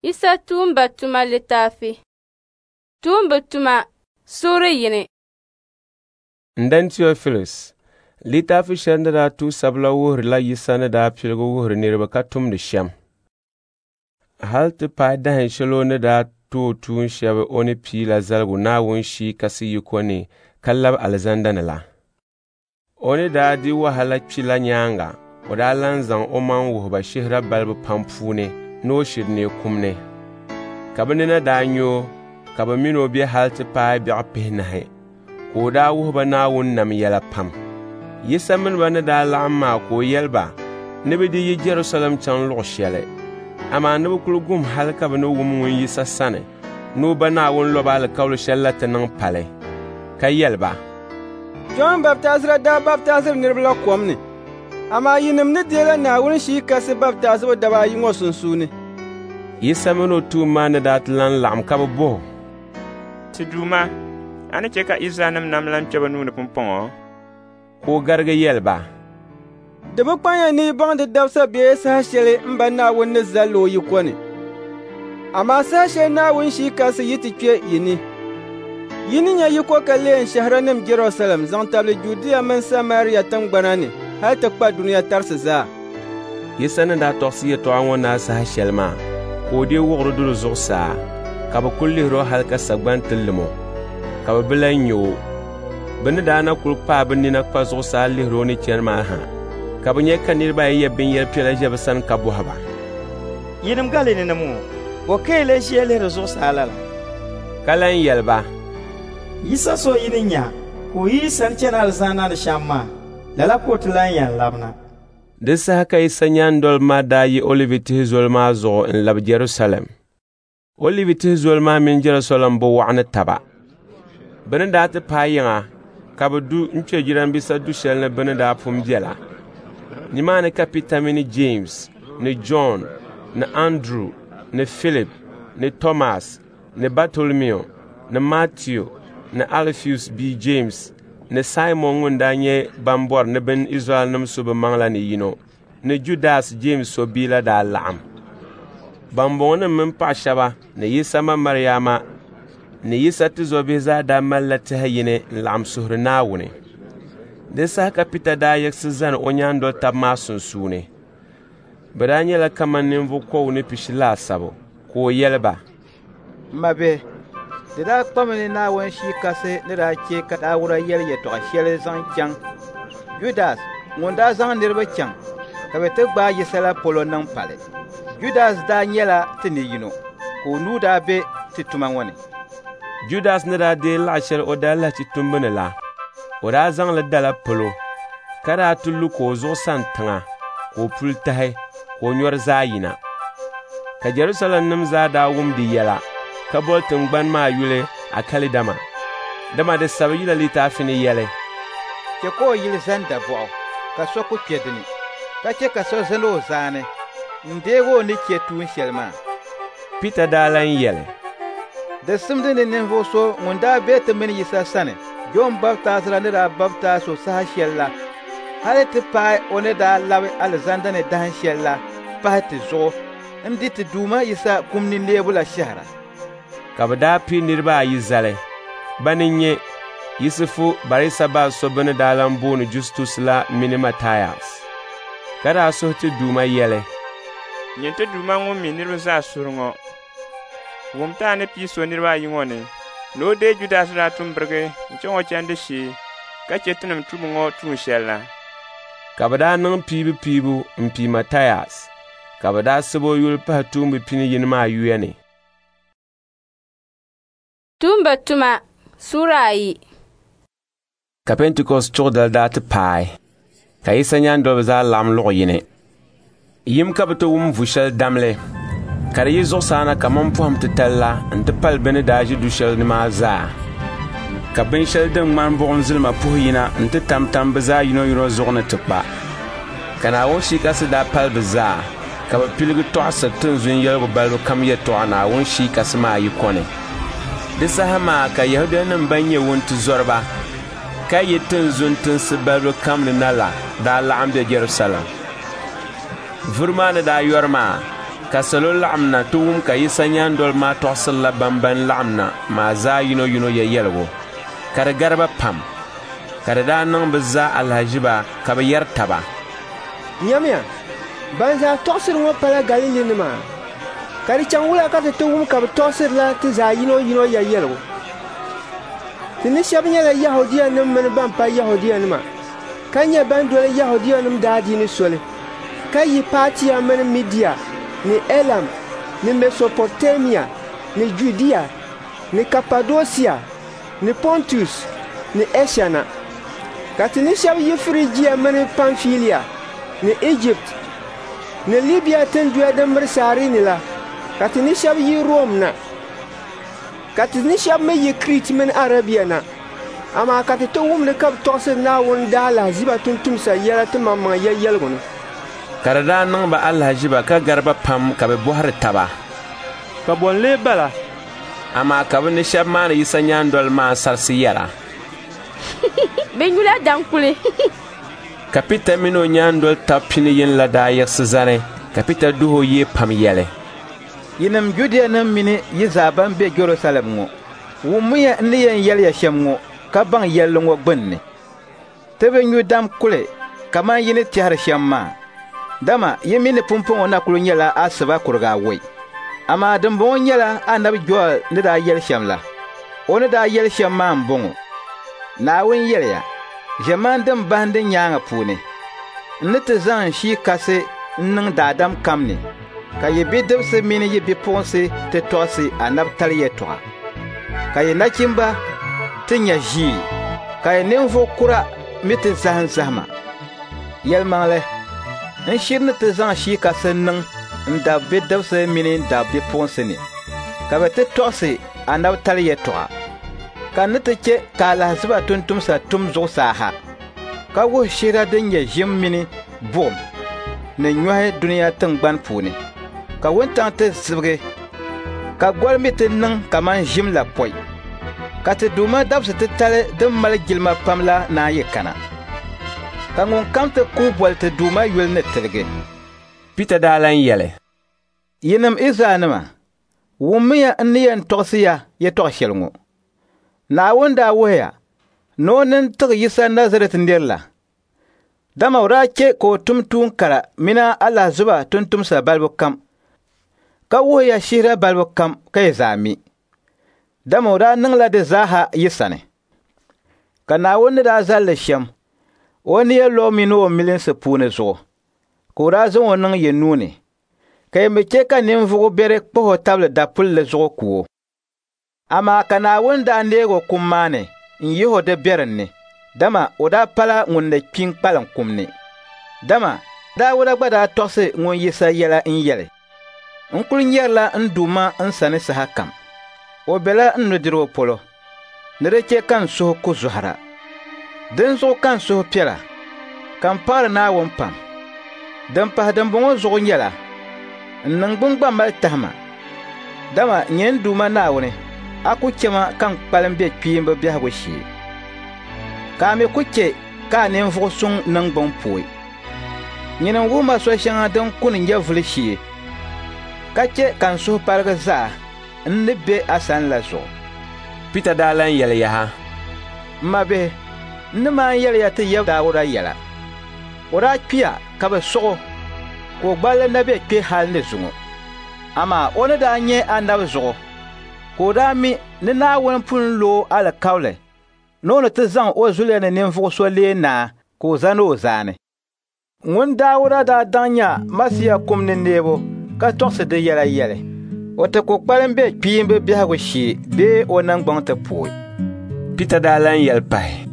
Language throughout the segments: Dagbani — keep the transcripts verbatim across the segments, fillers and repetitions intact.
Yisa tuumba tuma litaafi. Tuumba tuma suura yini. N-dan Teofilus, litaafi shɛli ni daa tuhi sabila wuhirila Yisa ni daa piligi wuhiri niriba ka tumdi shɛm. Hal ti paai dahin shɛli o ni daa tooi tuun shɛba o ni piila zaligu Naawuni Shii Kasi yiko ni ka labi alizanda ni la. O ni daa di wahala kpi la nyaaŋa, o daa lan zaŋ omaŋ wuhi ba shihira balibu pam puuni ni o shiri neei kum ni. Ka bɛ nina daa nya o, ka bɛ min o be hal ti paai biɛɣu pihinahi, ka o daa wuhi ba Naawuni nam yɛla pam. Yisa mini ba ni daa laɣim maa ka o yɛli ba ni bɛ di yi Jɛrusalɛm chaŋ luɣ shɛli, amaa ni bɛ kul gum hal ka bɛ ni wum ŋun Yisa sani ni o ba Naawuni lɔba alikauli shɛl la ti niŋ pali, ka yɛli ba, Jɔn Baptaizira daa baptaiziri niriba la kom ni, amaa yinim ni deela Naawuni Shii Kasi baptaizibu daba ayi ŋɔ sunsuuni. Yisa mini o tuumba maa ni daa ti lan laɣim ka bɛ bɔh o, Ti Duuma, a ni chɛ ka Izraɛlnim nam lan kpe bɛ nuu ni pumpɔŋɔ? Ka o garigi yɛli ba, Di bi kpanya ni yi baŋ di dabisa bee saha shɛli m Ba Naawuni ni zal li o yiko ni. Amaa saha shɛli Naawuni Shii Kasi yi ti kpe yi ni, yi ni nya yiko ka leei n shɛhiranim Jɛrusalɛm zaŋ tabili Judia mini Samaria tiŋgbana ni hal ti kpa dunia tarisi zaa. Yisa ni daa tɔɣisi yɛtɔɣa ŋɔ naai saha shɛli maa, ka o deei wuɣiri duri zuɣusaa, ka bɛ kul lihir o hal ka sagbani ti lim o, ka bɛ bi lan nya o. Bɛ ni daa na kul kpaai bɛ nina kpa zuɣusaa lihir o ni chani maa ha, ka bɛ nya ka niriba ayi ye binyɛr piɛla ʒe bɛ sani ka bɔhi ba, Yinim Galilinim ŋɔ, bɔ ka yi lee ʒiya lihiri zuɣusaa lala? Ka lan yɛli ba, Yisa so yi ni nya ka o yi yi sani chani alizanda ni shɛm maa, lala ka o ti lan yɛn labina. Di saha ka Yisa nyaandoliba maa daa yi Olivi tihi zoli maa zuɣu n-labi Jɛrusalɛm. Olivi tihi zoli maa mini Jɛrusalɛm bi waɣa ni taba. Bɛ ni daa ti paai yiŋa, ka bɛ du n-kpe jirambisa du shɛli ni bɛ ni daa pun bela. Nimaani ka Pita mini Jeemsi ni Jɔn ni Anduru ni Filip ni Tɔmas ni Batolomiu ni Matiu ni Alifius bia Jeemsi ni Saimɔn ŋun daa nyɛ ban bɔri ni bɛn Izraɛlnim su bɛ maŋ la ni yino, ni Judas Jeemsi so bia la daa laɣim. Bambɔŋɔnim mini paɣ shɛba ni Yisa ma Mariama ni Yisa tizɔbihi zaa daa malila tɛha yini n-laɣim suhiri Naawuni. Di saha ka Pita daa yiɣisi zani o nyaandol taba maa sunsuuni. Bɛ daa nyɛla kaman ninvuɣ kɔbigu ni pishi laasabu, ka o yɛli ba, M mabihi, di daa kpami ni Naawuni Shii Kasi ni daa chɛ ka Dauda yɛli yɛtɔɣ shɛli zaŋ chaŋ Judas ŋun daa zaŋ niriba chaŋ ka bɛ ti gbaai Yisa la polo niŋ pali. Judas daa nyɛla ti ni yino, ka o nuu daa be ti tuma ŋɔ ni. Judas ni daa deei laɣ shɛli o daalahichi tumbu ni la, o daa zaŋ li dala palo, ka daa ti lu ka o zuɣu sani tiŋa, ka o puli tahi, ka o nyɔri zaa yina. Ka Jɛrusalɛmnim zaa daa wum di yɛla, ka boli tiŋgbani maa yuli Akalidama. Dama di sabi Yila litaafi ni yɛli, Chɛ ka o yili zani dabɔɣu ka so ku kpe di ni, ka chɛ ka so zani o zaani n-deeg o ni chɛ tuun shɛli maa. Pita daa lan yɛli, Di simdi ni ninvuɣ so ŋun daa be ti mini Yisa sani Jɔn Baptaizira ni daa baptaiz o saha shɛl la hal ti paai o ni daa labi alizanda ni dahin shɛl la pahi ti zuɣu n-di ti Duuma Yisa kum ni neebu la shɛhira. Ka bɛ daa pii niriba ayi zali, bani n-nyɛ Yisifu Barisabas so bɛ ni daa lan booni Justus la mini Matias. Ka daa suhi ti Duuma yɛli, Nyin ti Duuma ŋun mi niriba zaa suhuri ŋɔ, wum ti a ni pii so niriba ayi ŋɔ ni, ni o deei Judas daa tum birigi n-chaŋ o chandi shee ka chɛ tinim tubu ŋɔ tuun shɛli la. Ka bɛ daa niŋ piibupiibu m-pii Matias, ka bɛ daa sab o yuli pahi tuumba pini yini maa yuya ni. Tuumba tuma suura ayi. Ka Pentikɔst chuɣu dali daa ti paai, ka Yisa nyaandoliba zaa laɣim luɣ yini. Yim ka bɛ ti wum vu shɛli damli, ka di yi zuɣusaa na kaman pɔhim titali la nti pali bɛ ni daa ʒi du shɛli ni maa zaa. Ka binshɛli din ŋmani buɣim zilima puhi yina nti tamtam bɛ zaa yinoyino zuɣu ni ti kpa. Ka Naawuni Shii Kasi daa pali bɛ zaa, ka bɛ piligi tɔɣisiri tinzun yɛligu balibu kam yɛtɔɣa Naawuni Shii Kasi maa yiko ni. Di saha maa ka Yɛhudianim ban nyɛ wuntizɔriba ka yi tinzun tinsi balibu kam ni na la daa laɣim be Jɛrusalɛm. Vuri maa ni daa yɔri maa, ka Ka salo laɣim na ti wum ka Yisa nyaandoliba maa tɔɣisirila bamban laɣim na maa zaa yinoyino ya yɛligu, ka di gari ba pam. Ka di daa niŋ bɛ zaa alahiziba ka bɛ yɛri taba, Nyamiya, ban zaa tɔɣisiri ŋɔ pala Galilinima? Ka di chaŋ wula ka ti ti wum ka bɛ tɔɣisirila ti zaa yinoyino ya yɛligu? Ti ni shɛba nyɛla Yɛhudianim mini ban pa Yɛhudianima, ka nyɛ ban doli Yɛhudianim daadiini soli, ka yi Paatia mini Midia ni Elam ni Mɛsopoteemia ni Judia ni Kapadosia ni Pɔntus ni Ɛsha na. Ka ti ni shɛba yi Firijia mini Pamfilia ni Ijipti ni Libia tinduya din miri Sairini la, ka ti ni shɛba yi Rom na, ka ti ni shɛba mi yi Kriit mini Arabia na. Amaa ka ti ti wumdi ka bɛ tɔɣisiri Naawuni daalahiziba tumtumsa yɛla ti maŋmaŋ ya yɛligu ni. Ka di daa niŋ ba alahiziba ka gari ba pam ka bɛ bɔhiri taba, Ka bɔ n-lee bala? Amaa ka bɛ ni shɛba maani Yisa nyaandoliba maa sarisi yɛra, Bɛ nyula daŋkuli. Ka Pita mini o nyaandoli tab pini yini la daa yiɣisi zani, ka Pita duhi o yee pam yɛli, Yinim Judianim mini yi zaa ban be Jɛrusalɛm ŋɔ, wummiya n ni yɛn yɛli ya shɛm ŋɔ ka baŋ yɛlli ŋɔ gbunni. Ti bi nyu dam kuli kaman yi ni tɛhiri shɛm maa, dama yi mi ni pumpɔŋɔ na kul nyɛla asiba kuriga awɔi. Amaa dimbɔŋɔ nyɛla anabi Joɛl ni daa yɛli shɛm la. O ni daa yɛli shɛm maa m-bɔŋɔ: Naawuni yɛliya, ʒiɛmani din bahindi nyaaŋa puuni, n ni ti zaŋ n Shii Kasi n-niŋ daadam kam ni, ka yi bidibisi mini yi bipuɣinsi ti tɔɣisi anabitali yɛtɔɣa, ka yi nachimba ti nya ʒii, ka yi ninvuɣ kura mi ti zahim zahima. Yɛlimaŋli, n shiri ni ti zaŋ Shii Kasi niŋ n dab bidibisi mini n dab bipuɣinsi ni, ka bɛ ti tɔɣisi anabitali yɛtɔɣa. Ka n ni ti chɛ ka alahiziba tumtumsa tum zuɣusaa ha, ka wuhi shihira din nyɛ ʒim mini buɣim ni nyɔhi dunia tiŋgbani puuni, ka wuntaŋ ti zibigi, ka goli mi ti niŋ kaman ʒim la pɔi, ka ti Duuma dabisi titali din mali jilima pam la naan yi kana. Ka ŋunkam ti kuhi boli ti Duuma yuli ni tiligi. Pita daa lan yɛli, Yinim Izraɛlnima, wummiya n ni yɛn tɔɣisi ya yɛtɔɣ shɛli ŋɔ. Naawuni daa wuhiya ni o nini tiɣi Yisa Nazarɛt nir la, dama o daa chɛ ka o tum tuun kara mini alahiziba tumtumsa balibu kam, ka wuhiya shihira balibu kam ka yi zaa mi, dama o daa niŋla di zaaha yi sani. Ka Naawuni ni daa zali li shɛm o nia lɔbu mini o milinsi puuni zuɣu, ka o daa zaŋ o niŋ yi nuu ni, ka yi mi chɛ ka ninvuɣ biɛri kpahi o tabili dapulli zuɣu ku o. Amaa ka Naawuni daa neeg o kum maa ni n-yihi o di biɛrim ni, dama o daa pala ŋun ni kpi n-kpalim kum ni. Dama Daawuda gba daa tɔɣisi ŋun Yisa yɛla n-yɛli, N kul nyarila n Duuma n sani sahakam. O bela n nudirigu polo, ni di chɛ ka n suhu ku zɔhira. Dinzuɣu ka n suhu piɛla, ka m paɣiri Naawuni pam. Din pahi dimbɔŋɔ zuɣu nyɛla, n niŋgbuŋ gba mali tahima, dama nyini n Duuma Naawuni, a ku chɛ ma ka n kpalim be kpiimba biɛhigu shee, ka a mi ku chɛ ka a ninvuɣ suŋ niŋgbuŋ pooi. Nyini n-wuhi ma so shɛŋa din kuni nyɛvili shee, ka chɛ ka n suhu paligi zaa n ni be a sani la zuɣu. Pita daa lan yɛli yaha, M mabihi, n ni maan yɛli ya ti yab Daawuda yɛla. O daa kpiya ka bɛ sɔɣ o, ka o gballi na be kpe hal ni zuŋɔ. Amaa o ni daa nyɛ anabi zuɣu, ka o daa mi ni Naawuni pun lo o alikauli ni o ni ti zaŋ o zuliya ni ninvuɣ so leei naa ka o zani o zaani. Ŋun Daawuda daa daŋ nya Masia kum ni neebu ka tɔɣisi di yɛla yɛli, o ti ku kpalim be kpiimba biɛhigu shee bee o niŋgbuŋ ti pooi. Pita daa lan yɛli pahi,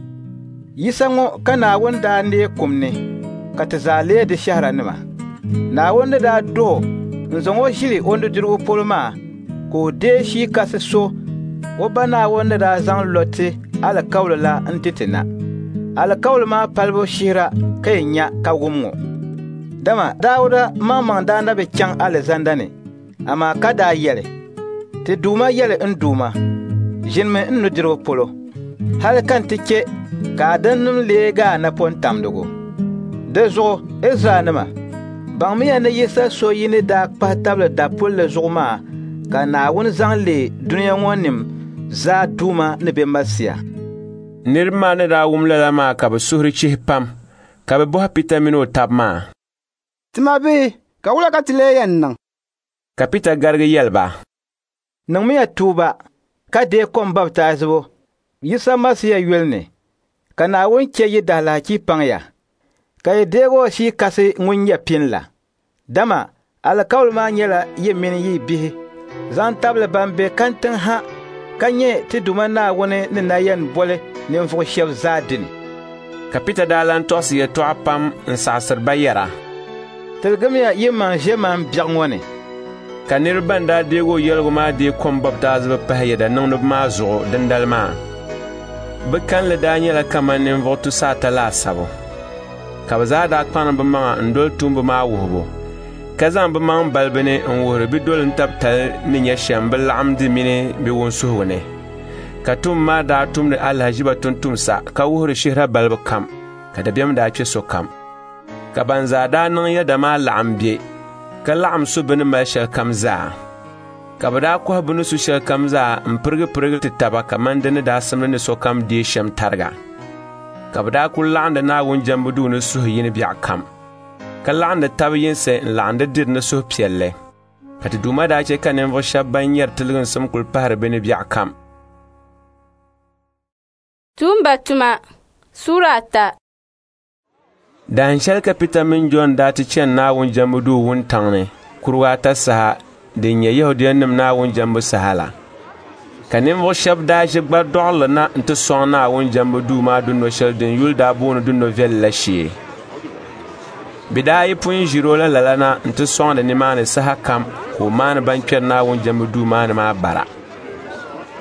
Yisa ŋɔ ka Naawuni daa neei kum ni, ka ti zaa leei di shɛhiranima. Naawuni ni daa duh o n-zaŋ o ʒili o nudirigu polo maa, ka o deei Shii Kasi so o Ba Naawuni ni daa zaŋ lɔ ti alikauli la n-ti ti na. Alikauli maa palibu shihira ka yi nya ka wum ŋɔ. Dama Daawuda maŋmaŋ daa na bi chaŋ alizanda ni, amaa ka daa yɛli, Ti Duuma yɛli n Duuma, ʒinimi n nudirigu polo, hali ka n ti chɛ ka a dimnim leegi a napɔntamdigu. Di zuɣu Izraɛlnima, Baŋmiya ni Yisa so yi ni daa kpahi tabili dapulli zuɣu maa ka Naawuni zaŋ leei dunia ŋɔ nim zaa Duuma ni bɛ Masia. Niriba maa ni daa wum lala maa ka bɛ suhuri chihi pam, ka bɛ bɔhi Pita mini o taba maa, “Ti mabihi, ka wula ka ti lee yɛn niŋ?” Ka Pita garigi yɛli ba, “Niŋmiya tuuba ka deei kom baptaizibu Yisa Masia yuli ni, ka Naawuni chɛ yi daalahichi paŋ ya, ka yi deeg o Shii Kasi ŋun nyɛ pin la. Dama alikauli maa nyɛla yi mini yi bihi zaŋ tabili ban be kantiŋ ha ka nyɛ ti Duuma Naawuni ni na yɛn boli ninvuɣ shɛb zaa dini.” Ka Pita daa lan tɔɣisi yɛtɔɣa pam n-saɣisiri ba yɛra, “Tiligimiya yimaŋ ʒiɛman biɛɣu ŋɔ ni.” Ka niriba ban daa deeg o yɛligu maa deei kom baptaizibu pahi yɛda niŋdiba maa zuɣu dindali maa. Bɛ kalinli daa nyɛla kaman ninvuɣ tusaata laasabu. Ka bɛ zaa daa kpaŋdi bɛ maŋa n-doli tuumba maa wuhibu, ka zaŋ bɛ maŋ balibu ni n-wuhiri bɛ dolintabitali ni nyɛ shɛm bɛ laɣimdi mini bɛ wunsuhigu ni. Ka tuumba maa daa tumdi alahiziba tumtumsa ka wuhiri shihira balibu kam, ka dabiɛm daa kpe sokam. Ka ban zaa daa niŋ yɛda maa laɣim be, ka laɣim su bɛ ni mali shɛlikam zaa. Ka bɛ daa kɔhi bɛ ni su shɛlikam zaa m-pirigipirigi ti taba kaman di ni daa simdi ni sokam deei shɛm tariga. Ka bɛ daa kul laɣindi Naawuni jɛmbu duu ni suhu yini biɛɣu kam, ka laɣindi tab yinsi n-laɣindi diri ni suhupiɛlli. Ka ti Duuma daa chɛ ka ninvuɣ shɛba ban nyari tiliginsim kul pahiri bɛ ni biɛɣu kam. Tuumba tuma Sura ata. Dahin shɛli ka Pita mini Jɔn daa ti chani Naawuni jɛmbu duu wuntaŋ ni kuruga ata saha din nyɛ Yɛhudianim Naawuni jɛmbu saha la. Ka ninvuɣ shɛba daa ʒi gbaridɔɣirili na nti sɔŋ Naawuni jɛmbu duu maa duno shɛli din yuli daa booni Duno Viɛlli la shee. Bɛ daa yi pun ʒiri o la lala na nti sɔŋdi nimaani saha kam ka o maani ban kpɛri Naawuni jɛmbu duu maa ni maa bara.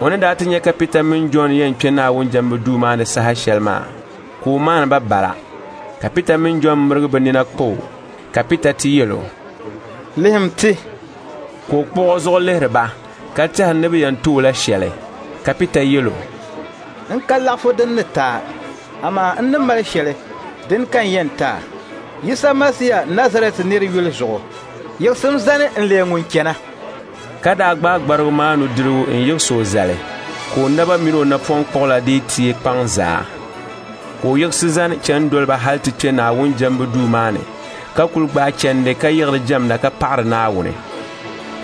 O ni daa ti nya ka Pita mini Jɔn yɛn kpe Naawuni jɛmbu duu maa ni saha shɛli maa, ka o maani ba bara. Ka Pita mini Jɔn mirigi bɛ nina kpa o, ka Pita ti yɛl o, “Lihim ti.” Ka o kpuɣ o zuɣu lihiri ba, ka tɛhiri ni bɛ yɛn ti o la shɛli. Ka Pita yɛl o, “N ka laɣifu din ni ti a, amaa n ni mali shɛli, din ka n yɛn ti a. Yisa Masia Nazarɛt nir yuli zuɣu, yiɣisim zani n-leei ŋun chana.” Ka daa gbaai gbarigu maa nudirigu n-yiɣis o zali, ka o naba min o napɔŋ kpuɣila dii teei kpaŋ zaa. Ka o yiɣisi zani chani doli ba hal ti kpe Naawuni jɛmbu duu maa ni, ka kul gbaai chandi ka yiɣiri jɛmda ka paɣiri Naawuni.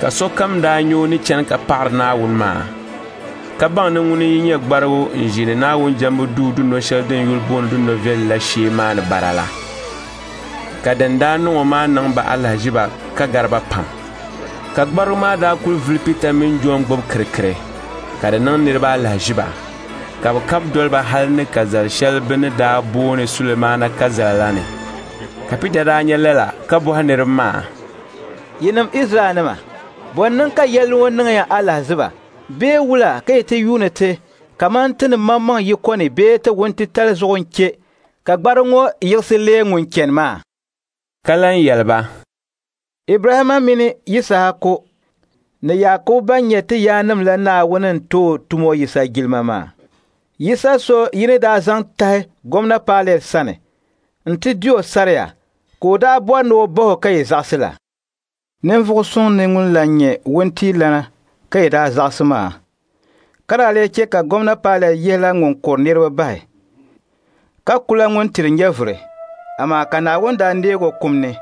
Ka sokam daa nya o ni chani ka paɣiri Naawuni maa, ka baŋ ni ŋuni n-nyɛ gbarigu n-ʒiini Naawuni jɛmbu duu duno shɛli din yuli booni Duno Viɛlli la shee maani bara la. Ka din daa niŋ o maa niŋ ba alahiziba ka gari ba pam. Ka gbarigu maa daa kul vuli Pita mini Jɔn gbubi kirikiri, ka di niŋ niriba alahiziba, ka bɛ kab doli ba hal ni kazal shɛli bɛ ni daa booni Sulemaana kazala la ni. Ka Pita daa nya lala ka bɔhi niriba maa, “Yinim Izraɛlnima, bɔ n-niŋ ka yɛlli ŋɔ niŋ ya alahiziba? Bee wula ka yi ti yuuni ti kaman ti ni maŋmaŋ yiko ni bee ti wuntitali zuɣu n-chɛ ka gbarigu ŋɔ yiɣisi leei ŋun chani maa?” Ka lan yɛli ba, “Ibrahimma mini Yisahaku ni Yaakubu ban nyɛ ti yaannim la Naawuni n-tooi tumo Yisa jilima maa. Yisa so yi ni daa zaŋ tahi Gomna Pailɛt sani nti di o saria ka o daa bɔri ni o bah o ka yi zaɣisi la. Ninvuɣ suŋ ni ŋun lan nyɛ wuntiilana ka yi daa zaɣisi maa, ka daa lee chɛ ka Gomna Pailɛt yihila ŋun kuri niriba bahi, ka kula ŋun tiri nyɛvuri, amaa ka Naawuni daa neeg o kum ni.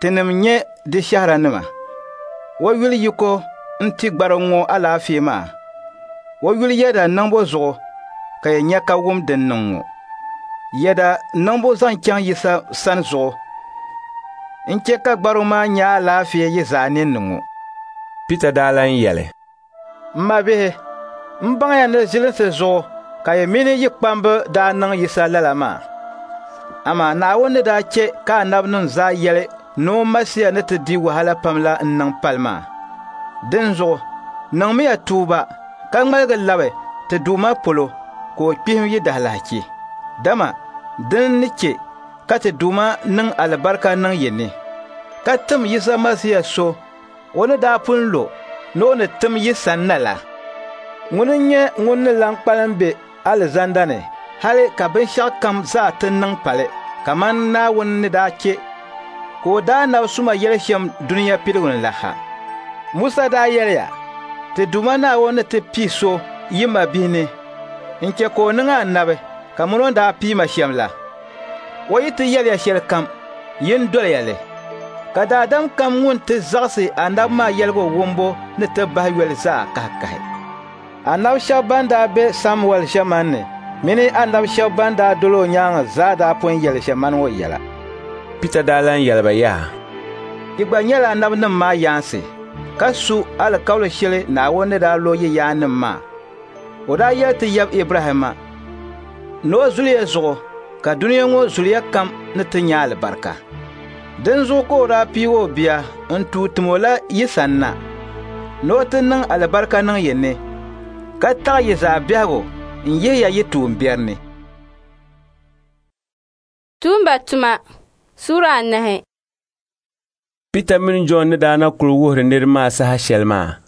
Tinim nyɛ di shɛhiranima. O yuli yiko n-ti gbarigu ŋɔ alaafee maa. O yuli yɛda niŋbu zuɣu ka yi nya ka wum din niŋ ŋɔ. Yɛda niŋbu zaŋ chaŋ Yisa sani zuɣu n-chɛ ka gbarigu maa nya alaafee yi zaa ninni ŋɔ. Pita daa lan yɛli, “M mabihi, m baŋya ni zilinsi zuɣu ka yi mini yi kpamba daa niŋ Yisa lala maa. Amaa Naawuni ni daa chɛ ka anabinim zaa yɛli ni o Masia ni ti di wahala pam la n-niŋ pali maa. Dinzuɣu niŋmiya tuuba ka ŋmaligi labi ti Duuma polo ka o kpihim yi daalahichi. Dama din ni chɛ ka ti Duuma niŋ alibarika niŋ yi ni, ka tim Yisa Masia so o ni daa pun lo ni o ni tim yi sanna la. Ŋuni n-nyɛ ŋun ni lan kpalim be alizanda ni hali ka binshɛɣukam zaa ti niŋ pali kaman Naawuni ni daa chɛ ka o daa nab suma yɛli shɛm dunia piligu ni la ha. Musa daa yɛliya, ti Duuma Naawuni ni ti pii so yi mabihi ni n-chɛ ka o niŋ anabi kamani o ni daa pii ma shɛm la. O yi ti yɛliya shɛlikam, yin doliya li. Ka daadam kam ŋun ti zaɣisi anabi maa yɛligu wumbu ni ti bahi yoli zaa kahikahi. Anabi shɛba ban daa be Samuɛl ʒiɛmani ni mini anabi shɛba ban daa doli o nyaaŋa zaa daa pun yɛli ʒiɛmani ŋɔ yɛla. Pita daa lan yɛli ba yaha, Yi gba nyɛla anabinim maa yaansi, ka su alikauli shɛli Naawuni ni daa lo yi yaannim maa. O daa yɛli ti yab Ibrahimma ni o zuliya zuɣu ka dunia ŋɔ zuliya kam ni ti nya alibarika. Dinzuɣu ka o daa piigi o bia n-tuui tim o la yi sanna, ni o ti niŋ alibarika niŋ yi ni, ka taɣi yi zaa biɛhigu n-yihi ya yi tuumbiɛri ni. Tuumba tuma Sura anahi. Pita mini Jɔn ni daa na kuli wuhiri niriba maa saha shɛli maa,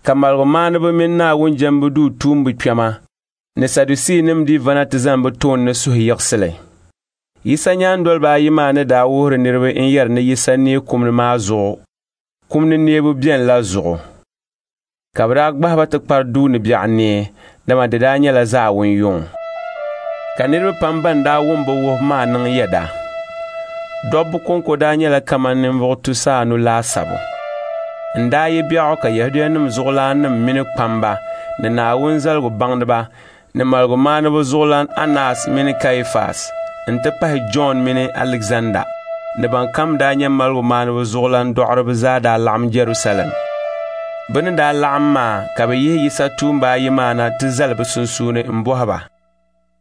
ka maligumaaniba mini Naawuni jɛmbu duu tuumba kpɛma ni Sadusiinim dii vana ti zani bɛ tooni ni suhuyiɣisili. Yisa nyaandoliba ayi maa ni daa wuhiri niriba n-yɛri ni Yisa neei kum ni maa zuɣu, kum ni neebu beni la zuɣu. Ka bɛ daa gbahi ba ti kpari duu ni biɛɣu nee, dama di daa nyɛla zaawun yuŋ. Ka niriba pam ban daa wum bɛ wuhibu maa niŋ yɛda. Dobba kɔŋko daa nyɛla kaman ninvuɣ tusa anu laasabu. N daa yi biɛɣu ka Yɛhudianim zuɣulaannim mini kpamba ni Naawuni zaligu baŋdiba ni maligumaaniba zuɣulan Anas mini Kaifas nti pahi Jɔn mini Alizanda ni ban kam daa nyɛ maligumaaniba zuɣulan dɔɣiriba zaa daa laɣim Jɛrusalɛm. Bɛ ni daa laɣim maa ka bɛ yihi Yisa tuumba ayi maa na ti zali bɛ sunsuuni m-bɔhi ba,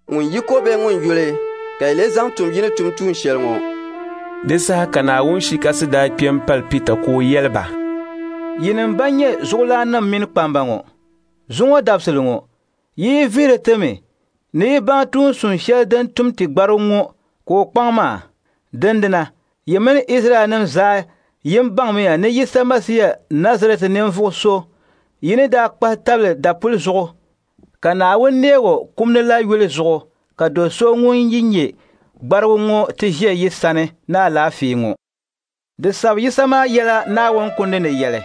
ŋun yiko bee ŋun yuli ka yi lee zaŋ tum yi ni tum tuun shɛli ŋɔ? Di saha ka Naawuni Shii Kasi daa kpe m-pali Pita ka o yɛli ba, Yinim ban nyɛ zuɣulaannim mini kpamba ŋɔ, zuŋɔ dabisili ŋɔ, yi yi vihiri ti mi ni yi baŋ tuun sun shɛli din tum ti gbarigu ŋɔ ka o kpaŋ maa, dindina yi mini Izraɛlnim zaa yin baŋmiya ni Yisa Masia Nazarɛt ninvuɣ so yi ni daa kpahi tabili dapuli zuɣu ka Naawuni neeg o kum ni la yuli zuɣu ka do so ŋun yi nyɛ gbarigu ŋɔ ti ʒe yi sani ni alaafee ŋɔ. Di sabi Yisa maa yɛla Naawuni kundi ni yɛli,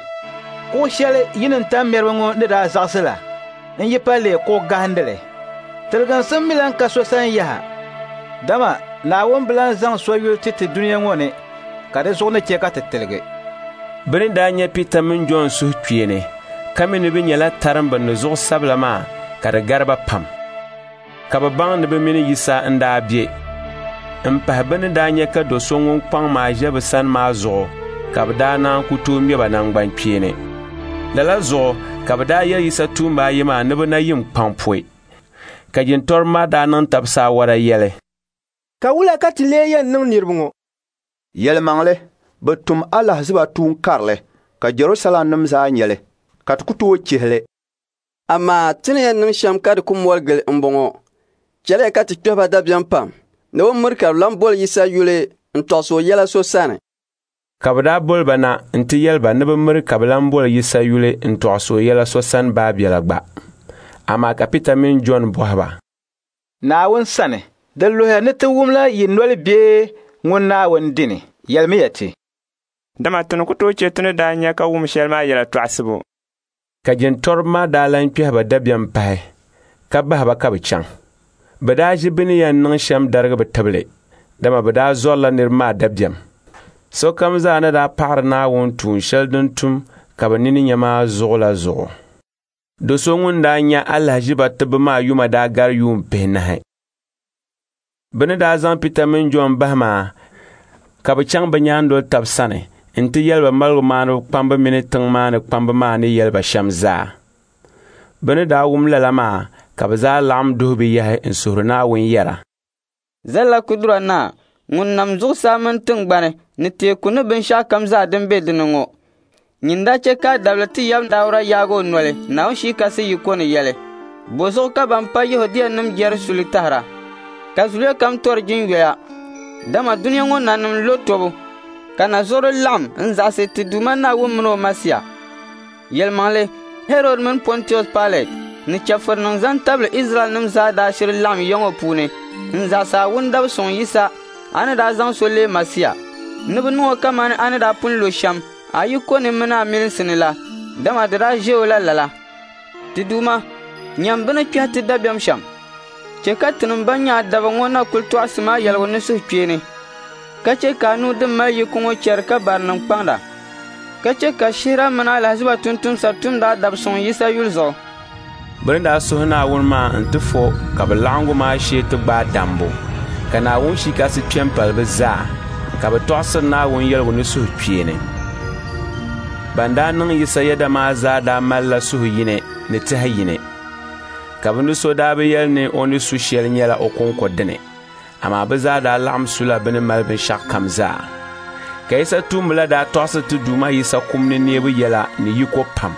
kuɣ shɛli yi ni tammɛriba ŋɔ ni daa zaɣisi la n-yi pa leei kuɣ gahindili. Tiliginsim mi lan ka so sani yaha, dama Naawuni bi lan zaŋ so yuli ti ti dunia ŋɔ ni ka di zuɣu ni chɛ ka ti tiligi. Bɛ ni daa nya Pita mini Jɔn suhukpeeni, ka mi ni bɛ nyɛla tarimba ni zuɣusabila maa ka di gari ba pam. Ka bɛ baŋ ni bɛ mini Yisa n-daa be. M-pahi bɛ ni daa nya ka do so ŋun kpaŋ maa ʒe bɛ sani maa zuɣu, ka bɛ daa naan ku tooi ŋme ba naŋgbankpeeni. Lala zuɣu ka bɛ daa yɛli Yisa tuumba ayi maa ni bɛ na yim kpaŋ pɔi. Ka jintɔriba maa daa niŋ tab saawara yɛli, Ka wula ka ti lee yɛn niŋ niriba ŋɔ? Yɛlimaŋli, bɛ tum alahiziba tuun karili ka Jɛrusalɛmnim zaa nya li, ka ti ku tooi chihi li. Amaa ti ni yɛn niŋ shɛm ka di ku moli gili m-bɔŋɔ. Chɛliya ka ti kpɛhi ba dabiɛm pam ni bɛ miri ka bɛ lan boli Yisa yuli n-tɔɣisi o yɛla so sani. Ka bɛ daa boli ba na nti yɛli ba ni bɛ miri ka bɛ lan boli Yisa yuli n-tɔɣisi o yɛla so sani baabiɛla gba. Amaa ka Pita mini Jɔn bɔhi ba, Naawuni sani, di luhiya ni ti wumla yi noli bee ŋun Naawuni dini, yɛlimiya ti. Dama ti ni ku tooi chɛ ti ni daa nya ka wum shɛli maa yɛla tɔɣisibu. Ka jintɔriba maa daa lan kpɛhi ba dabiɛm pahi, ka bahi ba ka bɛ chaŋ. Bɛ daa ʒi bɛ ni yɛn niŋ shɛm darigi bɛ tibili, dama bɛ daa zɔrila niriba maa dabiɛm. Sokam zaa ni daa paɣiri Naawuni tuun shɛli din tum ka bɛ nini nya maa zuɣu la zuɣu. Do so ŋun daa nya alahiziba tibbu maa yuma daa gari yuun pihinahi. Bɛ ni daa zaŋ Pita mini Jɔn bahi maa, ka bɛ chaŋ bɛ nyaandoli tab sani nti yɛli ba maligumaaniba kpamba mini tiŋ maa ni kpamba maa ni yɛli ba shɛm zaa. Bɛ ni daa wum lala maa ka bɛ zaa laɣim duhi bɛ yahi n-suhiri Naawuni yɛra, Zallakudura Naa, ŋun nam zuɣusaa mini tiŋgbani ni teeku ni binshɛɣu kam zaa din be di ni ŋɔ, nyin daa chɛ ka a dabili ti yab Dauda yaagi o noli Naawuni Shii Kasi yiko ni yɛli, bɔzuɣu ka ban pa Yɛhudianim jɛri suli tahira, ka zuliya kam tɔri jinyoya, dama dunia ŋɔ nanim lo tɔbu, ka na zuɣuri laɣim n-zaɣisi ti Duuma Naawuni mini o Masia. Yɛlimaŋli, Hɛrɔd mini Pɔntius Pailɛt ni chɛfurinim zaŋ tabili Izraɛlnim zaa daa shiri laɣim ya ŋɔ puuni n-zaɣisi a wundabi suŋ Yisa, a ni daa zaŋ so leei Masia. ni bɛ niŋ o kamani a ni daa pun lo shɛm a yiko ni mini a milinsi ni la, dama di daa ʒe o la lala. Ti Duuma, nyam bɛ ni kpɛhi ti dabiɛm shɛm. Chɛ ka tinim bɛn nyɛ a daba ŋɔ na kul tɔɣisi ma yɛligu ni suhukpeeni, ka chɛ ka a nuu din mali yiko ŋɔ chɛri ka barinim kpaŋda, ka chɛ ka shihira mini alahiziba tumtumsa tumdi a dab suŋ Yisa yuli zuɣu. Bɛ ni daa suhi Naawuni maa nti fo ka bɛ laɣiŋgu maa shee ti gbaai dambu, ka Naawuni Shii Kasi kpe m-pali bɛ zaa, ka bɛ tɔɣisiri Naawuni yɛligu ni suhukpeeni. Ban daa niŋ Yisa yɛda maa zaa daa malila suhu yini ni tɛha yini, ka bɛ ni so daa bi yɛli ni o ni su shɛli nyɛla o kɔŋko dini, amaa bɛ zaa daa laɣim sula bɛ ni mali binshɛɣukam zaa. Ka Yisa tuumba la daa tɔɣisiri ti Duuma Yisa kum ni neebu yɛla ni yiko pam,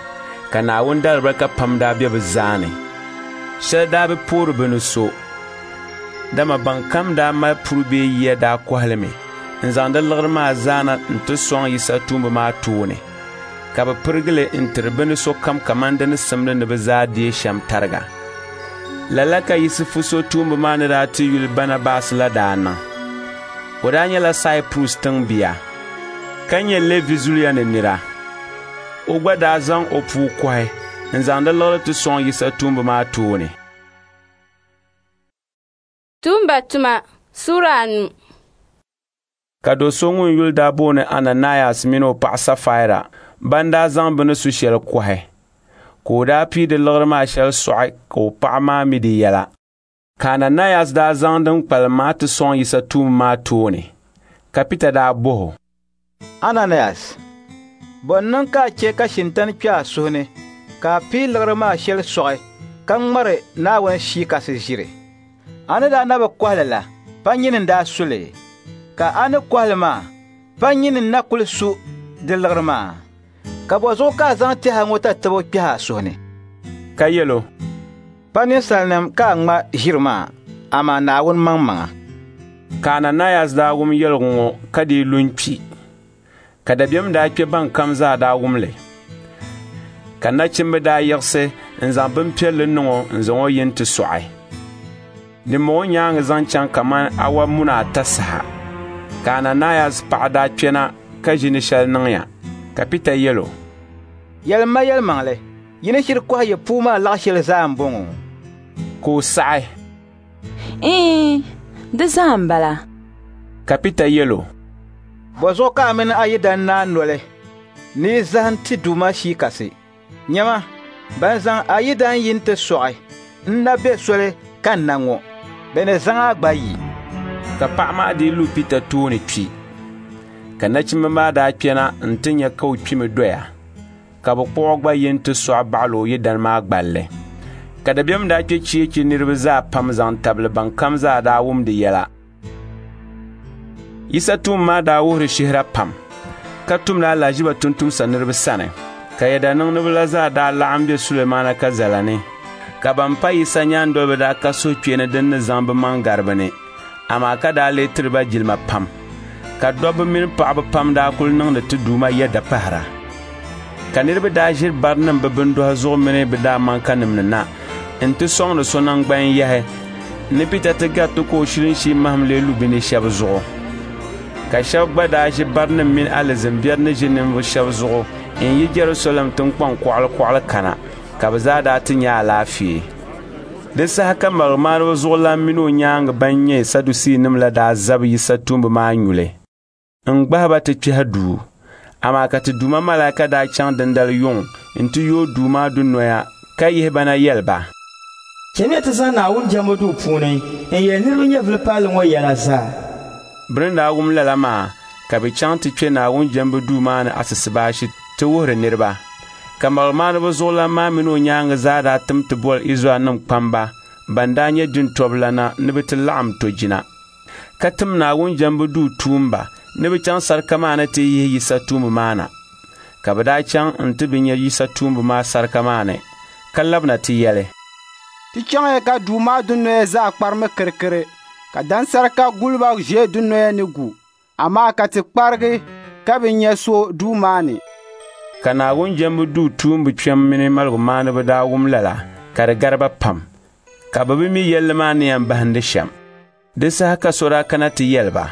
ka Naawuni daalibarika pam daa be bɛ zaa ni. Shɛli daa bi poori bɛ ni so, dama bɛnkam daa mali puri bee yiya daa kɔhi li mi n-zaŋ di liɣiri maa zaa na nti sɔŋ Yisa tuumba maa tooni, ka bɛ pirigi li n-tiri bɛ ni sokam kaman di ni simdi ni bɛ zaa deei shɛm tariga. Lala ka Yisifu so tuumba maa ni daa ti yuli Banabas la daa niŋ. O daa nyɛla Saipurus tiŋbia, ka nyɛ Lɛvi zuliya ni nira. O gba daa zaŋ o puu kɔhi n-zaŋ di liɣiri ti sɔŋ Yisa tuumba maa tooni. Tuumba tuma Sura anu. Ka do so ŋun yuli daa booni Ananayas mini o paɣa Safaira ban daa zaŋ bɛ ni su shɛli kɔhi, ka o daa pii di liɣiri maa shɛli sɔɣi ka o paɣa maa mi di yɛla. Ka Ananayas daa zaŋ din kpalim maa ti sɔŋ Yisa tuumba maa tooni. Ka Pita daa bɔh o, Ananayas, bɔ n-niŋ ka a chɛ ka shintani kpe a suhu ni ka a pii liɣiri maa shɛli sɔɣi ka ŋmari Naawuni Shii Kasi ʒiri? A ni daa na bi kɔhi li la, pa nyini n-daa su li? Ka a ni kɔhi li maa, pa nyini n-na kul su di liɣiri maa? Ka bɔzuɣu ka a zaŋ tɛha ŋɔ tatabo kpɛhi a suhu ni? Ka yɛl o, Pa ninsalinim ka a ŋma ʒiri maa, amaa Naawuni maŋmaŋa. Ka Ananayas daa wum yɛligu ŋɔ ka dii lu n-kpi. Ka dabiɛm daa kpe bɛnkam zaa daa wum li. Ka nachimba daa yiɣisi n-zaŋ bimpiɛlli niŋ o n-zaŋ o yi nti sɔɣi. Dimbɔŋɔ nyaaŋa zaŋ chaŋ kaman awa muna ata saha, ka Ananayas paɣa daa kpɛna ka ʒi ni shɛli niŋya. Ka Pita yɛl o, Yɛlim ma yɛlimaŋli, yi ni shiri kɔhi yi puu maa laɣ shɛli zaa m-bɔŋɔ? Ka o saɣi, Iin, di zaa m-bala. Ka Pita yɛl o, Bɔzuɣu ka a mini a yidan naa noli ni yi zahim ti Duuma Shii Kasi? Nyama, ban zaŋ a yidan yi nti sɔɣi n-na be soli kanna ŋɔ, bɛ ni zaŋ a gba yi. Ka paɣa maa dii lu Pita tooni kpi. Ka nachimba maa daa kpɛna nti nya ka o kpimi doya, ka bɛ kpuɣ o gba yi nti sɔɣi baɣili o yidana maa gballi. Ka dabiɛm daa kpe cheechi niriba zaa pam zaŋ tabili bɛnkam zaa daa wum di yɛla. Yisa tuumba maa daa wuhiri shihira pam, ka tumdi alahiziba tumtumsa niriba sani. Ka yɛdaniŋdiba la zaa daa laɣim be Sulemaana kazala ni, ka ban pa Yisa nyaandoliba daa ka suhukpeeni din ni zaŋ bɛ maŋ gari bɛ ni, amaa ka daa lee tiri ba jilima pam. Ka dobba mini paɣiba pam daa kul niŋdi ti Duuma yɛda pahira. Ka niriba daa ʒiri barinima bɛ bindɔhi zuɣu mini bɛ daamaŋkanima ni na nti sɔŋdi so naŋgban yahi ni Pita ti gariti ka o shilinshii mahim lee lu bɛ ni shɛba zuɣu. Ka shɛba gba daa ʒi barinima mini alizin biɛri ni ʒi ninvuɣ shɛba zuɣu n-yi Jɛrusalɛm tiŋkpaŋ kɔɣili kana, ka bɛ zaa daa ti nya alaafee. Di saha ka maligumaaniba zuɣulan mini o nyaaŋa ban nyɛ Sadusiinima la daa zabi Yisa tuumba maa nyuli n-gbahi ba ti kpɛhi duu. Amaa ka ti Duuma malaika daa chaŋ dindali yuŋ nti yooi duu maa dunoya ka yihi ba na yɛli ba, Chamiya ti zani Naawuni jɛmbu duu puuni n-yɛli niriba nyɛvili palli ŋɔ yɛla zaa. Bɛ ni daa wum lala maa, ka bɛ chaŋ ti kpe Naawuni jɛmbu duu maa ni asisibaashi ti wuhiri niriba. Ka maligumaaniba zuɣulan maa mini o nyaaŋa zaa daa tim ti boli Izraɛlnim kpamba ban daa nyɛ jintɔbulana ni bɛ ti laɣim tɔjina, ka tim Naawuni jɛmbu duu tuumba ni bɛ chaŋ sarika maa ni ti yihi Yisa tuumba maa na. Ka bɛ daa chaŋ nti bi nya Yisa tuumba maa sarika maa ni, ka labina ti yɛli, Ti chaŋya ka duu maa dunoya zaa kparimi kirikiri, ka dansarika guliba ʒe dunoya ni gu, amaa ka ti kparigi ka bi nya so duu maa ni. Ka Naawuni jɛmbu duu tuumba kpɛm mini maligumaaniba daa wum lala, ka di gari ba pam, ka bɛ bi mi yɛlli maa ni yɛn bahindi shɛm. Di saha ka so daa kana ti yɛli ba,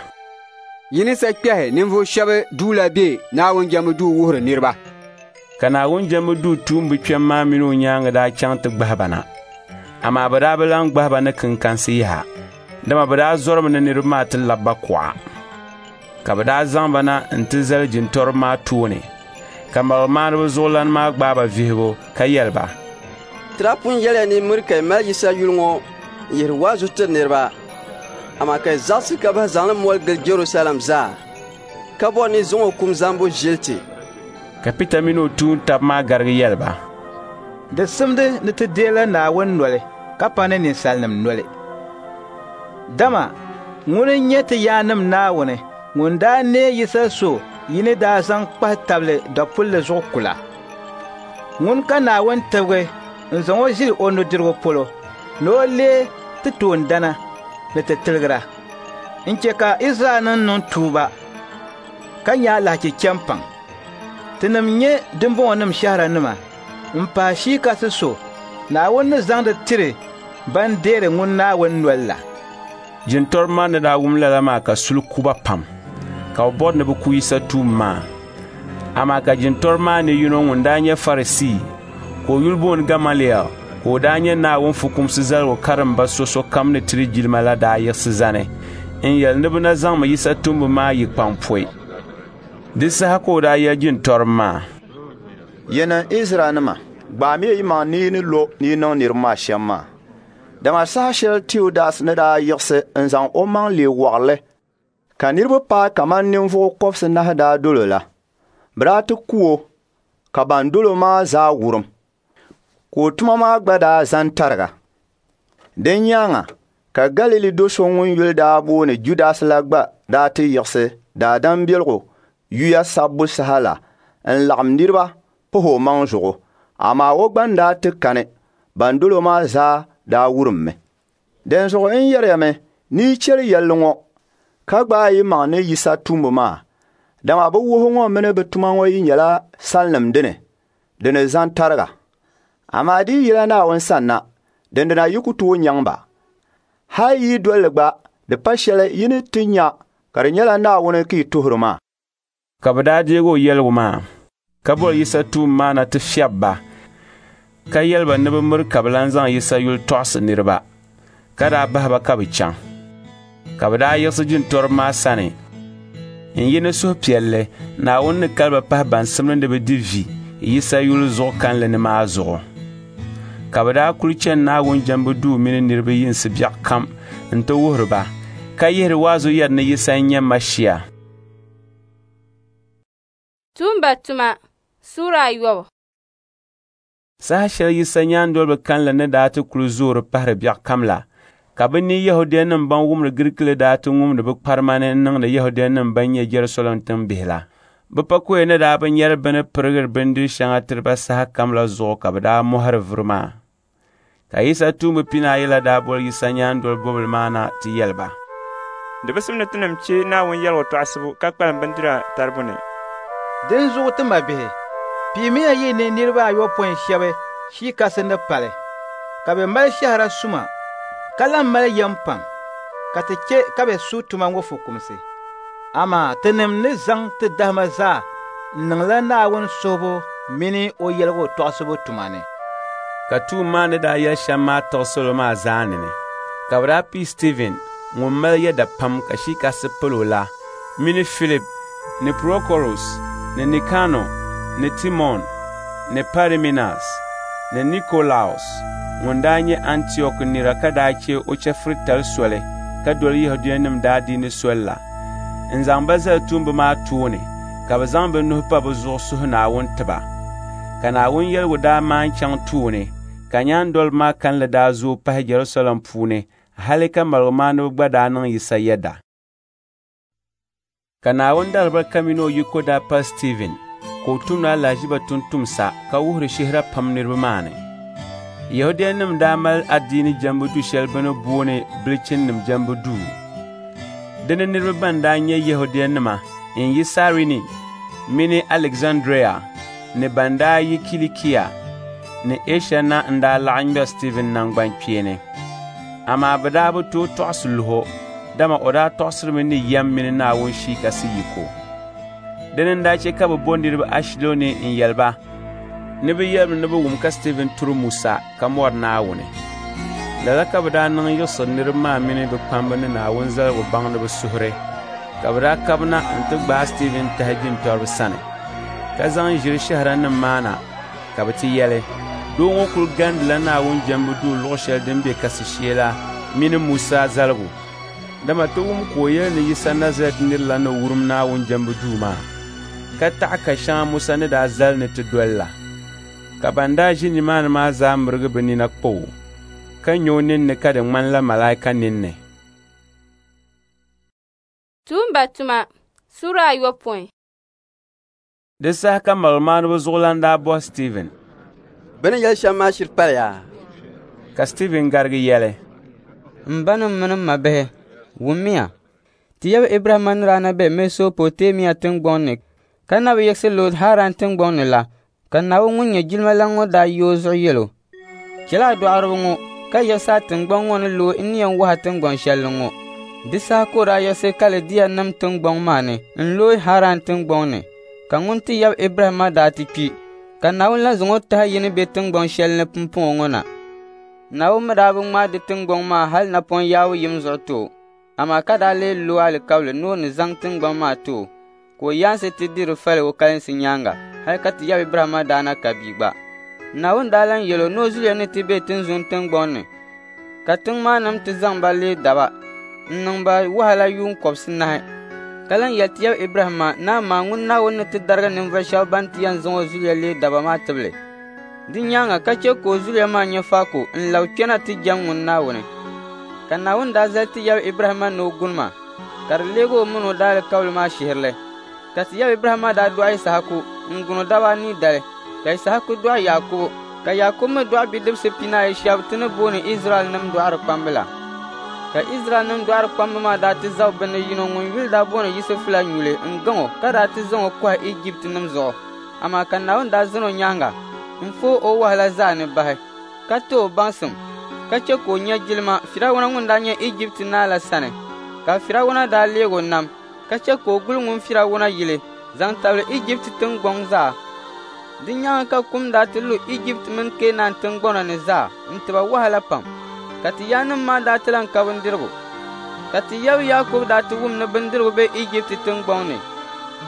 Yi ni sa kpɛhi ninvuɣ shɛba duu la be Naawuni jɛmbu duu wuhiri niriba. Ka Naawuni jɛmbu duu tuumba kpɛm maa mini o nyaaŋa daa chaŋ ti gbahi ba na. Amaa bɛ daa bi lan gbahi ba ni kinkansi yaha, dama bɛ daa zɔrimi ni niriba maa ti labi ba kuɣa. Ka bɛ daa zaŋ ba na nti zali jintɔriba maa tooni, ka maligumaaniba zuɣulan maa gbaai ba vihigu ka yɛli ba, Ti daa pun yɛliya ni miri ka yi mali Yisa yuli ŋɔ n-yihiri waazu tiri niriba, amaa ka yi zaɣisi ka bahi zaŋ li moli gili Jɛrusalɛm zaa, ka bɔri ni yi zaŋ o kum zambu ʒili ti. Ka Pita mini o tuun-tab maa garigi yɛli ba, Di simdi ni ti deela Naawuni noli ka pa ni ninsalinim noli. Dama ŋuni n-nyɛ ti yaannim Naawuni ŋun daa neei Yisa so yi ni daa zaŋ kpahi tabili dapulli zuɣu kula. Ŋuni ka Naawuni tibigi n-zaŋ o ʒili o nudirigu polo ni o leei ti toondana ni ti tiligira, n-che ka Izraɛlnim niŋ tuuba ka nya alahichi chɛ m-paŋ. Tinim nyɛ dimbɔŋɔnim shɛhiranima m-pahi Shii Kasi so Naawuni ni zaŋdi tiri ban deeri ŋun Naawuni nol la. Jintɔriba maa ni daa wum lala maa ka suli ku ba pam, ka bɛ bɔri ni bɛ ku Yisa tuumba maa. Amaa ka jintɔriba maa ni yino ŋun daa nyɛ Farisii, ka o yuli booni Gamaliel, ka o daa nyɛ Naawuni fukumsi zaligu karimba so sokam ni tiri jilima la daa yiɣisi zani n-yɛli ni bɛ na zaŋmi Yisa tumbu maa yi kpaŋ pɔi. Di saha ka o daa yɛli jintɔriba maa, Yinim Izraɛlnima, gbaamiya yimaŋ ni yi ni lo ni yi niŋ niriba maa shɛm maa. Dama saha shɛli Teudas ni daa yiɣisi n-zaŋ omaŋ leei wɔɣirili ka niriba paai kaman ninvuɣ kɔbisinahi daa dol o la, bɛ daa ti ku o ka ban dol o maa zaa wurim, ka o tuma maa gba daa zani tariga. Din nyaaŋa ka Galili do so ŋun yuli daa booni Judas la gba daa ti yiɣisi daadam biɛligu yuya sabbu saha la n-laɣim niriba pahi omaŋ zuɣu, amaa o gba n-daa ti kani, ban dol o maa zaa daa wurimmi. Dinzuɣu n yɛriyami ni yi chɛli yɛlli ŋɔ ka gbaai yimaŋ ni Yisa tumbu maa, dama bɛ wuhi ŋɔ mini bɛ tuma ŋɔ yi nyɛla salinim dini, di ni zani tariga. Amaa di yi yila Naawuni sanna, dindina yi ku tooi nyaŋ ba. Hal yi doli li gba, di pa shɛli yi ni ti nya ka di nyɛla Naawuni ka yi tuhiri maa. Ka bɛ daa deeg o yɛligu maa, ka boli Yisa tuumba maa na ti fiɛbi ba, ka yɛli ba ni bɛ miri ka bɛ lan zaŋ Yisa yuli tɔɣisi niriba, ka daa bahi ba ka bɛ chaŋ. Ka bɛ daa yiɣisi jintɔriba maa sani n-yi ni suhupiɛlli Naawuni ni kali ba pahi ban simdi ni bɛ di vi Yisa yuli zuɣu kalinli ni maa zuɣu. Ka bɛ daa kuli chani Naawuni jɛmbu duu mini niriba yinsi biɛɣu kam nti wuhiri ba, ka yihiri waazu yɛri ni Yisa n-nyɛ Mashia. Tuumba tuma Suura ayɔbu. Saha shɛli Yisa nyaandoliba kalinli ni daa ti kuli zoori pahiri biɛɣu kam la, ka bɛ ni Yɛhudianim ban wumdi Girikili daa ti ŋumdi bɛ kparima ni n-niŋdi Yɛhudianim ban nyɛ Jɛrusalɛm tiŋbihi la. Bɛ pakoya ni daa bi nyari bɛ ni pirigiri bindiri shɛŋa tiri ba saha kam la zuɣu ka bɛ daa mɔhiri vuri maa. Ka Yisa tuumba pinaayi la daa boli Yisa nyaandoli bobili maa na ti yɛli ba, Di bi simdi tinim chɛ Naawuni yɛligu tɔɣisibu ka kpalim bindira taribu ni. Dinzuɣu ti mabihi, piimiya yi ni niriba ayopɔin shɛba Shii Kasi ni pali, ka bɛ mali shɛhira suma ka lan mali yɛm pam, ka ti chɛ ka bɛ su tuma ŋɔ fukumsi. Amaa tinim ni zaŋ ti dahima zaa n-niŋla Naawuni suhibu mini o yɛligu tɔɣisibu tuma ni. Ka tuumba maa ni daa yɛli shɛm maa tiɣi salo maa zaa nini. Ka bɛ daa pii Stiivin ŋun mali yɛda pam ka Shii Kasi pili o la mini Filip ni Prokorus ni Nikano ni Timon ni Pariminas ni Nikolaus ŋun daa nyɛ Antiɔk nira ka daa chɛ o chɛfuritali soli ka doli Yɛhudianim daadiini soli la, n-zaŋ ba zali tuumba maa tooni ka bɛ zaŋ bɛ nuhi pa bɛ zuɣu suhi Naawuni ti ba. Ka Naawuni yɛligu daa maan chaŋ tooni, ka nyaandoliba maa kalinli daa zooi pahi Jɛrusalɛm puuni hali ka maligumaaniba gba daa niŋ Yisa yɛda. Ka Naawuni daalibarika mini o yiko daa pali Stiivin, ka o tumdi alahiziba tumtumsa ka wuhiri shihira pam niriba maa ni. Yɛhudianim daa mali adiini jɛmbu du shɛli bɛ ni booni Bilichinim jɛmbu duu. Di ni niriba ban daa nyɛ Yɛhudianima n-yi Sairini mini Alizandria ni ban daa yi Kilikia ni Ɛsha na n-daa laɣim ŋmɛri Stiivin naŋgbankpeeni. Amaa bɛ daa bi tooi tɔɣisi luhi o, Dama o daa tɔɣisirimi ni yɛm mini Naawuni Shia Kasi yiko. Dini n-daa chɛ ka bɛ bo niriba ashilɔni n-yɛli ba ni bɛ yɛlimi ni bɛ wum ka Stiivin turi Musa ka mɔri Naawuni. Lala ka bɛ daa niŋ yiɣisiri niriba maa mini bɛ kpamba ni Naawuni zaligu baŋdiba suhuri, ka bɛ daa kabina nti gbaai Stiivin tahi jintɔriba sani, ka zaŋ ʒiri shɛhiranim maa na ka bɛ ti yɛli, doo ŋɔ kul gandila Naawuni jɛmbu duu luɣ shɛli din be kasi shee la mini Musa zaligu. Dama ti wum ka o yɛli ni Yisa Nazarɛt nir la ni wurim Naawuni jɛmbu duu maa, ka taɣi ka shɛŋa Musa ni daa zali ni ti doli la. Ka ban daa ʒi nimaani maa zaa mirigi bɛ nina kpa o, ka nya o ninni ka di ŋmanila malaika ninni. Tuumba tuma sura ayopɔin. Di saha ka maligumaaniba zuɣulan daa bɔhi Stiivin, Bɛ ni yɛli shɛm maa shiri paliya? Ka Stiivin garigi yɛli, M banim mini m mabihi, wummiya, ti yaba Ibrahimma ni daa na be Mɛsopoteemia tiŋgbɔŋ ni ka na bi yiɣisi looi Haran tiŋgbɔŋ ni la, ka Naawuni ŋun nyɛ jilimalan ŋɔ daa yi o zuɣu yɛl o, Chɛli a dɔɣiriba ŋɔ ka yiɣisi a tiŋgbɔŋ ŋɔ ni looi n ni yɛn wahi a tiŋgbɔn shɛli ni ŋɔ. Di saha ka o daa yiɣisi Kalidianim tiŋgbɔŋ maa ni n-looi Haran tiŋgbɔŋ ni, ka ŋun ti yaba Ibrahimma daa ti kpi, ka Naawuni lan zaŋ o tahi yi ni be tiŋgbɔn shɛli ni pumpɔŋɔ ŋɔ na. Naawuni mi daa bi ŋmaai di tiŋgbɔŋ maa hal napɔŋ yaabu yim zuɣu ti o, amaa ka daa lee lo alikauli ni o ni zaŋ tiŋgbɔŋ maa ti o, ka o yaansi ti di di fali o kalinsi nyaaŋa hal ka ti yaba Ibrahimma daa na ka bia gba. Naawuni daa lan yɛl o ni o zuliya ni ti be tinzun tiŋgbɔŋ ni, ka tiŋ maa nim ti zaŋ ba leei daba n-niŋ ba wahala yuun kɔbisinahi. Ka lan yɛli ti yaba Ibrahimma ni amaa ŋun Naawuni ni ti darigi ninvuɣ shɛba ban ti yɛn zaŋ o zuliya leei daba maa tibili. Di nyaaŋa ka chɛ ka o zuliya maa nya faako n-labi kpɛna ti jɛm ŋun Naawuni. Ka Naawuni daa zali ti yaba Ibrahimma ni o guni ma, ka di leeg o min o daalikauli maa shihirili. Ka ti yaba Ibrahimma daa dɔɣi Yisahaku n-gun o daba anii dali, ka Yisahaku dɔɣi Yaakubu, ka Yaakubu mi dɔɣi bidibisi pinaayi shɛba ti ni booni Izraɛlnim dɔɣirikpamba la. Ka Izraɛlnim dɔɣirikpamba maa daa ti zabi bɛ ni yino ŋun yuli daa booni Yusufu la nyuli n-gaŋ o ka daa ti zaŋ o kɔhi Ijiptinim zuɣu. Amaa ka Naawuni daa zani o nyaaŋa n-fooi o wahala zaa ni bahi, ka ti o baŋsim, ka chɛ ka o nya jilima Firawuna ŋun daa nyɛ Ijipti naa la sani. Ka Firawuna daa leeg o nam, ka chɛ ka o guli ŋun Firawuna yili zaŋ tabili Ijipti tiŋgbɔŋ zaa. Di nyaaŋa ka kum daa ti lu Ijipti mini Keenan tiŋgbɔna ni zaa n-ti ba wahala pam, ka ti yaannim maa daa ti lan ka bindirigu. Ka ti yaba Yaakubu daa ti wum ni bindirigu be Ijipti tiŋgbɔŋ ni,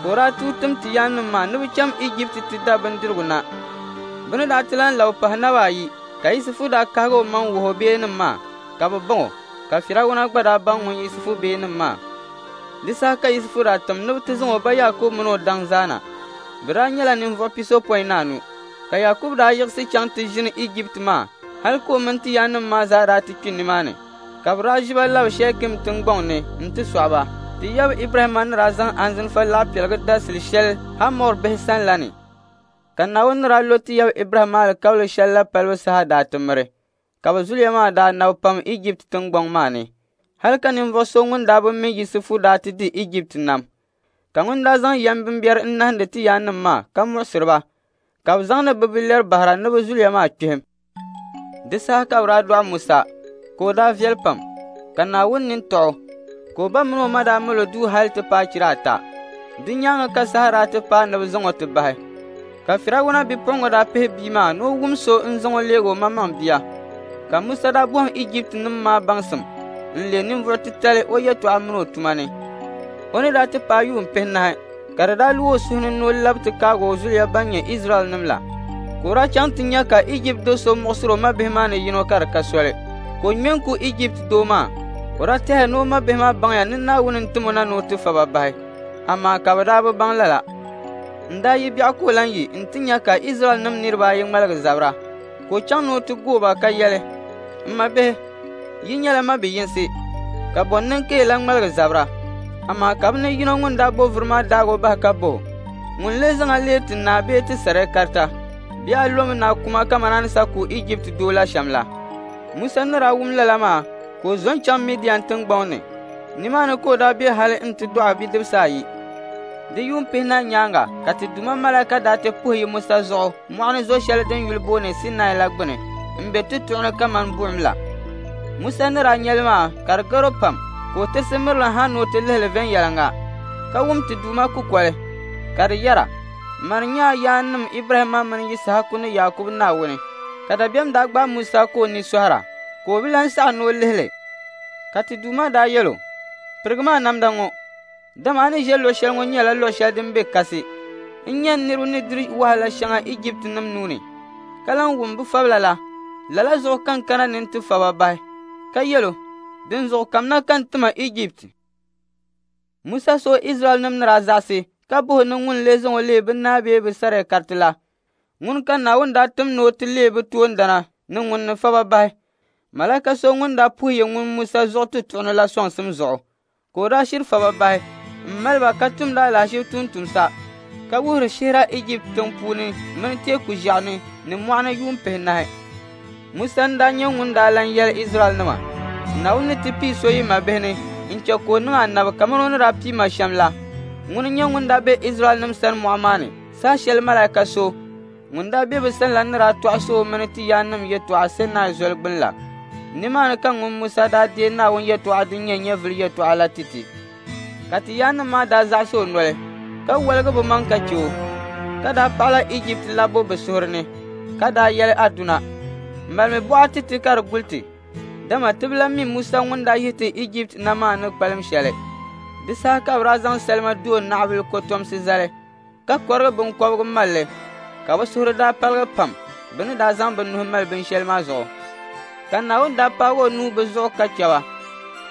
ka o daa tuui tim ti yaannim maa ni bɛ cham Ijipti ti da bindirigu na. Bɛ ni daa ti lan labi pahi naba ayi, ka Yusufu daa kahigi o maŋ wuhi o beenim maa, ka bɛ baŋ o, ka Firawuna gba daa baŋ ŋun Yusufu beenim maa. Di saha ka Yusufu daa tim ni bɛ ti zaŋ o ba Yaakubu mini o daŋ zaa na. Bɛ daa nyɛla ninvuɣ pisopɔin ni anu, ka Yaakubu daa yiɣisi chaŋ ti ʒini Ijipti maa hal ka o mini ti yaannim maa zaa daa ti kpi nimaani, ka bɛ daa ʒi ba labi Shɛkim tiŋgbɔŋ ni nti sɔɣi ba. Ti yaba Ibrahimma ni daa zaŋ anzinfa laɣipiɛligu dasili shɛli Hamɔr bihi sani la ni. Ka Naawuni ni daa lo ti yaba Ibrahimma alikauli shɛli la palibu saha daa ti miri, ka bɛ zuliya maa daa nabi pam Ijipti tiŋgbɔŋ maa ni, hal ka ninvuɣ so ŋun daa bi mi Yusufu daa ti di Ijipti nam. Ka ŋun daa zaŋ yɛm bimbɛri n-nahindi ti yaannim maa ka muɣisiri ba, ka bɛ zaŋdi bɛ bilɛri bahira ni bɛ zuliya maa kpihim. Di saha ka bɛ daa dɔɣi Musa, ka o daa viɛli pam, ka Naawuni nini tɔɣ o, ka o ba mini o ma daa mali o duu hal ti paai chira ata. Di nyaaŋa ka saha daa ti paai ni bɛ zaŋ o ti bahi. Ka Firawuna bipuɣiŋga daa pihi bia maa ni o wum so n-zaŋ o leeg o maŋmaŋ bia. Ka Musa daa bɔhim Ijiptinim maa baŋsim n-leei ninvuɣ titali o yɛtɔɣa mini o tuma ni. O ni daa ti paai yuun pihinahi, ka di daa lu o suhu ni ni o labi ti kaagi o zuliya ban nyɛ Izraɛlnim la. Ka o daa chaŋ ti nya ka Ijipti do so muɣisiri o mabihi maa ni yino ka di ka soli, ka o ŋme n-ku Ijipti doo maa. O daa tɛhiya ni o mabihi maa baŋya ni Naawuni n-tim o na ni o ti fa ba bahi, amaa ka bɛ daa bi baŋ lala. N daa yi biɛɣu ka o lan yi nti nya ka Izraɛlnim niriba ayi ŋmaligi zabira, ka o chaŋ ni o ti gooi ba ka yɛli, M mabihi, yi nyɛla mabi yinsi, ka bɔ n-niŋ ka yi lan ŋmaligi zabira? Amaa ka bɛ ni yino ŋun daa bo vuri maa daag o bahi ka bɔh o, ŋun lee zaŋ a leei ti naa bee ti sariakarita? Bee a lomi ni a kuma kaman a ni sa ku Ijipti doo la shɛm la? Musa ni daa wum lala maa, ka o zo n-chaŋ Midian tiŋgbɔŋ ni. Nimaani ka o daa be hal nti dɔɣi bidibisi ayi. Di yuun pihinahi nyaaŋa ka ti Duuma malaika daa ti puhi yi Musa zuɣu mɔɣu ni zo shɛli din yuli booni Sinai la gbini m-be tutuɣu ni kaman buɣim la. Musa ni daa nya li maa ka di gar o pam, Ka o tirisi mirili ha ni o ti lihi li viɛnyɛliŋga, ka wum ti Duuma kukoli, ka di yɛra, Mani n-nyɛ a yaannim Ibrahimma mini Yisahaku ni Yaakubu Naawuni. Ka dabiɛm daa gbaai Musa ka o ni sɔhira, ka o bi lan saɣi ni o lihi li. Ka ti Duuma daa yɛl o, Pirigimi a namda ŋɔ, dama a ni ʒe luɣ shɛli ŋɔ nyɛla luɣ shɛli din be kasi. N nya n niriba ni diri wahala shɛŋa Ijiptinim nuu ni, ka lan wum bɛ fabila la. Lala zuɣu ka n kana ni n ti fa ba bahi. Ka yɛl o, Dinzuɣu kamina ka n tima Ijipti. Musa so Izraɛlnim ni daa zaɣisi ka buhi ni ŋun lee zaŋ o leei bɛ naa bee bɛ sariakariti la. Ŋuni ka Naawuni daa tim ni o ti leei bɛ toondana ni ŋun ni fa ba bahi. Malaika so ŋun daa puhiya ŋun Musa zuɣu ti tuɣini la sɔŋsim zuɣu, ka o daa shiri fa ba bahi m-mali ba ka tumdi alahiziba tumtumsa, ka wuhiri shihira Ijipti tiŋ puuni mini teeku ʒiɛɣu ni ni mɔɣuni yuun pihinahi. Musa n-daa nyɛ ŋun daa lan yɛli Izraɛlnima, Naawuni ni ti pii so yi mabihi ni n-chɛ ka o niŋ anabi kaman o ni daa pii ma shɛm la. Ŋuni n-nyɛ ŋun daa be Izraɛlnim sani mɔɣu maa ni saha shɛli malaika so ŋun daa be bɛ sani la ni daa tɔɣisi o mini ti yaannim yɛtɔɣa Sinai zoli gbini la. Nimaani ka ŋun Musa daa deei Naawuni yɛtɔɣa din nyɛ nyɛvili yɛtɔɣa la ti ti. Ka ti yaannim maa daa zaɣisi o noli, ka woligi bɛ maŋ ka chɛ o, ka daa paɣila Ijipti labbu bɛ suhuri ni, ka daa yɛli Aduna, Malimi buɣa ti ti ka di guli ti, dama ti bi lan mi Musa ŋun daa yihi ti Ijipti na maa ni kpalim shɛli. Di saha ka bɛ daa zaŋ salima doo naɣibil kɔtomsi zali, ka kɔrigi biŋkɔbigu mali li, ka bɛ suhuri daa paligi pam bɛ ni daa zaŋ bɛ nuhi mali binshɛli maa zuɣu. Ka Naawuni daa paagi o nuu bɛ zuɣu ka chɛ ba,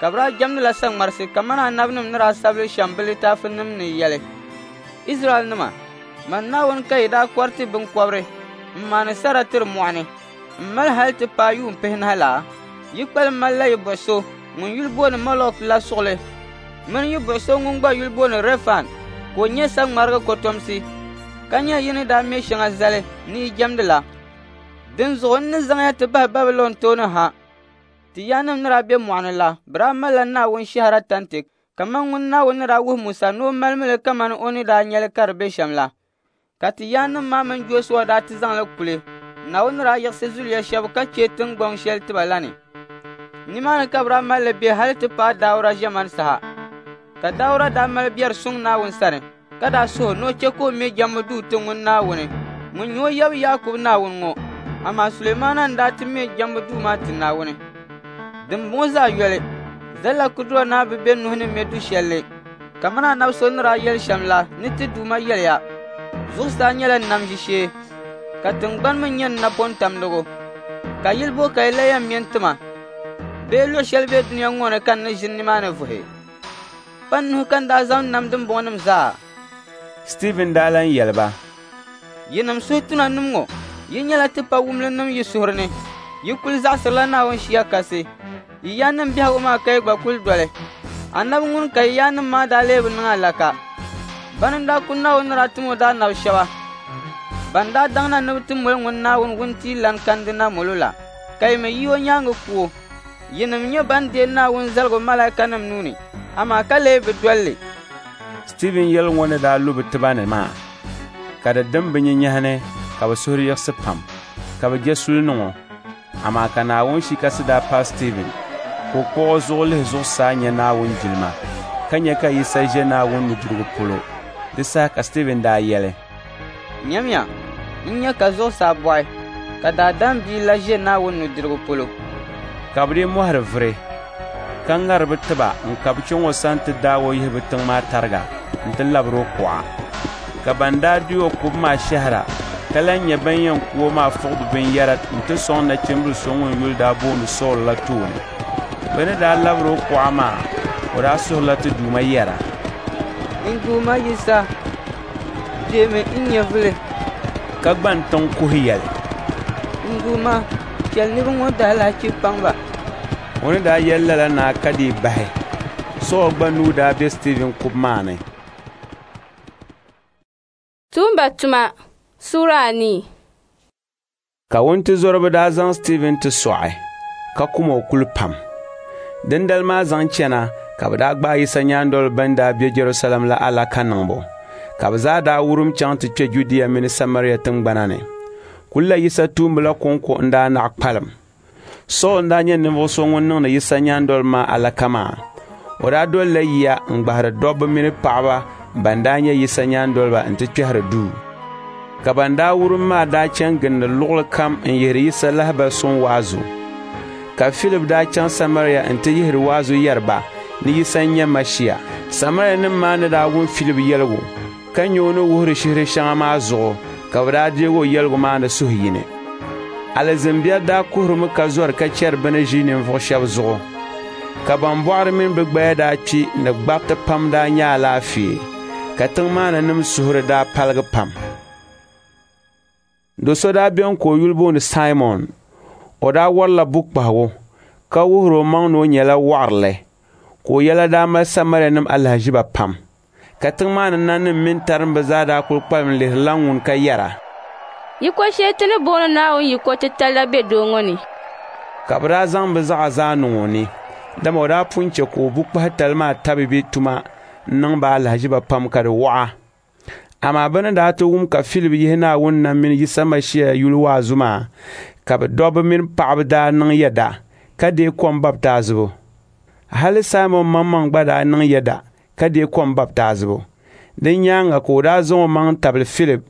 ka bɛ daa jɛmdila saŋmarisi kaman anabinim ni daa sabili shɛm bɛ litaafinim ni yɛli, Izraɛlnima, man Naawuni ka yi daa kɔriti biŋkɔbiri m-maani sara tiri mɔɣu ni m-mali hali ti paai yuun pihinahi la? Yi kpalim malila yi buɣ so ŋun yuli booni Mɔlɔk la suɣili mini yi buɣ so ŋun gba yuli booni Rɛfan, ka o nyɛ saŋmarigi kɔtomsi, ka nyɛ yi ni daa me shɛŋa zali ni yi jɛmdi la. Dinzuɣu n ni zaŋya ti bahi Babilɔn tooni ha. Ti yaannim ni daa be mɔɣu ni la, bɛ daa malila Naawuni shɛhira tanti kaman ŋun Naawuni ni daa wuhi Musa ni o malimi li kaman o ni daa nya li ka di be shɛm la. Ka ti yaannim maa mini Jɔshua daa ti zaŋ li kuli. Naawuni ni daa yiɣisi zuliya shɛba ka chɛ tiŋgbɔŋ shɛli ti ba la ni. Nimaani ka bɛ daa mali li be hali ti paai Dauda ʒiɛmani saha. Ka Dauda daa mali biɛri suŋ Naawuni sani, ka daa suhi ni o chɛ ka o me jɛmbu duu ti ŋun Naawuni, ŋun nyɛ o yab Yaakubu Naawuni ŋɔ. Amaa Sulemaana n-daa ti me jɛmbu duu maa ti Naawuni. Dimbɔŋɔ zaa yoli, Zallakudura Naa bi be nuhi ni me du shɛli li, kaman anabi so ni daa yɛli shɛm la ni ti Duuma yɛliya, Zuɣusaa nyɛla n nam ʒishee, ka tiŋgbani mi nyɛ n napɔn tamdigu. Ka yili bo ka yi la yɛn me n-ti ma? Bee luɣ shɛli be dunia ŋɔ ni ka n ni ʒini nimaani vuhi? Pa n nuhi ka n daa zaŋ nam dimbɔŋɔnim zaa. Stiivin daa lan yɛli ba, Yinim suhutunanim ŋɔ, yi nyɛla tipawumlinim yi suhuri ni. Yi kul zaɣisirila Naawuni Shia Kasi. Yi yaannim biɛhigu maa ka yi gba kul doli. Anabi ŋuni ka yi yaannim maa daa lee bi niŋ alaka. Bani n-daa ku Naawuni ni daa tim o daanabi shɛba ban daa daŋna ni bɛ ti moli ŋun Naawuni wuntia kandi na molo la, ka yi mi yi o nyaaŋa ku o. Yinim nyɛ ban deei Naawuni zaligu malaikanim nuu ni, amaa ka lee bi doli li. Stiivin yɛligu ŋɔ ni daa lu bɛ tiba ni maa, ka di dim bɛ nyinyahi ni ka bɛ suhuri yiɣisi pam, ka bɛ je suli niŋ o. Amaa ka Naawuni Shia Kasi daa paai Stiivin, ka o kpuɣ o zuɣu lihi zuɣusaa nya Naawuni jilima, ka nya ka Yisa ʒe Naawuni nudirigu polo. Di saha ka Stiivin daa yɛli, Nyamiya, n nya ka zuɣusaa bɔɣi, ka Daadam Bia la ʒe Naawuni nudirigu polo. Ka bɛ dii mɔhiri vuri, ka ŋari bɛ tiba n-kabi chaŋ o sani ti daag o yihi bɛ tiŋ maa tariga nti labir o kuɣa. Ka ban daa di o kubu maa shɛhira, ka lan nyɛ ban yɛn ku o maa fuɣi bɛ binyɛra nti sɔŋ nachimbil so ŋun yuli daa booni Sool la tooni. Bɛ ni daa labir o kuɣa maa, o daa suhirila ti Duuma yɛra, N Duuma Yisa, deemi n nyɛvili. Ka gban tiŋ kuhi yɛli, N Duuma, chɛli niriba ŋɔ daalahichi paŋ ba. O ni daa yɛli lala naa ka dii bahi. Sool gba nuu daa be Stiivin kubu maa ni. Tuumba tuma Sura anii. Ka wuntizɔriba daa zaŋ Stiivin ti sɔɣi, ka kum o kuli pam. Dindali maa zaŋ chana ka bɛ daa gbaai Yisa nyaandoliba bɛn daa be Jɛrusalɛm la alaka niŋbu, ka bɛ zaa daa wurim chaŋ ti kpe Judia mini Samaria tiŋgbana ni. Kulila Yisa tuumba la kɔŋko n-daa naɣ kpalim. Sool n-daa nyɛ ninvuɣ so ŋun niŋdi Yisa nyaandoliba maa alaka maa. O daa dolila yiya n-gbahiri dobba mini paɣiba ban daa nyɛ Yisa nyaandoliba nti kpɛhiri duu. Ka ban daa wurim maa daa chani gindi luɣili kam n-yihiri Yisa lahibali suŋ waazu. Ka Filip daa chaŋ Samaria nti yihiri waazu yɛri ba ni Yisa n-nyɛ Mashia. Samarianim maa ni daa wum Filip yɛligu ka nya o ni wuhiri shihir shɛŋa maa zuɣu, ka bɛ daa deeg o yɛligu maa ni suhuyini. Alizin biɛri daa kuhirimi ka zɔri ka chɛri bɛ ni ʒi ninvuɣ shɛba zuɣu. Ka ban bɔɣiri mini bɛ gbaya daa kpi ni gbariti pam daa nya alaafee, ka tiŋ maa ni nim suhuri daa paligi pam. Do so daa beni ka o yuli booni Saimɔn. O daa warila bukpahigu ka wuhiri o maŋ ni o nyɛla wɔɣirili, ka o yɛla daa mali Samarianim alahiziba pam. Ka tiŋ maa ni nanim mini tarimba zaa daa kul kpalim lihirila ŋun ka yɛra, Yiko shɛli ti ni booni Naawuni yiko titali la be doo ŋɔ ni. Ka bɛ daa zaŋ bɛ zaɣa zaa niŋ o ni, dama o daa pun chɛ ka o bukpahitali maa tabi bɛ tuma n-niŋ ba alahiziba pam ka di wɔɣa. Amaa bɛ ni daa ti wum ka Filip yihi Naawuni nam mini Yisa Mashia yuli waazu maa, ka bɛ dobba mini paɣiba daa niŋ yɛda ka deei kom baptaizibu. Hali Saimɔn maŋmaŋ gba daa niŋ yɛda ka deei kom baptaizibu. Din nyaaŋa ka o daa zaŋ o maŋ tabili Filip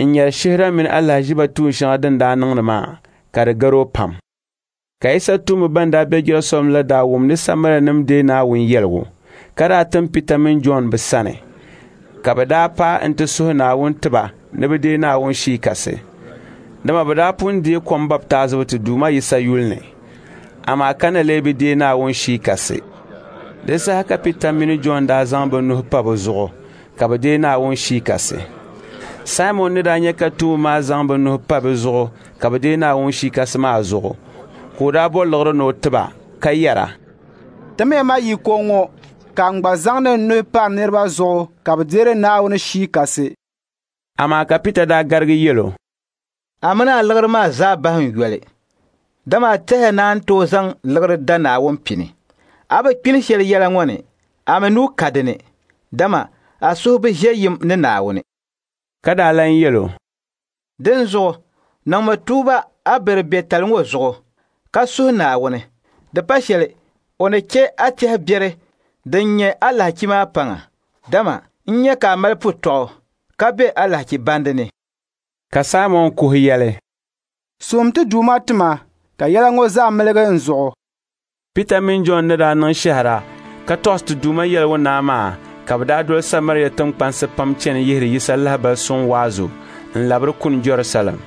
n-nyari shihira mini alahiziba tuun shɛŋa din daa niŋdi maa, ka di gar o pam. Ka Yisa tuumba ban daa be Jɛrusalɛm la daa wum ni Samarianim deei Naawuni yɛligu, ka daa tim Pita mini Jɔn bɛ sani. Ka bɛ daa paai nti suhi Naawuni ti ba ni bɛ deei Naawuni Shii Kasi. Dama bɛ daa pun deei kom baptaizibu ti Duuma Yisa yuli ni, amaa ka na lee bi deei Naawuni Shii Kasi. Di saha ka Pita mini Jɔn daa zaŋ bɛ nuhi pa bɛ zuɣu ka bɛ deei Naawuni Shii Kasi. Saimɔn ni daa nya ka tuumba maa zaŋ bɛ nuhi pa bɛ zuɣu ka bɛ deei Naawuni Shii Kasi maa zuɣu, ka o daa bɔ liɣiri ni o ti ba ka yɛra, Timiya ma yiko ŋɔ ka n gba zaŋdi n nuhi pari niriba zuɣu ka bɛ deeri Naawuni Shii Kasi. Amaa ka Pita daa garigi yɛl o, A mini a liɣiri maa zaa bahi n yoli, dama a tɛhiya ni a ni tooi zaŋ liɣiri da Naawuni pini. A bi kpini shɛli yɛla ŋɔ ni, a mi nuu ka di ni, dama a suhu bi ʒe yim ni Naawuni. Ka daa lan yɛl o, Dinzuɣu niŋmi tuuba a biribetali ŋɔ zuɣu ka suhi Naawuni. Di pa shɛli o ni chɛ a tɛhi biɛri din nyɛ alahichi maa paŋa, dama n nya ka a mali putɔɣu ka be alahichi bandi ni. Ka Saimɔn kuhi yɛli, Suhim ti Duuma ti ma ka yɛla ŋɔ zaa miligi n zuɣu. Pita mini Jɔn ni daa niŋ shɛhira ka tɔɣisi ti Duuma yɛligu naa maa, ka bɛ daa doli Samaria tiŋkpansi pam chani yihiri Yisa lahibali suŋ waazu n-labiri kuni Jɛrusalɛm.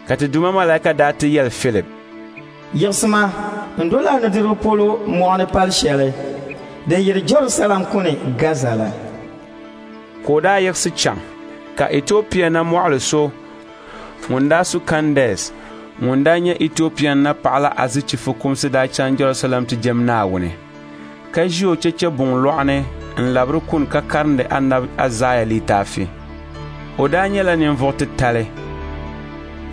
Ka ti Duuma malaika daa ti yɛli Filip, Yiɣisima n-doli a nudirigu polo mɔɣu ni pal shɛli din yiri Jɛrusalɛm kuni Gaza la. Ka o daa yiɣisi chaŋ, ka Etiopia namɔɣili so ŋun daa su Kandɛs, ŋun daa nyɛ Etiopia napaɣa la azichi fukumsi daa chaŋ Jɛrusalɛm ti jɛm Naawuni, ka ʒi o chɛchɛbuŋ lɔɣu ni n-labiri kuni ka karindi anabi Aizaia litaafi. O daa nyɛla ninvuɣ titali,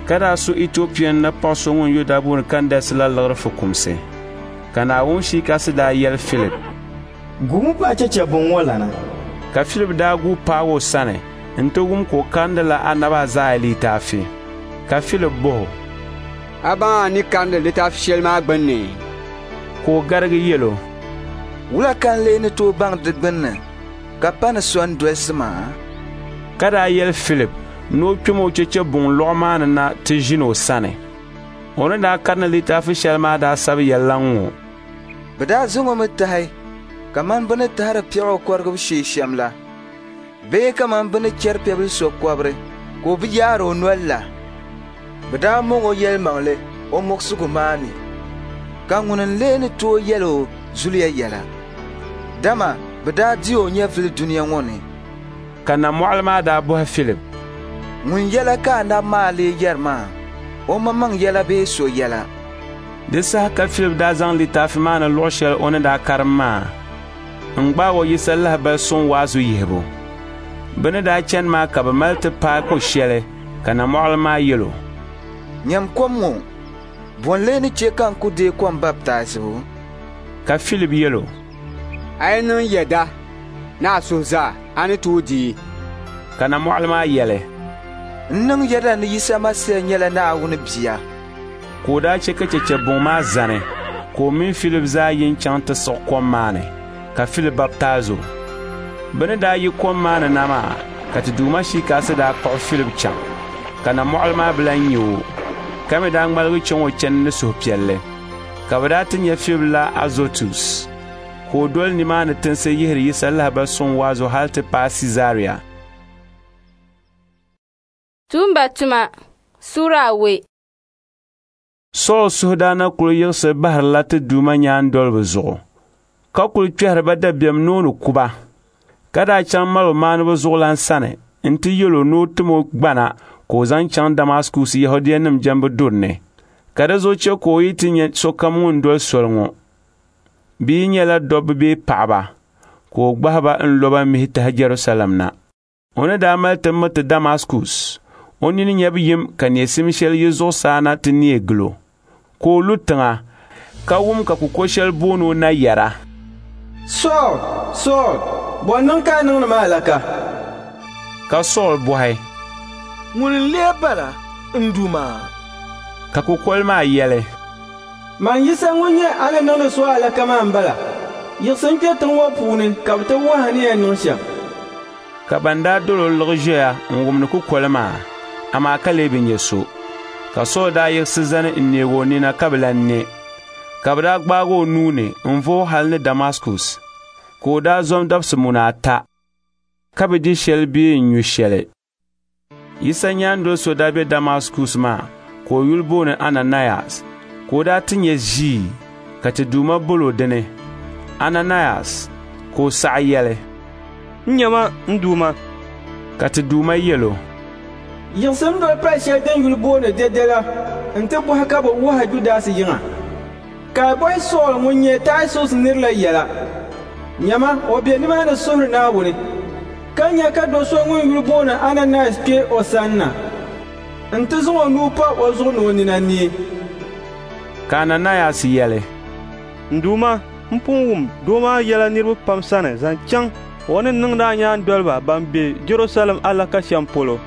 ka daa su Etiopia napaɣ so ŋun yuli daa booni Kandɛs la liɣiri fukumsi. Ka Naawuni Shii Kasi daa yɛli Filip, Guumi paai chɛchɛbuŋ ŋɔ lana. Ka Filip daa guui paagi o sani nti wum ka o karindila anabi Aizaia litaafi. Ka Filip bɔh o, A baŋ a ni karindi litaafi shɛli maa gbunni? Ka o garigi yɛl o, Wula ka n lee ni tooi baŋ di gbunni ka pa ni so n-dolisi ma? Ka daa yɛli Filip ni o kpɛm o chɛchɛbuŋ lɔɣu maa ni na ti ʒini o sani. O ni daa karindi litaafi shɛli maa daa sabi yɛlila ŋ-ŋɔ, Bɛ daa zaŋ o mi tahi kaman bɛ ni tahiri piɛɣu kɔrigibu shee shɛm la, bee kaman bɛ ni chɛri piɛbil so kɔbiri ka o bi yaari o nol la. Bɛ daa mɔŋ o yɛlimaŋli o muɣisigu maa ni, ka ŋuni n-lee ni tooi yɛl o zuliya yɛla? Dama bɛ daa di o nyɛvili dunia ŋɔ ni. Ka namɔɣili maa daa bɔhi Filip, Ŋun yɛla ka anabi maa lee yɛri maa, o maŋmaŋ yɛla bee so yɛla? Di saha ka Filip daa zaŋ litaafi maa ni luɣ shɛli o ni daa karim maa n-gbaag o Yisa lahibali suŋ waazu yihibu. Bɛ ni daa chani maa ka bɛ mali ti paai ko shɛli, ka namɔɣili maa yɛl o, Nyam kom ŋɔ, bɔ n-lee ni chɛ ka n ku deei kom baptaizibu? Ka Filip yɛl o, A yi niŋ yɛda ni a suhu zaa, a ni tooi deei. Ka namɔɣili maa yɛli, N niŋ yɛda ni Yisa Masia nyɛla Naawuni Bia. Ka o daa chɛ ka chɛchɛbuŋ maa zani, Ka o mini Filip zaa yi n-chaŋ ti siɣi kom maa ni, ka Filip baptaizi o. Bɛ ni daa yi kom maa ni na maa, ka ti Duuma Shii Kasi daa kpuɣi Filip chaŋ, ka namɔɣili maa bi lan nya o, ka mi daa ŋmaligi chaŋ o chani ni suhupiɛlli. Ka bɛ daa ti nya Filip la Azotus, ka o doli nimaani tinsi yihiri Yisa lahibal suŋ waazu hal ti paai Siizaria. Tuumba tuma suura awei. Sool suhu daa na kul yiɣisi bahirila ti Duuma nyaandoliba zuɣu, ka kul kpɛhiri ba dabiɛm ni o ni ku ba. Ka daa chaŋ maligumaaniba zuɣulan sani nti yɛl o ni o tim o gbana ka o zaŋ chaŋ Damaskus Yɛhudianim jɛmbu duri ni, ka di zuɣu chɛ ka o yi ti nya sokam ŋun doli soli ŋɔ, bɛ yi nyɛla dɔbba bee paɣiba, ka o gbahi ba n-lo ba mihi tahi Jɛrusalɛm na. O ni daa mali ti miriti Damaskus, o nini nyabu yim ka neesim shɛli yi zuɣusaa na ti neei gil o, ka o lu tiŋa, ka wum ka kuko shɛli booni o na yɛra, Sool, Sool, bɔ n-niŋ ka a niŋdi ma alaka? Ka Sool bɔhi, Ŋuni n-lee bala, n Duuma? Ka kukoli maa yɛli, Man Yisa ŋun nyɛ a ni niŋdi so alaka maa m-bala. Yiɣisi n-kpe tiŋ ŋɔ puuni ka bɛ ti wuhi a ni yɛn niŋ shɛm. Ka ban daa dol o liɣi ʒiɛya n-wumdi kukoli maa, amaa ka lee bi nya so. Ka Sool daa yiɣisi zani n-neeg o nina ka bi lan ne. Ka bɛ daa gbaag o nuu ni n-va o hal ni Damaskus, ka o daa zom dabisi muna ata, ka bi di shɛli bee n-nyu shɛli. Yisa nyaandol so daa be Damaskus maa ka o yuli booni Ananayas, ka o daa ti nya ʒii ka ti Duuma bol o dini, Ananayas, ka o saɣi yɛli, N nyama n Duuma. Ka ti Duuma yɛl o, Yiɣisim doli pal shɛli din yuli booni Dɛde la nti bɔhi ka bɛ wuhi Judas yiŋa, ka a bɔhi Sool ŋun nyɛ Taasus nir la yɛla. Nyama, o be nimaani suhiri Naawuni, ka nya ka do so ŋun yuli booni Ananayas kpe o sanna nti zaŋ o nuu pa o zuɣu ni o nina neei. Ka Ananayas yɛli, N Duuma, m pun wum doo maa yɛla niriba pam sani zaŋ chaŋ o ni niŋdi a nyaandoliba ban be Jɛrusalɛm alaka shɛm polo.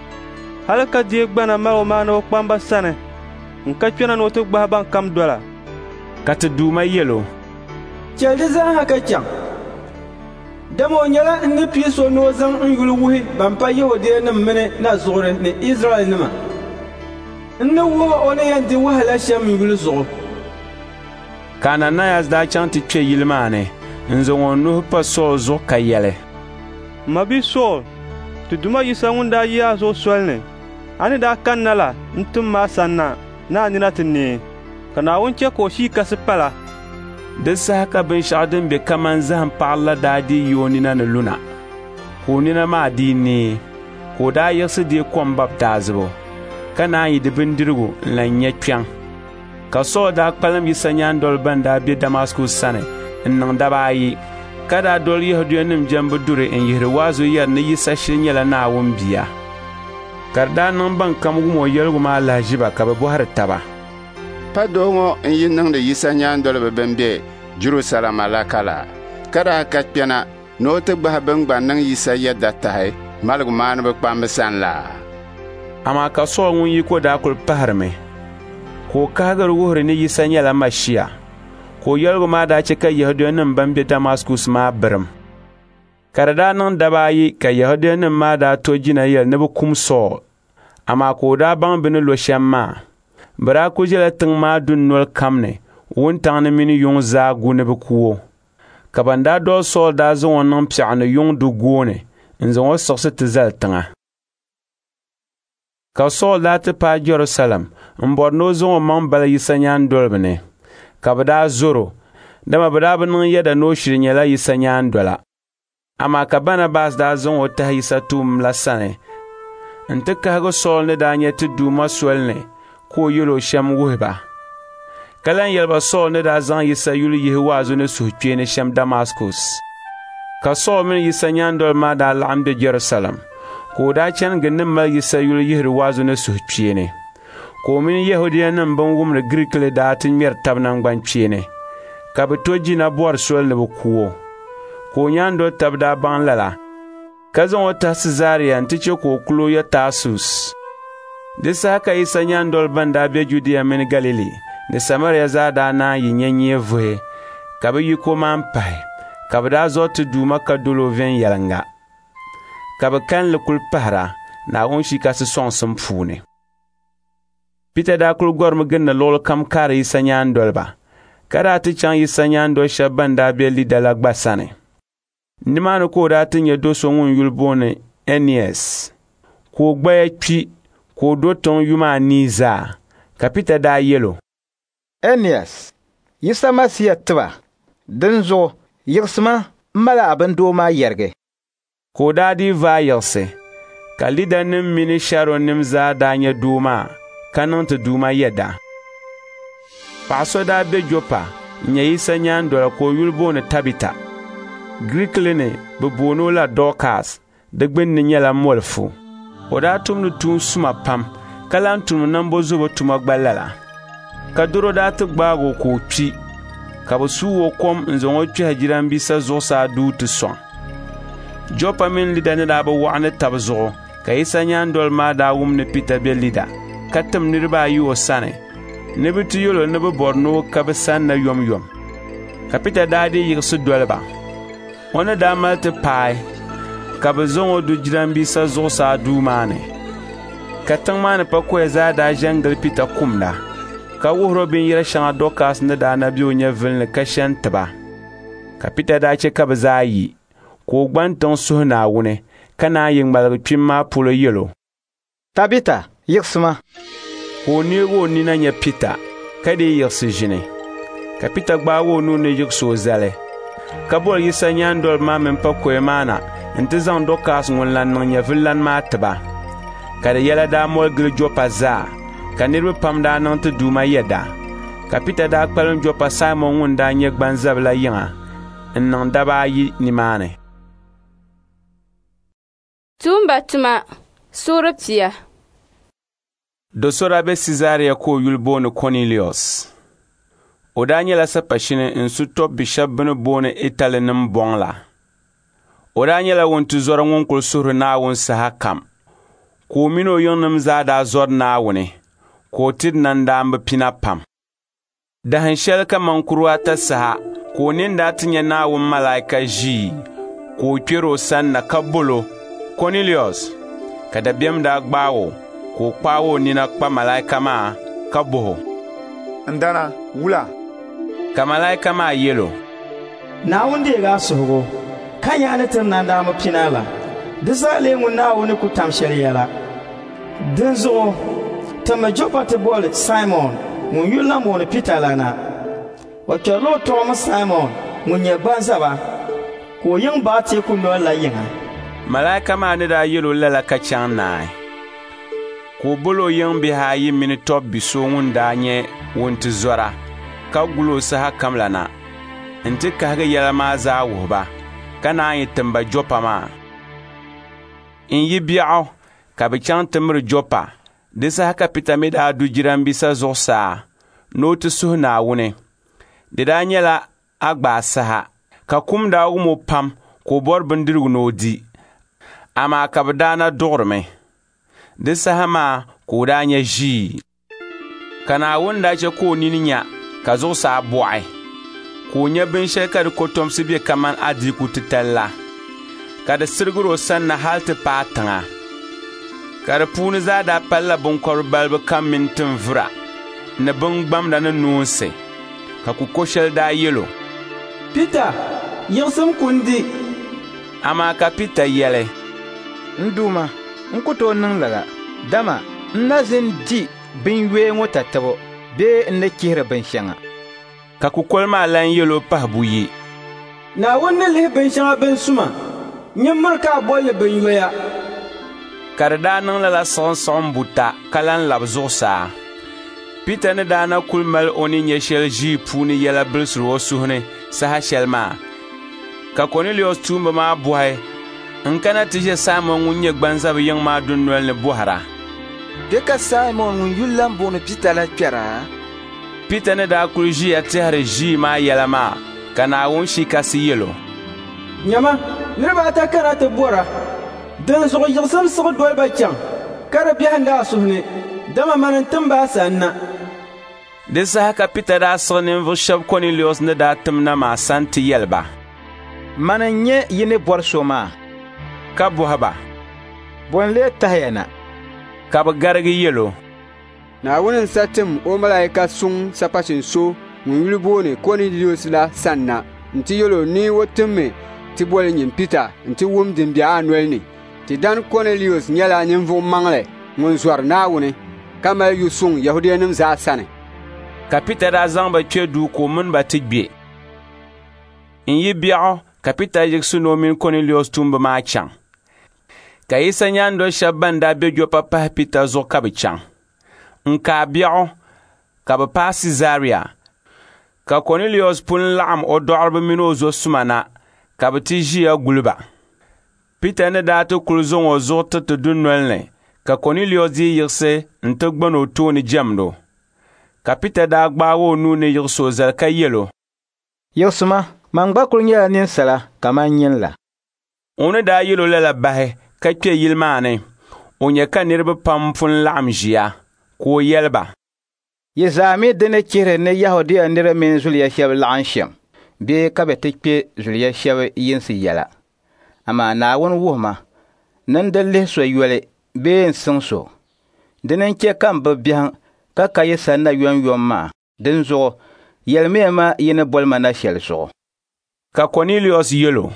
Hali ka deei gbana maligumaaniba kpamba sani n-ka kpɛna ni o ti gbahi ban kam dola. Ka ti Duuma yɛl o, Chɛli di zaa ha ka chaŋ, dama o nyɛla n ni pii so ni o zaŋ n yuli wuhi ban pa Yɛhudianim mini nazuɣuri ni Izraɛlnima. N ni wuhi o ni yɛn di wahala shɛm n yuli zuɣu. Ka Ananayas daa chaŋ ti kpe yili maa ni n-zaŋ o nuhi pa Sool zuɣu ka yɛli, M mabia Sool, ti Duuma Yisa ŋun daa yi a zuɣu soli ni, a ni daa kanna la n-tim ma a sanna ni a nina ti neei, ka Naawuni chɛ ka o Shii Kasi pala. Di saha ka binshɛɣu din be kaman zahim paɣiri la daa dii yi o nina ni luna, ka o nina maa dii neei, ka o daa yiɣisi deei kom baptaizibu, ka naan yi di bindirigu n-lan nya kpiɔŋ. Ka Sool daa kpalim Yisa nyaandoliba ban daa be Damaskus sani n-niŋ daba ayi, ka daa doli Yɛhudianim jɛmbu duri n-yihiri waazu yɛri ni Yisa shiri nyɛla Naawuni Bia. Ka di daa niŋ ban kam wum o yɛligu maa lahiʒiba ka bɛ bɔhiri taba, Pa doo ŋɔ n-yi niŋdi Yisa nyaandoliba bɛn be Jɛrusalɛm alaka la, ka daa ka kpɛna ni o ti gbahi bɛn gba niŋ Yisa yɛda tahi maligumaaniba kpamba sani la? Amaa ka Sool ŋun yiko daa kul pahirimi, ka o kahigiri wuhiri ni Yisa nyɛla Mashia, ka o yɛligu maa daa chɛ ka Yɛhudianim bɛn be Damaskus maa birim. Ka di daa niŋ daba ayi ka Yɛhudianim maa daa to jina yɛli ni bɛ kum Sool, amaa ka o daa baŋ bɛ ni lo shɛm maa. Bɛ daa kul ʒiɛla tiŋ maa dunoli kam ni wuntaŋ ni mini yuŋ zaa gu ni bɛ ku o. Ka ban daa doli Sool daa zaŋ o niŋ piɛɣu ni yuŋ du gooni n-zaŋ o siɣisi ti zali tiŋa. Ka Sool daa ti paai Jɛrusalɛm m-bɔri ni o zaŋ o maŋ bali Yisa nyaandoliba ni, ka bɛ daa zɔr o, dama bɛ daa bi niŋ yɛda ni o shiri nyɛla Yisa nyaandola. Amaa ka Banabas daa zaŋ o tahi Yisa tuumba la sani nti kahigi Sool ni daa nya ti Duuma soli ni ka o yɛl o shɛm wuhi ba. Ka lan yɛli ba Sool ni daa zaŋ Yisa yuli yihi waazu ni suhukpeeni shɛm Damaskus. Ka Sool mini Yisa nyaandoliba maa daa laɣim be Jɛrusalɛm, ka o daa chani gindi mali Yisa yuli yihiri waazu ni suhukpeeni. Ka o mini Yɛhudianim bɛn wumdi Giriikili daa ti ŋmɛri tab naŋgbankpeeni, ka bɛ to jina bɔri soli ni bɛ ku o. Ka o nyaandol tab daa baŋ lala, ka zaŋ o tahi Siizaria nti chɛ ka o kul o ya Taasus. Di saha ka Yisa nyaandoliba bɛn daa be Judia mini Galili ni Samaria zaa daa naan yi nya nyee vuhi, ka bɛ yiko maan pahi, ka bɛ daa zɔri ti Duuma ka dol o viɛnyɛliŋga. Ka bɛ kalinli kul pahira Naawuni Shia Kasi sɔŋsim puuni. Pita daa kul gɔrimi gindi luɣili kam kaari Yisa nyaandoliba, ka daa ti chaŋ Yisa nyaandol shɛba ban daa be Lida la gba sani. Nimaani ka o daa ti nya do so ŋun yuli booni Ɛnias, ka o gbaya kpi ka o do tiŋ yuma anii zaa. Ka Pita daa yɛl o, Ɛnias, Yisa Masia tib a, dinzuɣu yiɣisima m-mal a bindoo maa yɛrigi. Ka o daa dii vaai yiɣisi, ka Lidanim mini Sharɔnnim zaa daa nya doo maa ka niŋ ti Duuma yɛda. Paɣ so daa be Jɔpa n-nyɛ Yisa nyaandola ka o yuli booni Tabita. Girikili ni bɛ booni o la Dɔɔkas, di gbinni nyɛla molifu. O daa tumdi tuun suma pam, ka lan tumdi nambɔzobo tuma gba lala. Ka dɔro daa ti gbaag o ka o kpi, ka bɛ suug o kom n-zaŋ o kpɛhi jirambisa zuɣusaa duu ti sɔŋ. Jɔpa mini Lida ni daa bi waɣa ni tab zuɣu, ka Yisa nyaandoliba maa daa wum ni Pita be Lida, ka tim niriba ayi o sani ni bɛ ti yɛl o ni bɛ bɔri ni o ka bɛ sanna yomyom. Ka Pita daa dii yiɣisi doli ba. O ni daa mali ti paai, ka bɛ zaŋ o du jirambisa zuɣusaa duu maa ni. Ka tiŋ maa ni pakoya zaa daa ʒe n-gili Pita kumda, ka wuhir o binyɛr shɛŋa Dɔkas ni daa na be o nyɛvili ni ka she n-ti ba. Ka Pita daa chɛ ka bɛ zaa yi, ka o gban tiŋ suhi Naawuni, ka naan yi ŋmaligi kpim maa polo yɛl o, Tabita, yiɣisima. Ka o neeg o nina nya Pita, ka dii yiɣisi ʒini. Ka Pita gbaag o nuu ni yiɣis o zali, ka boli Yisa nyaandoliba maa mini pakoya maa na nti zaŋ Dɔkas ŋun lan niŋ nyɛvililan maa ti ba. Ka di yɛla daa moli gili Jɔpa zaa, ka niriba pam daa niŋ ti Duuma yɛda. Ka Pita daa kpalim Jɔpa Saimɔn ŋun daa nyɛ gbanzabila yiŋa n-niŋ daba ayi nimaani. Tuumba tuma suuri pia. Do so daa be Sizaria ka o yuli booni Kɔnilius. O daa nyɛla sapashini n-su tɔbbi shɛba bɛ ni booni Italinim bɔŋ la. O daa nyɛla wuntizɔra ŋun kul suhiri Naawuni sahakam, ka o min o yiŋnim zaa daa zɔri Naawuni, ka o tiri nandaamba pina pam. Dahin shɛli kaman kurugu ata saha ka o nini daa ti nya Naawuni malaika ʒii ka o kpɛr o sanna ka bol o, Kɔnilius! Ka dabiɛm daa gbaag o, ka o kpaag o nina kpa malaika maa ka bɔh o, N dana, wula? Ka malaika maa yɛl o, Naawuni deeg a suhigu, ka nya a ni tiri nandaamba pina la. Di zaa lee ŋun Naawuni ni ku tam shɛli yɛla. Dinzuɣu timmi Jɔpa ti boli Saimɔn ŋun yuli lan booni Pita la na. O kpɛrila o tɔɣimi Saimɔn ŋun nyɛ gbanzaba, ka o yiŋ baɣa teeku nol la yiŋa. Malaika maa ni daa yɛl o lala ka chaŋ naai, ka o bol o yiŋ bihi ayi mini tɔbbi so ŋun daa nyɛ wuntizɔra ka gul o sahakam la na nti kahigi yɛla maa zaa wuhi ba, ka naan yi tim ba Jɔpa maa. N-yi biɛɣu ka bɛ chaŋ ti miri Jɔpa. Di saha ka Pita mi daa du jirambisa zuɣusaa ni o ti suhi Naawuni. Di daa nyɛla agbaa saha, ka kum daa wum o pam ka o bɔri bindirigu ni o di, amaa ka bɛ daa na duɣirimi. Di saha maa ka o daa nya ʒii. Ka Naawuni daa chɛ ka o nini nya ka zuɣusaa bɔɣi, ka o nya binshɛli ka di kɔtomsi be kaman adiiku titali la, ka di sirigir o sanna hal ti paai tiŋa. Ka di puuni zaa daa palila biŋkɔbiri balibu kam mini tinvura ni biŋgbamda ni noonsi. Ka kuko shɛli daa yɛl o, Pita, yiɣisim ku n-di. Amaa ka Pita yɛli, N Duuma, n ku tooi niŋ lala, dama n na zin di binyoya ŋɔ tatabo bee n ni chihiri binshɛŋa. Ka kukoli maa lan yɛl o pahi buyi, Naawuni ni lihi binshɛŋa bin suma, nyin miri ka a bol li binyoya. Ka di daa niŋ lala siɣimsiɣim buta ka lan lab zuɣusaa. Pita ni daa na kul mal o ni nya shɛli ʒii puuni yɛla bilisir o suhu ni saha shɛli maa, ka Kɔnilius tuumba maa bɔhi n-kana ti ʒe Saimɔn ŋun nyɛ gbanzabi yiŋ maa dunol ni bɔhira, Kpe ka Saimɔn ŋun yuli lan booni Pita la kpɛra? Pita ni daa kul ʒiya tɛhiri ʒii maa yɛla maa, ka Naawuni Shia Kasi yɛl o, Nyama, niriba ata kana ti bɔra. Dinzuɣu yiɣisim siɣi doli ba chaŋ, ka di biɛhindi a suhu ni, dama mani n-tim ba a sanna. Di saha ka Pita daa siɣi ninvuɣ shɛba Kɔnilius ni daa tim na maa sani ti yɛli ba, Mani n-nyɛ yi ni bɔri so maa. Ka bɔhi ba, Bɔ n-lee tahiya na? Ka bɛ garigi yɛl o, Naawuni n-sa tim o malaika suŋ sapashin so ŋun yuli booni Kɔnilius la sanna nti yɛl o ni o timmi ti boli nyin Pita nti wum din be a noli ni. Ti dan Kɔnilius nyɛla ninvuɣ maŋli ŋun zɔri Naawuni, ka mali yu suŋ Yɛhudianim zaa sani. Ka Pita daa zaŋ ba kpe duu ka o mini ba ti gbe. N-yi biɛɣu ka Pita yiɣisi ni o mini Kɔnilius tuumba maa chaŋ. Ka Yisa nyaandol shɛba ban daa be Jɔpa pahi Pita zuɣu ka bɛ chaŋ. N-kaai biɛɣu ka bɛ paai Siizaria, ka Kɔnilius pun laɣim o dɔɣiriba mini o zo suma na, ka bɛ ti ʒiya guli ba. Pita ni daa ti kul zaŋ o zuɣu tiriti dunol ni, ka Kɔnilius dii yiɣisi nti gban o tooni jɛmd o. Ka Pita daa gbaag o nuu ni yiɣis o zali ka yɛl o, Yiɣisima, man gba kul nyɛla ninsala kaman nyin la. O ni daa yɛl o lala bahi ka kpe yili maa ni, o nya ka niriba pam pun laɣim ʒiya, ka o yɛli ba, Yi zaa mi di ni chihiri ni Yɛhudia nira mini zuliya shɛba laɣim shɛm bee ka bɛ ti kpe zuliya shɛba yinsi yɛla. Amaa Naawuni wuhi ma ni n di lihi so yoli bee n-siŋ so. Dina n-chɛ ka m bi biɛhiŋ ka ka yi sanna yomyom maa. Dinzuɣu yɛlimiya ma yi ni boli ma na shɛli zuɣu. Ka Kɔnilius yɛl o,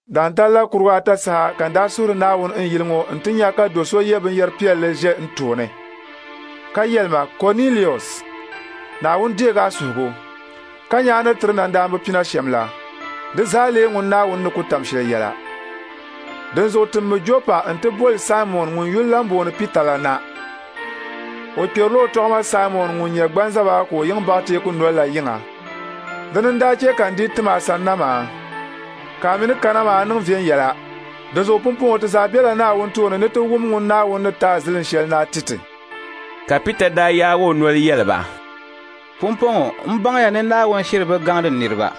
Daantal la kuruga ata saha ka n daa suhiri Naawuni n yili ŋɔ nti nya ka do so ye binyɛr piɛlli ʒe n tooni, ka yɛli ma, Kɔnilius, Naawuni deeg a suhigu, ka nya a ni tiri nandaamba pina shɛm la. Di zaa lee ŋun Naawuni ni ku tam shɛli yɛla. Dinzuɣu timmi Jɔpa nti boli Saimɔn ŋun yuli lan booni Pita la na. O kperila o tɔɣima Saimɔn ŋun nyɛ gbanzaba ka o yiŋ baɣa teeku nol la yiŋa. Dini n-daa chɛ ka n dii tim a sanna maa, ka a mi ni kana maa niŋ viɛnyɛla. Dinzuɣu pumpɔŋɔ ti zaa bela Naawuni tooni ni ti wum ŋun Naawuni ni ti a zilin shɛli ni a ti ti. Ka Pita daa yaag o noli yɛli ba, Pumpɔŋɔ m baŋya ni Naawuni shiri bi gaŋdi niriba,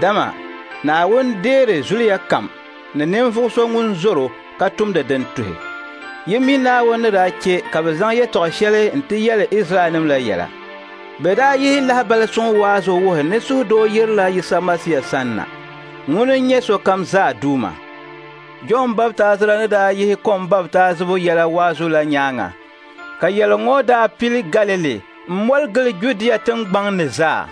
dama Naawuni deeri zuliya kam ni ninvuɣ so ŋun zɔr o ka tumdi din tuhi. Yi mi Naawuni ni daa chɛ ka bɛ zaŋ yɛtɔɣ shɛli nti yɛli Izraɛlnim la yɛla. Bɛ daa yihi lahibali suŋ waazu wuhi ni suhudoo yirila Yisa Masia sanna. Ŋuni n-nyɛ sokam zaa Duuma. Jɔn Baptaizira ni daa yihi kom baptaizibu yɛla waazu la nyaaŋa, ka yɛligu ŋɔ daa pili Galili m-moli gili Judia tiŋgbaŋ ni zaa.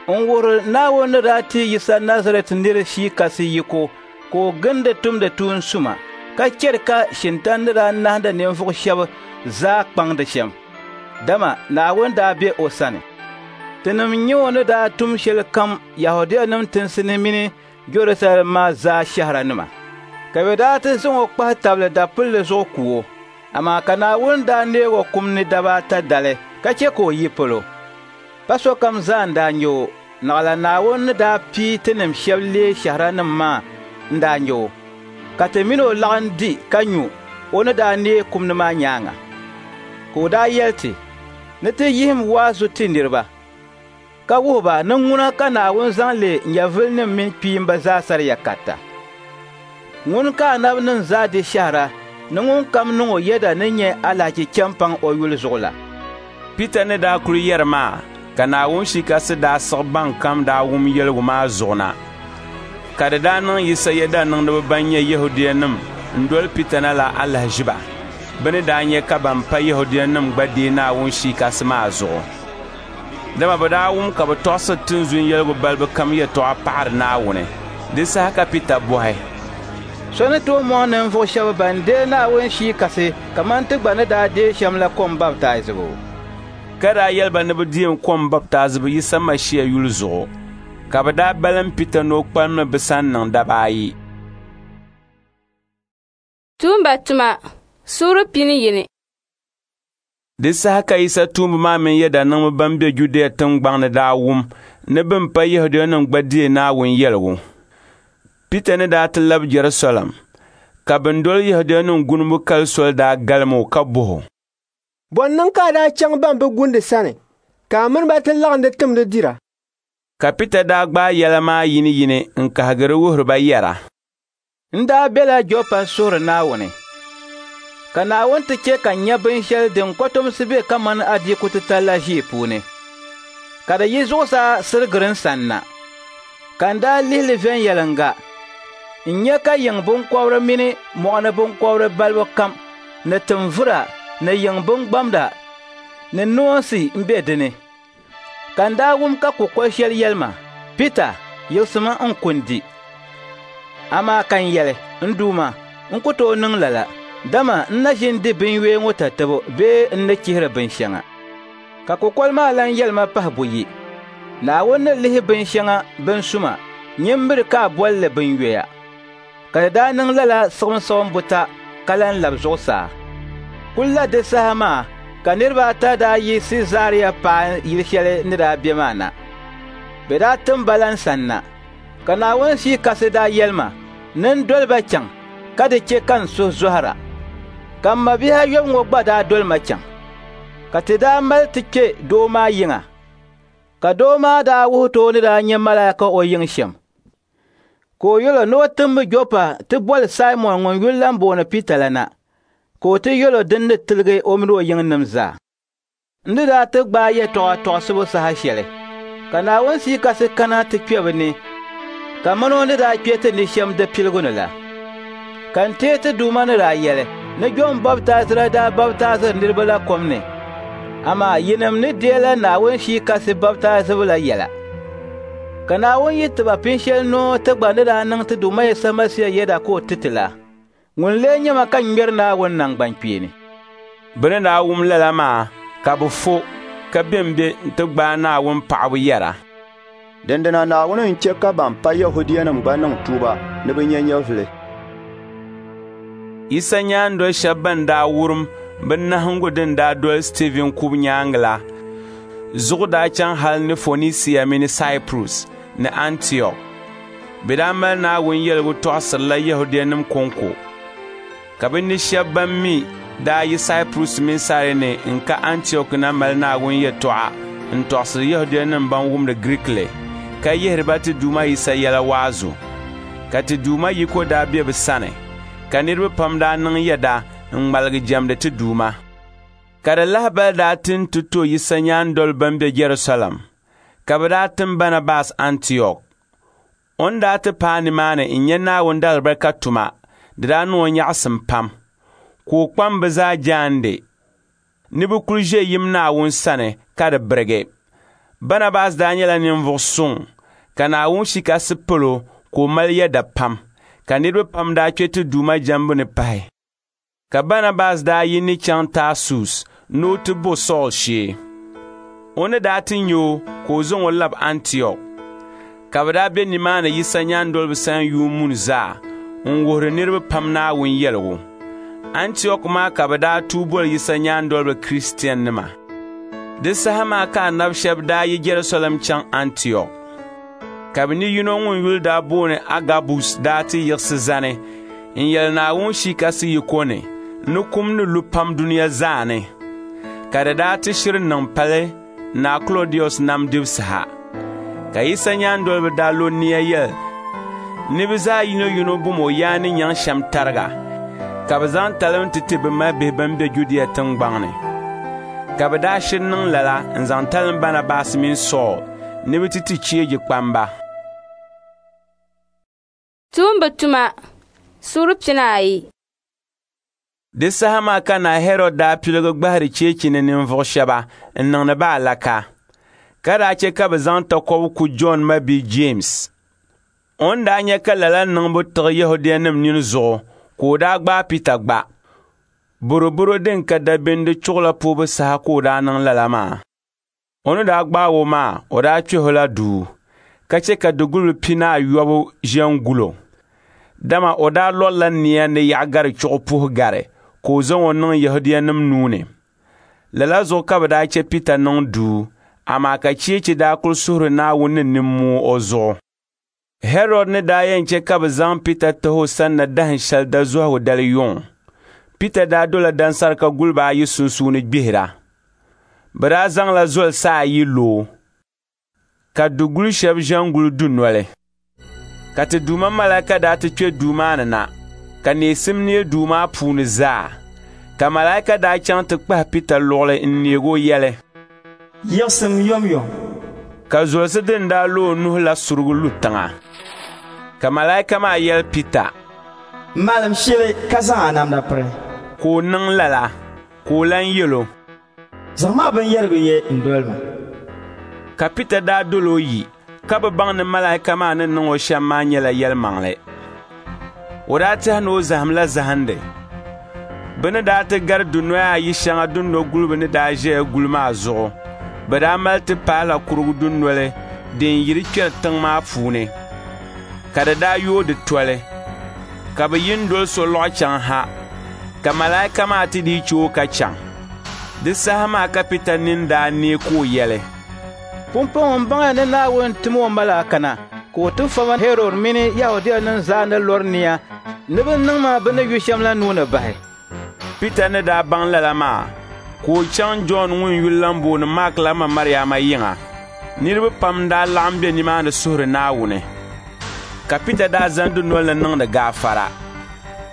N-wuhiri Naawuni ni daa ti Yisa Nazarɛt nir Shii Kasi yiko ka o gindi tumdi tuun suma, ka chɛri ka Shintan ni daa nahindi ninvuɣ shɛba zaa kpaŋdi shɛm, dama Naawuni daa be o sani. Tinim nya o ni daa tum shɛlikam Yɛhudianim tinsi ni mini Jɛrusalɛm maa zaa shɛhiranima. Ka bɛ daa ti zaŋ o kpahi tabili dapulli zuɣu ku o. Amaa ka Naawuni daa neeg o kum ni daba ata dali ka chɛ ka o yi polo. Pa sokam zaa n-daa nya o, naɣila Naawuni ni daa pii tinim shɛba leei shɛhiranim maa n-daa nya o, ka ti min o laɣim di ka nyu o ni daa neei kum ni maa nyaaŋa. Ka o daa yɛli ti ni ti yihim waazu ti niriba, ka wuhi ba ni ŋuna ka Naawuni zaŋ leei nyɛvilinim mini kpiimba zaa sariya karita. Ŋuni ka anabinim zaa di shɛhira ni ŋunkam niŋ o yɛda ni nya alahichi chɛmpaŋ o yuli zuɣu la. Pita ni daa kul yɛri maa, ka Naawuni Shii Kasi daa siɣi bɛnkam daa wum yɛligu maa zuɣu na. Ka di daa niŋ Yisa yɛdaniŋdiba ban nyɛ Yɛhudianim n-doli Pita na la alahiʒiba, bɛ ni daa nya ka ban pa Yɛhudianim gba deei Naawuni Shii Kasi maa zuɣu. Dama bɛ daa wum ka bɛ tɔɣisiri tinzun yɛligu balibu kam yɛtɔɣa paɣiri Naawuni. Di saha ka Pita bɔhi, So ni tooi mɔŋ ninvuɣ shɛba ban deei Naawuni Shii Kasi kaman ti gba ni daa deei shɛm la kom baptaizibu? Ka daa yɛli ba ni bɛ deem kom baptaizibu Yisa Masia yuli zuɣu. Ka bɛ daa balim Pita ni o kpalimmi bɛ sani niŋ daba ayi. Tuumba tuma suuri pini yini. Di saha ka Yisa tuumba maa mini yɛdaniŋdiba ban be Judia tiŋgbaŋ ni daa wum ni bɛn pa Yɛhudianim gba deei Naawuni yɛligu. Pita ni daa ti labi Jɛrusalɛm, ka bɛn doli Yɛhudianim gunibu kali soli daa galim o ka bɔh o, Bɔ n-niŋ ka a daa chaŋ ban bi gundi sani, ka a mini ba ti laɣindi timdi dira? Ka Pita daa gbaai yɛla maa yiniyini n-kahigiri wuhiri ba yɛra, N daa bela Jɔpa n-suhiri Naawuni, ka Naawuni ti chɛ ka n nya binshɛli din kɔtomsi be kaman adiiku titali la ʒii puuni. ka di yi zuɣusaa sirigiri n sanna. Ka n daa lihi li viɛnyɛliŋga, n nya ka yiŋ biŋkɔbiri mini mɔɣuni biŋkɔbiri balibu kam ni tinvura ni yiŋ biŋgbamda ni noonsi m-be di ni. Ka n daa wum ka kukol shɛli yɛli ma, Pita, yiɣisimi n-ku n-di. Amaa ka n yɛli, N Duuma, n ku tooi niŋ lala, dama n na ʒi n-di binyoya ŋɔ tatabo bee n ni chihiri binshɛŋa. Ka kukoli maa lan yɛli ma pahi buyi, Naawuni ni lihi binshɛŋa bin suma, nyin miri ka a boli li binyoya. Ka di daa niŋ lala siɣimsiɣim buta ka lan lab zuɣusaa. Kul la di saha maa ka niriba ata daa yi Siizaria paai yili shɛli ni daa be maa na. Bɛ daa tim ba la n sanna, ka Naawuni Shia Kasi daa yɛli ma ni n doli ba chaŋ ka di chɛ ka n suhu zɔhira. Ka m mabihi ayɔbu ŋɔ gba daa doli ma chaŋ. Ka ti daa mali ti kpe doo maa yiŋa, ka doo maa daa wuhi ti o ni daa nya malaika o yiŋ shɛm. Ka o yɛl o ni o timmi Jɔpa ti boli Saimɔn ŋun yuli lan booni Pita la na, ka o ti yɛl o din ni tiligi o min o yiŋnim zaa. N ni daa ti gbaai yɛtɔɣa tɔɣisibu saha shɛli, ka Naawuni Shia Kasi kana ti kpe bɛ ni kaman o ni daa kpe ti ni shɛm di piligu ni la. Ka n teei ti Duuma ni daa yɛli ni Jɔn baptaizira daa baptaiziri niriba la kom ni, amaa yinim ni deela Naawuni Shia Kasi baptaizibu la yɛla. Ka Naawuni yi ti ba pin shɛli noo ti gba ni daa niŋ ti Duuma Yisa Masia yɛda ka o ti ti la, ŋun lee nyɛ ma ka n ŋmɛri Naawuni naŋgbankpeeni. Bɛ ni daa wum lala maa ka bɛ fo, ka bembe nti gbaai Naawuni paɣibu yɛra, Dindina Naawuni n-chɛ ka ban pa Yɛhudianim gba niŋ tuuba ni bɛ nya nyɛvili. Yisa nyaandol shɛba bɛn daa wurim bɛ nahiŋgu din daa doli Stiivin kubu nyaaŋa la zuɣu daa chaŋ hal ni Fonisia mini Saipurus ni Antiɔk. Bɛ daa mali Naawuni yɛligu tɔɣisirila Yɛhudianim kɔŋko. Ka bɛ ni shɛba bɛn mi daa yi Saipurus mini Sairene n-ka Antiɔk na mali Naawuni yɛtɔɣa n-tɔɣisiri Yɛhudianim bɛn wumdi Giriikili, ka yihiri ba ti Duuma Yisa yɛla waazu. Ka ti Duuma yiko daa be bɛ sani, ka niriba pam daa niŋ yɛda n-ŋmaligi jɛmdi ti Duuma. Ka di lahibali daa ti nti to Yisa nyaandoliba bɛn be Jɛrusalɛm, ka bɛ daa tim Baanabas Antiɔk. O ni daa ti paai nimaani n-nya Naawuni daalibarika tuma, di daa niŋ o nyaɣisim pam, ka o kpam bɛ zaa jaande ni bɛ kul ʒe yim Naawuni sani ka di birigi. Baanabas daa nyɛla ninvuɣ suŋ, ka Naawuni Shia Kasi palo ka o mali yɛda pam, ka niriba pam daa kpe ti Duuma jɛmbu ni pahi. Ka Baanabas daa yi ni chaŋ Taasus ni o ti bo Sool shee. O ni daa ti nya o ka o zaŋ o lab Antiɔk. Ka bɛ daa be nimaani Yisa nyaandoliba sani yuun muni zaa n-wuhiri niriba pam Naawuni yɛligu. Antiɔk maa ka bɛ daa tuui boli Yisa nyaandoliba Kristiɛnnima. Di saha maa ka anab shɛba daa yi Jɛrusalɛm chaŋ Antiɔk. Ka bɛ ni yino ŋun yuli daa booni Agabus daa ti yiɣisi zani n-yɛli Naawuni Shia Kasi yiko ni ni kum ni lu pam dunia zaa ni. Ka di daa ti shiri niŋ pali Naa Klɔdius nam dibu saha. Ka Yisa nyaandoliba daa lo nia yɛli ni bɛ zaa yinoyino bom o yaa ni nyaŋ shɛm tariga, ka bɛ zaŋ talim ti ti bɛ mabihi bɛn be Judia tiŋgbɔŋ ni. Ka bɛ daa shiri niŋ lala n-zaŋ talim Baanabas mini Sool ni bɛ ti ti cheeji kpamba. Tuumba tuma suura pinaayi. Di saha maa ka Naa Hɛrɔd daa piligi gbahiri cheechi ni ninvuɣ shɛba n-niŋdi ba alaka, ka daa chɛ ka bɛ zaŋ takɔbi ku Jɔn mabia Jeemsi. O ni daa nya ka lala niŋbu tiɣi Yɛhudianim nini zuɣu ka o daa gbaai Pita gba. Bɔrɔbɔro din ka dabindi chuɣu la puhibu saha ka o daa niŋ lala maa. O ni daa gbaag o maa, o daa kpɛh o la duu, ka chɛ ka dugulli pinaayɔbu ʒe n-gul o. Dama o daa lɔrila nia ni Yaɣigari chuɣu puhi gari ka o zaŋ o niŋ Yɛhudianim nuu ni. Lala zuɣu ka bɛ daa chɛ Pita niŋ duu, amaa ka cheechi daa kul suhiri Naawuni ni nimmoo o zuɣu. Hɛrɔd ni daa yɛn chɛ ka bɛ zaŋ Pita tahi o sanna dahin shɛli dazɔhigu dali yuŋ, Pita daa dola dansarika guliba ayi sunsuuni gbihira. Bɛ daa zaŋla zolisi ayi lo o, ka dugul shɛba ʒe n-guli dunoli. Ka ti Duuma malaika daa ti kpe duu maa ni na, ka neesim neei duu maa puuni zaa. Ka malaika daa chaŋ ti kpahi Pita luɣili n-neeg o yɛli, Yiɣisim yomyom. Ka zolisi din daa lo o nuhi la surigi lu tiŋa. Ka malaika maa yɛli Pita, Malim shili ka zaŋ a namda piri. Ka o niŋ lala, ka o lan yɛl o, Zaŋm a binyɛrigu ye n-doli ma. Ka Pita daa dol o yi, ka bi baŋ ni malaika maa ni niŋ o shɛm maa nyɛla yɛlimaŋli. O daa tɛhi ni o zahimla zahindi. Bɛ ni daa ti gari dunoya ayi shɛŋa dunɔguliba ni daa ʒiya guli maa zuɣu, bɛ daa mali ti paala kurugu dunoli din yiri kpɛri tiŋ maa puuni, ka di daa yooi di toli, ka bɛ yi n-doli solɔɣu chaŋ ha, ka malaika maa ti dii che o ka chaŋ. Di saha maa ka Pita nini daa neei ka o yɛli, Pumpɔŋɔ m baŋya ni Naawuni tim o malaika na ka o ti fa ma Hɛrɔd mini Yɛhudianim zaa ni lɔri nia ni bɛ niŋ ma bɛ ni yu shɛm la nuu ni bahi. Pita ni daa baŋ lala maa, ka o chaŋ Jɔn ŋun yuli lan booni Maak la ma Mariama yiŋa. Niriba pam daa laɣim be nimaani suhiri Naawuni. Ka Pita daa zani dunol ni niŋdi gaafara.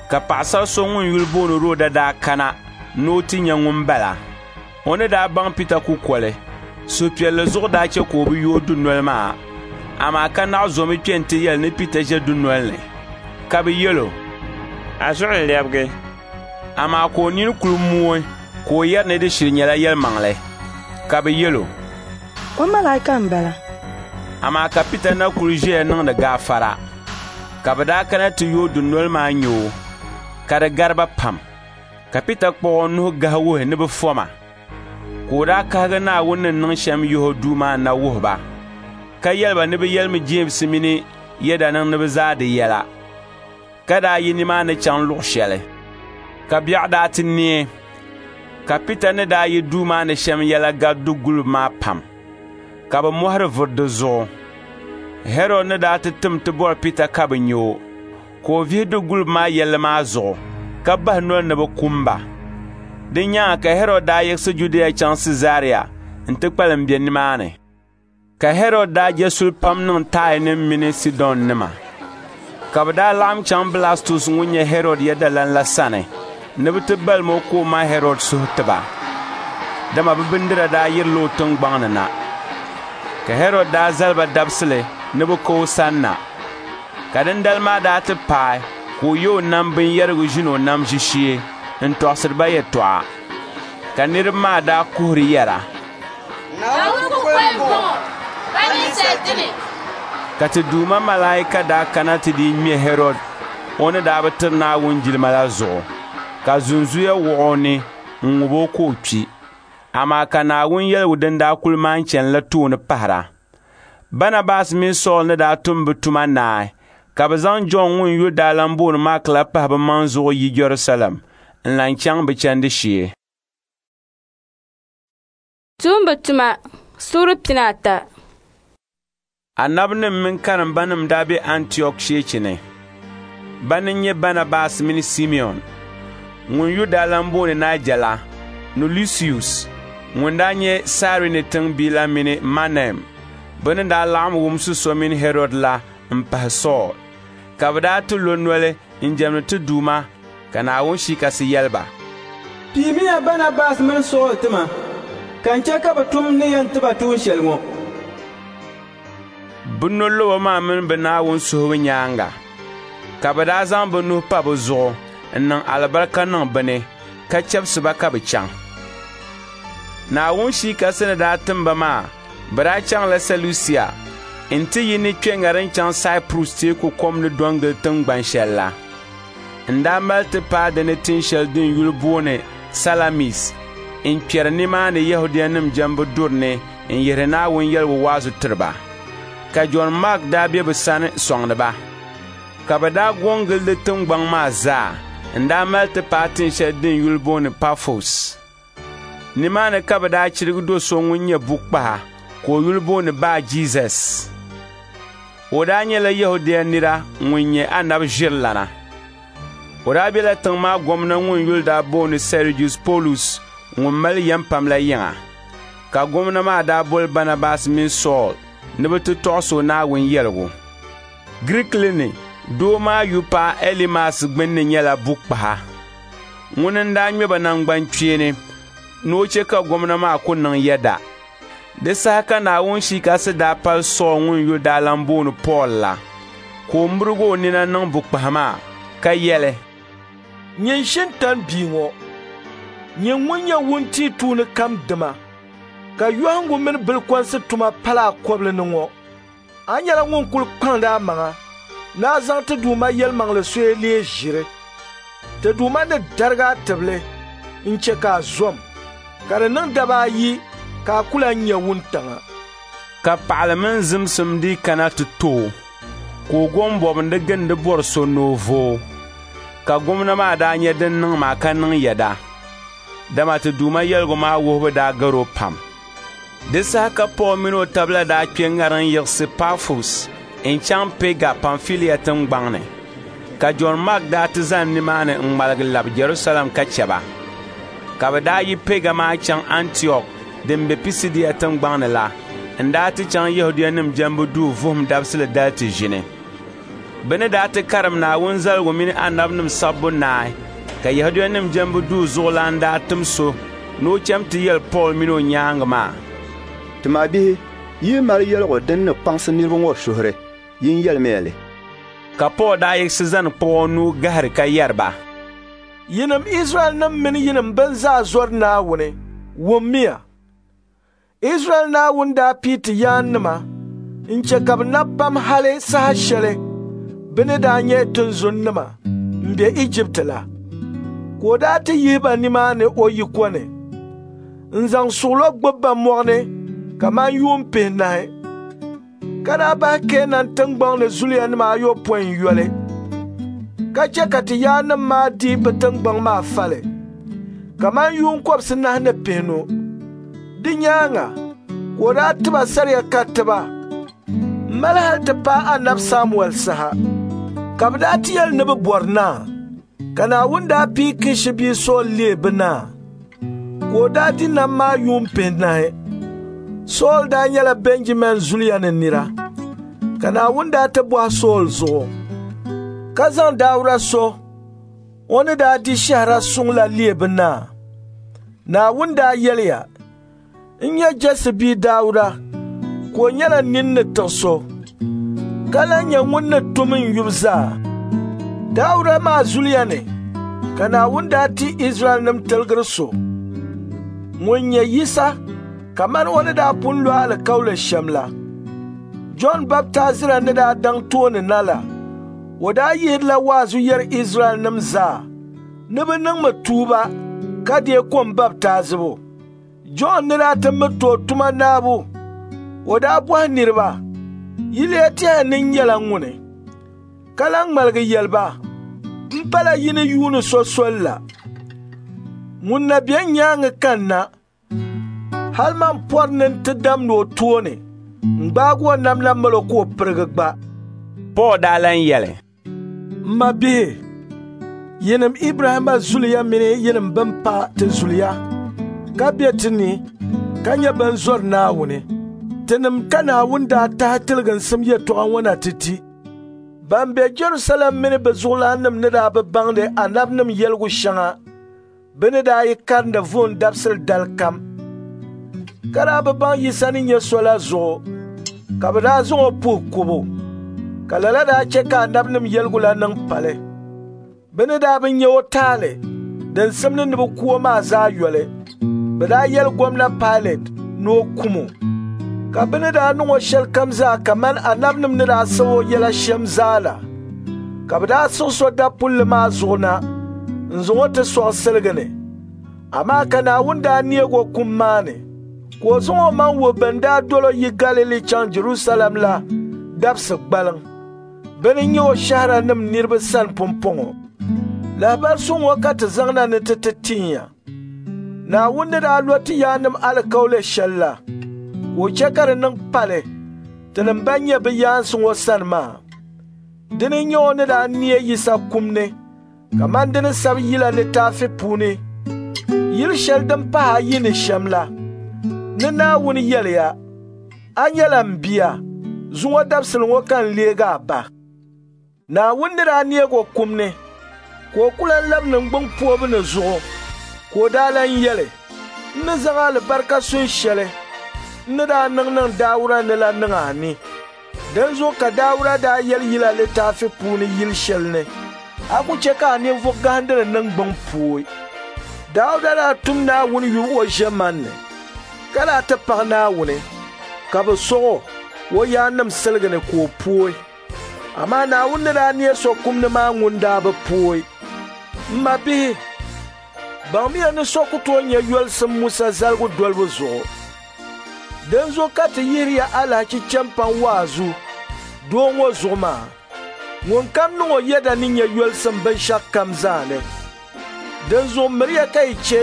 Ka paɣasar so ŋun yuli booni Roda daa kana ni o ti nya ŋun bala. O ni daa baŋ Pita kukoli, suhupiɛlli zuɣu daa chɛ ka o bi yooi dunoli maa, amaa ka naɣ zomi kpe nti yɛli ni Pita ʒe dunol ni. Ka bɛ yɛl o, A zuɣu n-lɛbigi. Amaa ka o nini kul mooi ka o yɛri ni di shiri nyɛla yɛlimaŋli. Ka bɛ yɛl o, O malaika m-bala. Amaa ka Pita na kul ʒiya niŋdi gaafara. Ka bɛ daa kana ti yooi dunoli maa nya o, ka di gari ba pam. Ka Pita kpuɣ o nuhi gahi wuhi ni bɛ foma. Ka o daa kahigi Naawuni ni niŋ shɛm yihi o duu maa na wuhi ba, ka yɛli ba ni bɛ yɛlimi Jeemsi mini yɛdaniŋdiba zaa di yɛla, ka daa yi nimaani chaŋ luɣ shɛli. Ka biɛɣu daa ti neei, ka Pita ni daa yi duu maa ni shɛm yɛla gari du guliba maa pam, ka bɛ mɔhiri vuri di zuɣu. Hɛrɔd ni daa ti tim ti bɔri Pita ka bi nya o, ka o vihi du guliba maa yɛlli maa zuɣu, ka bahi noli ni bɛ kum ba. Di nyaaŋa ka Hɛrɔd daa yiɣisi Judia chaŋ Siizaria nti kpalim be nimaani. Ka Hɛrɔd daa je suli pam niŋ Taianim mini Sidɔnnima. Ka bɛ daa laɣim chaŋ Blastus ŋun nyɛ Hɛrɔd yɛdalan la sani ni bɛ ti balim o ka o ma Hɛrɔd suhu ti ba, dama bɛ bindira daa yirila o tiŋgbɔŋ ni na. Ka Hɛrɔd daa zali ba dabisili ni bɛ ka o sanna. Ka dindali maa daa ti paai ka o ye o nam binyɛrigu ʒini o nam ʒishee n-tɔɣisiri ba yɛtɔɣa. Ka niriba maa daa kuhiri yɛra, Naawuni kukoli m-bɔŋɔ, pa ninsal dini. Ka ti Duuma malaika daa kana ti dii ŋme Hɛrɔd o ni daa bi tiri Naawuni jilima la zuɣu, ka zunzuya wuɣ o ni n-ŋub o ka o kpi. Amaa ka Naawuni yɛligu din daa kul maan chanila tooni pahira. Banabas mini Sool ni daa tum bɛ tuma naai, ka bɛ zaŋ Jɔn ŋun yuli daa lan booni Maak la pahi bɛ maŋ zuɣu yi Jɛrusalɛm n-lan chaŋ bɛ chandi shee. Tuumba tuma suuri pinaata. Anabinim mini karimbanim daa be Antiɔk cheechi ni. Bana n-nyɛ Banabas mini Simiɔn, ŋun yuli daa lan booni Naija la, ni Lusius, ŋun daa nyɛ Sairini tiŋbia la mini Manaim, bɛ ni daa laɣim wumsi so mini Hɛrɔd la m-pahi Sool. Ka bɛ daa ti lo noli n-jɛmdi ti Duuma, ka Naawuni Shii Kasi yɛli ba, Piimiya Banabas mini Sool ti ma, ka n chɛ ka bɛ tum n ni yɛn ti ba tuun shɛli ŋɔ. Bɛ nolobo maa mini bɛ Naawuni suhibu nyaaŋa, ka bɛ daa zaŋ bɛ nuhi pa bɛ zuɣu n-niŋ alibarika niŋ bɛ ni, ka chɛbisi ba ka bɛ chaŋ. Naawuni Shii Kasi ni daa tim ba maa, bɛ daa chaŋla Sɛlusia nti yi ni kpe ŋariŋ chaŋ Saipurus teeku kom ni do n-gili tiŋgban shɛl la. N daa mali ti paai di ni tin shɛli din yuli booni Salamis n-kpɛri nimaani Yɛhudianim jɛmbu duri ni n-yihiri Naawuni yɛligu waazu tiri ba. Ka Jɔn Maak daa be bɛ sani sɔŋdi ba. Ka bɛ daa go n-gili di tiŋgbɔŋ maa zaa n-daa mali ti paai tin shɛli din yuli booni Pafos. Nimaani ka bɛ daa chirigi do so ŋun nyɛ bukpaha ka o yuli booni Baa Jizɛs. O daa nyɛla Yɛhudia nira ŋun nyɛ anabi ʒirilana. O daa bela tiŋ maa gomna ŋun yuli daa booni Sɛrijius Polus ŋun mali yɛm pam la yiŋa. Ka gomna maa daa boli Banabas mini Sool ni bɛ ti tɔɣis o Naawuni yɛligu. Girikili ni doo maa yupaɣa Elimas gbinni nyɛla bukpaha. Ŋuni n-daa ŋme ba naŋgbankpeeni ni o chɛ ka gomna maa ku niŋ yɛda. Di saha ka Naawuni Shia Kasi daa pali Sool ŋun yuli daa lan booni Pool la, ka o mirigi o nina niŋ bukpahi maa, ka yɛli, Nyin Shintan bia ŋɔ, nyin ŋun nyɛ wuntia tuuni kam dima, ka yɔhiŋgu mini bilikɔnsi tuma pala a kɔbili ni ŋɔ, a nyɛla ŋun kul kpaŋdi amaŋa ni a zaŋ ti Duuma yɛlimaŋli soya leei ʒiri. Ti Duuma ni darig a tibili n-chɛ ka a zom, ka di niŋ daba ayi ka a ku lan nya wuntaŋa. Ka paɣili mini zimsim dii kana ti to o, ka o go m-bɔbindi gindi bɔri so ni o vooi. Ka gomna maa daa nya din niŋ maa ka niŋ yɛda, dama ti Duuma yɛligu maa wuhibu daa gar o pam. Di saha ka Pool min o tabila daa kpe ŋariŋ yiɣisi Pafos n-chaŋ Pɛga Pamfilia tiŋgbaŋ ni. Ka Jɔn Mak daa ti zani nimaani n-ŋmaligi labi Jɛrusalɛm ka chɛ ba. Ka bɛ daa yi Pɛga maa chaŋ Antiɔk din be Pisidia tiŋgbaŋ ni la n-daa ti chaŋ Yɛhudianim jɛmbu duu vuhim dabisili dali ti ʒini. Bɛ ni daa ti karim Naawuni zaligu mini anabinim sabbu naai, ka Yɛhudianim jɛmbu duu zuɣulan daa tim so ni o cham ti yɛli Pool min o nyaaŋa maa, Ti mabihi, yi yi mali yɛligu din ni kpaŋsi niriba ŋɔ suhuri, yin yɛlimiya li. Ka Pool daa yiɣisi zani kpuɣ o nuu gahiri ka yɛri ba, Yinim Izraɛlnim mini yinim bɛn zaa zɔri Naawuni, wummiya! Izraɛl Naawuni daa pii ti yaannima n-chɛ ka bɛ nab pam hali saha shɛli bɛ ni daa nyɛ tinzunnima m-be Ijipti la. Ka o daa ti yihi ba nimaani o yiko ni n-zaŋ suɣilo gbubi ba mɔɣu ni kaman yuun pihinahi, ka daa bahi Keenan tiŋgbɔŋ ni zuliyanima ayopɔin yoli, ka chɛ ka ti yaannim maa di bɛ tiŋgbɔŋ maa fali kaman yuun kɔbisinahi ni pihinu. Di nyaaŋa ka o daa ti ba saria karitiba m-mali hali ti paai anabi Samuɛl saha. Ka bɛ daa ti yɛli ni bɛ bɔri naa, ka Naawuni daa pii Kishi bia Sool leei bɛ naa, ka o daa di nam maa yuun pihinahi. Sool daa nyɛla Bɛnjamin zuliya ni nira, ka Naawuni daa ti bɔhi Sool zuɣu, ka zaŋ Dauda so o ni daa di shɛhira suŋ la leei bɛ naa. Naawuni daa yɛliya, N nya Jɛsi bia Dauda ka o nyɛla nini ni tiɣi so, ka lan nyɛ ŋun ni tum n yubu zaa. Dauda maa zuliya ni ka Naawuni daa ti Izraɛlnim tiligiri so, ŋun nyɛ Yisa kaman o ni daa pun lo alikauli shɛm la. Jɔn Baptaizira ni daa daŋ tooni na la, o daa yihirila waazu yɛri Izraɛlnim zaa ni bɛ niŋmi tuuba ka deei kom baptaizibu. Jɔn ni daa ti miriti o tuma naabu, o daa bɔhi niriba, Yi lee tɛhi ni n nyɛla ŋuni? Ka lan ŋmaligi yɛli ba, M pala yi ni yuuni so sol la. Ŋun na be n nyaaŋa kanna, hali man pɔri ni n ti damdi o tooni n-gbaagi o namda mal o ka o pirigi gba. Pool daa lan yɛli, M mabihi, yinim Ibrahimma zuliya mini yinim bɛn pa ti zuliya ka be ti ni ka nyɛ bɛn zɔri Naawuni, tinim ka Naawuni daa tahi tiliginsim yɛtɔɣa ŋɔ na ti ti. Ban be Jɛrusalɛm mini bɛ zuɣulaannim ni daa bi baŋdi anabinim yɛligu shɛŋa bɛ ni daa yi karindi vuhim dabisili dali kam, ka daa bi baŋ Yisa ni nyɛ so la zuɣu, ka bɛ daa zaŋ o puhi kubu, ka lala daa chɛ ka anabinim yɛligu la niŋ pali. Bɛ ni daa bi nya o taali din simdi ni bɛ ku o maa zaa yoli, bɛ daa yɛli gomna Pailɛt ni o kum o. Ka bɛ ni daa niŋ o shɛlikam zaa kaman anabinim ni daa sab o yɛla shɛm zaa la, ka bɛ daa siɣis o dapulli maa zuɣu na n-zaŋ o ti sɔɣi siliga ni. Amaa ka Naawuni daa neeg o kum maa ni, ka o zaŋ o maŋ wuhi bɛn daa dol o yi Galili chaŋ Jɛrusalɛm la dabisi gbaliŋ. Bɛ ni nyɛ o shɛhiranim niriba sani pumpɔŋɔ. Lahibali suŋ ŋɔ ka ti zaŋna ni ti ti tin ya. Naawuni ni daa lo ti yaannim alikauli shɛl la, ka o chɛ ka di niŋ pali tinim bɛn nyɛ bɛ yaansi ŋɔ sani maa. Dini n-nyɛ o ni daa neei Yisa kum ni kaman di ni sabi Yila litaafi puuni yili shɛli din pahi ayi ni shɛm la, ni Naawuni yɛliya, A nyɛla m bia, zuŋɔ dabisili ŋɔ ka n leeg a ba. Naawuni ni daa neeg o kum ni, ka o ku lan labi niŋgbuŋ poobu ni zuɣu, ka o daa lan yɛli, N ni zaŋ alibarika sun shɛli n ni daa niŋ niŋ Dauda ni la niŋ a ni. Dinzuɣu ka Dauda daa yɛli Yila litaafi puuni yil shɛli ni, a ku chɛ ka a ninvuɣ gahindili niŋgbuŋ pooi. Dauda daa tum Naawuni yubu o ʒiɛmani ni, ka daa ti paɣi Naawuni, ka bɛ sɔɣ o o yaannim siligi ni ka o pooi. Amaa Naawuni ni daa neei so kum ni maa ŋun daa bi pooi. M mabihi, baŋmiya ni so ku tooi nya yolisim Musa zaligu dolibu zuɣu. Dinzuɣu ka ti yihiriya alahichi chɛmpaŋ waazu doo ŋɔ zuɣu maa. Ŋunkam niŋ o yɛda ni nya yolisim binshɛɣukam zaa ni. Dinzuɣu miriya ka yi chɛ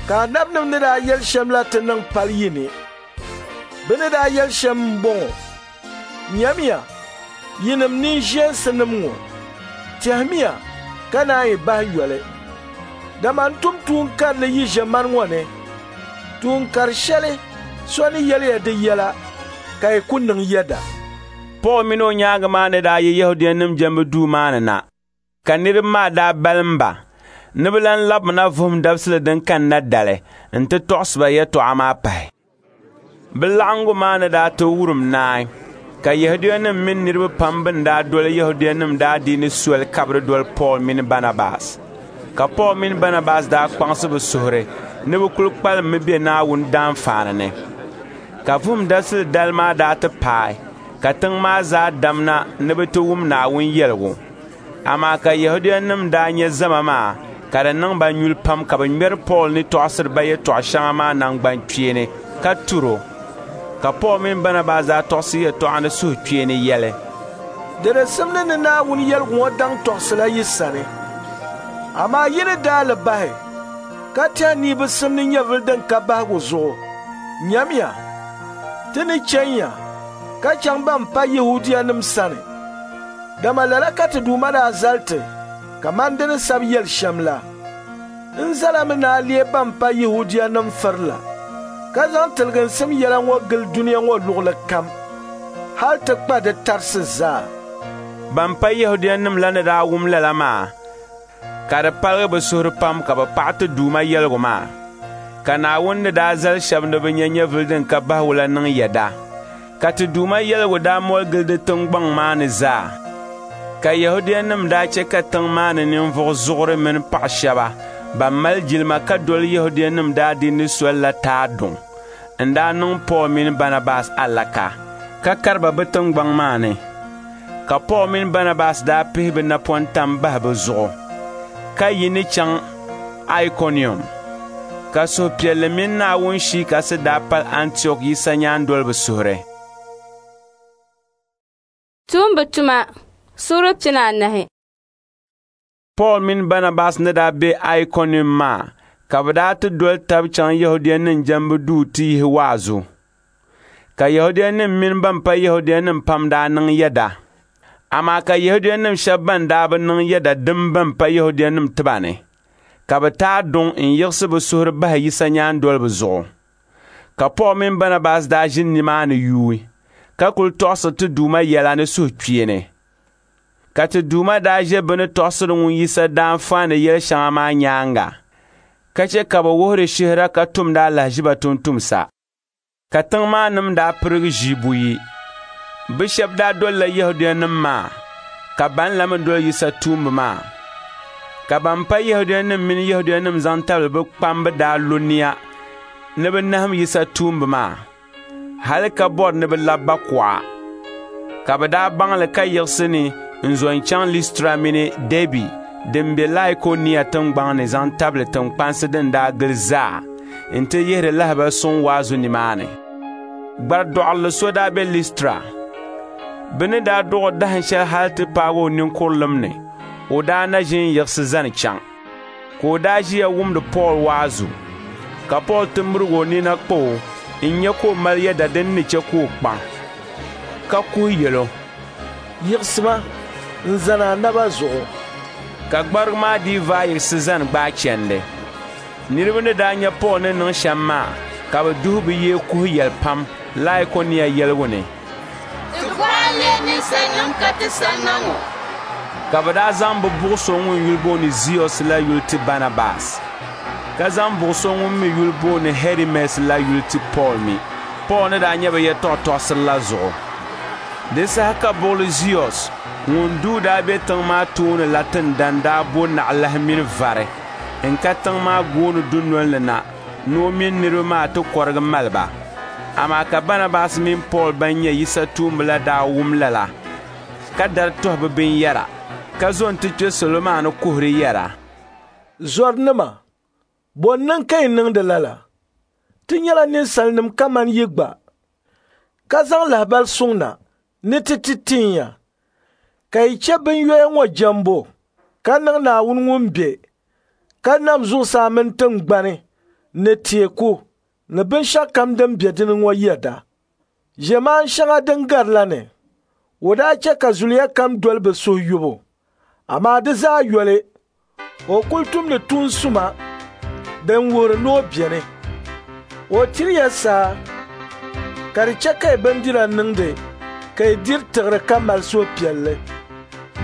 ka anabinim ni daa yɛli shɛm la ti niŋ pali yi ni. Bɛ ni daa yɛli shɛm m-bɔŋɔ: Nyamiya, yinim ninʒeensinim ŋɔ, tɛhimiya ka naan yi bahi yoli. Dama n tum tuun karili yi ʒiɛmani ŋɔ ni, tuun kar shɛli so ni yɛli ya di yɛla ka yi ku niŋ yɛda. Pool mini o nyaaŋa maa ni daa yi Yɛhudianim jɛmbu duu maa ni na, ka niriba maa daa balim ba ni bɛ lan labimina Vuhim Dabisili din kanna dali nti tɔɣisi ba yɛtɔɣa maa pahi. Bɛ laɣiŋgu maa ni daa ti wurim naai, ka Yɛhudianim mini niriba pam bɛn daa doli Yɛhudianim daadiini soli kabiri doli Pool mini Banabas. Ka Pool mini Banabas daa kpaŋsi bɛ suhuri ni bɛ kul kpalimmi be Naawuni daanfaani ni. Ka Vuhim Dabisili dali maa daa ti paai, ka tiŋ maa zaa damna ni bɛ ti wum Naawuni yɛligu. Amaa ka Yɛhudianim daa nya zama maa ka di niŋ ba nyuli pam ka bɛ ŋmɛri Pool ni tɔɣisiri ba yɛtɔɣ shɛŋa maa naŋgbankpeeni ka tur o. Ka Pool mini Banabas daa tɔɣisi yɛtɔɣa ni suhukpeeni yɛli, Di di simdi ni Naawuni yɛligu ŋɔ daŋ tɔɣisila yi sani. Amaa yi ni daa li bahi ka tɛhi ni yi bi simdi nyɛvili din ka bahigu zuɣu, nyamiya, ti ni chɛnya ka chaŋ ban pa Yɛhudianim sani. Dama lala ka ti Duuma daa zali ti kaman di ni sabi yɛli shɛm la. N zalami ni a leei ban pa Yɛhudianim firila, ka zaŋ tiliginsim yɛla ŋɔ gili dunia ŋɔ luɣili kam, hal ti kpa di tarisi zaa. Ban pa Yɛhudianim la ni daa wum lala maa, ka di paligi bɛ suhuri pam ka bɛ paɣi ti Duuma yɛligu maa. Ka Naawuni ni daa zali shɛba ni bɛ nya nyɛvili din ka bahigu la niŋ yɛda. Ka ti Duuma yɛligu daa moli gili di tiŋgbɔŋ maa ni zaa. Ka Yɛhudianim daa chɛ ka tiŋ maa ni ninvuɣ zuɣuri mini paɣ shɛba ban mali jilima ka doli Yɛhudianim daadiini soli la taai duŋ n-daa niŋ Pool mini Banabas alaka, ka kari ba bɛ tiŋgbɔŋ maa ni. Ka Pool mini Banabas daa pihi bɛ napɔntam bahi bɛ zuɣu, ka yi ni chaŋ Aikonium. Ka suhupiɛlli mini Naawuni Shii Kasi daa pali Antiɔk Yisa nyaandoliba suhuri. Tuumba tuma suura pina anahi. Pool mini Banabas ni daa be Aikonium maa, ka bɛ daa ti doli tab chaŋ Yɛhudianim jɛmbu duu ti yihi waazu. Ka Yɛhudianim mini ban pa Yɛhudianim pam daa niŋ yɛda. Amaa ka Yɛhudianim shɛba ban daa bi niŋ yɛda dim ban pa Yɛhudianim tiba ni, ka bɛ taai duŋ n-yiɣisi bɛ suhuri bahi Yisa nyaandoliba zuɣu. Ka Pool mini Banabas daa ʒini nimaani yuui, ka kul tɔɣisiri ti Duuma yɛla ni suhukpeeni. Ka ti Duuma daa ʒe bɛ ni tɔɣisiri ŋun Yisa daanfaani yɛl shɛŋa maa nyaaŋa, ka chɛ ka bɛ wuhiri shihira ka tumdi alahiziba tumtumsa. Ka tiŋ maa nim daa pirigi ʒii buyi. Bɛ shɛba daa dolila Yɛhudianim maa, ka ban la mi doli Yisa tuumba maa. Ka ban pa Yɛhudianim mini Yɛhudianim zaŋ tabili bɛ kpamba daa lo nia ni bɛ nahim Yisa tuumba maa, hali ka bɔri ni bɛ labi ba kuɣa. Ka bɛ daa baŋ li ka yiɣisi ni n-zo n-chaŋ Listra mini Dɛbi din be Laikonia tiŋgbɔŋ ni zaŋ tabili tiŋkpansi din daa gili zaa nti yihiri lahibal suŋ waazu nimaani. Gbaridɔɣirili so daa be Listra. Bɛ ni daa dɔɣ o dahin shɛli hal ti paagi o ninkurilim ni, o daa na ʒi n-yiɣisi zani chaŋ. Ka o daa ʒiya wumdi Pool waazu. Ka Pool ti mirig o nina kpa o n-nya ka o mali yɛda din ni chɛ ka o kpaŋ, ka kuhi yɛl o, Yiɣisima n-zani a naba zuɣu. Ka gbarigu maa dii vaai yiɣisi zani gbaai chandi. Niriba ni daa nya Pool ni niŋ shɛm maa, ka bɛ duhi bɛ yee kuhi yɛli pam Laikonia yɛligu ni, Ti bɔha n-leei ninsalinim ka ti sanna ŋɔ. Ka bɛ daa zaŋ bɛ buɣ so ŋun yuli booni Ziɔs la yuli ti Banabas, ka zaŋ buɣ so ŋun mi yuli booni Hɛrimɛs la yuli ti Pool mi. Pool ni daa nyɛ bɛ yɛtɔɣ tɔɣisiri la zuɣu. Di saha ka buɣili Ziɔs ŋun duu daa be tiŋ maa tooni la tindan daa bo naɣilahi mini vari n-ka tiŋ maa gooni dunol ni na ni o mini niriba maa ti kɔrigi mali ba. Amaa ka Banabas mini Pool ban nyɛ Yisa tuumba la daa wum lala, ka dari tɔhi bɛ binyɛra, ka zo nti kpe salo maa ni kuhiri yɛra, Zɔrinima, bɔ n-niŋ ka yi niŋdi lala? Ti nyɛla ninsalinim kaman yi gba, ka zaŋ lahibali suŋ na ni ti ti tin ya, ka yi chɛ binyoya ŋɔ jɛmbu, ka niŋ Naawuni ŋun be, ka nam zuɣusaa mini tiŋgbani ni teeku ni binshɛɣukam din be di ni ŋɔ yɛda. Ʒiɛmaan shɛŋa din gari la ni, o daa chɛ ka zuliya kam doli bɛ suhuyubu, amaa di zaa yoli, o kul tumdi tuun suma din wuhiri ni o beni. O tiri ya saa ka di chɛ ka yi bindira niŋdi ka yi diri tiɣiri ka mali suhupiɛlli.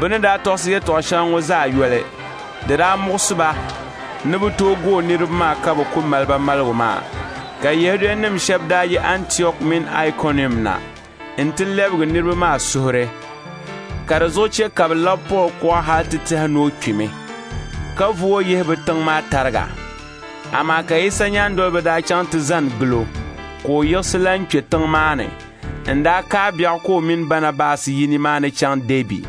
Bɛ ni daa tɔɣisi yɛtɔɣ shɛŋa ŋɔ zaa yoli, di daa muɣisi ba ni bɛ tooi gooi niriba maa ka bɛ ku mali ba maligu maa. Ka Yɛhudianim shɛba daa yi Antiɔk mini Aikɔnium na nti lɛbigi niriba maa suhuri, ka di zuɣu chɛ ka bɛ labi Pool kuɣa hal ti tɛhi ni o kpimi, ka vu o yihi bɛ tiŋ maa tariga. Amaa ka Yisa nyaandoliba daa chaŋ ti zani gil o, ka o yiɣisi lan kpe tiŋ maa ni n-daa kaai biɛɣu ka o mini Banabas yi nimaani chaŋ Dɛbi.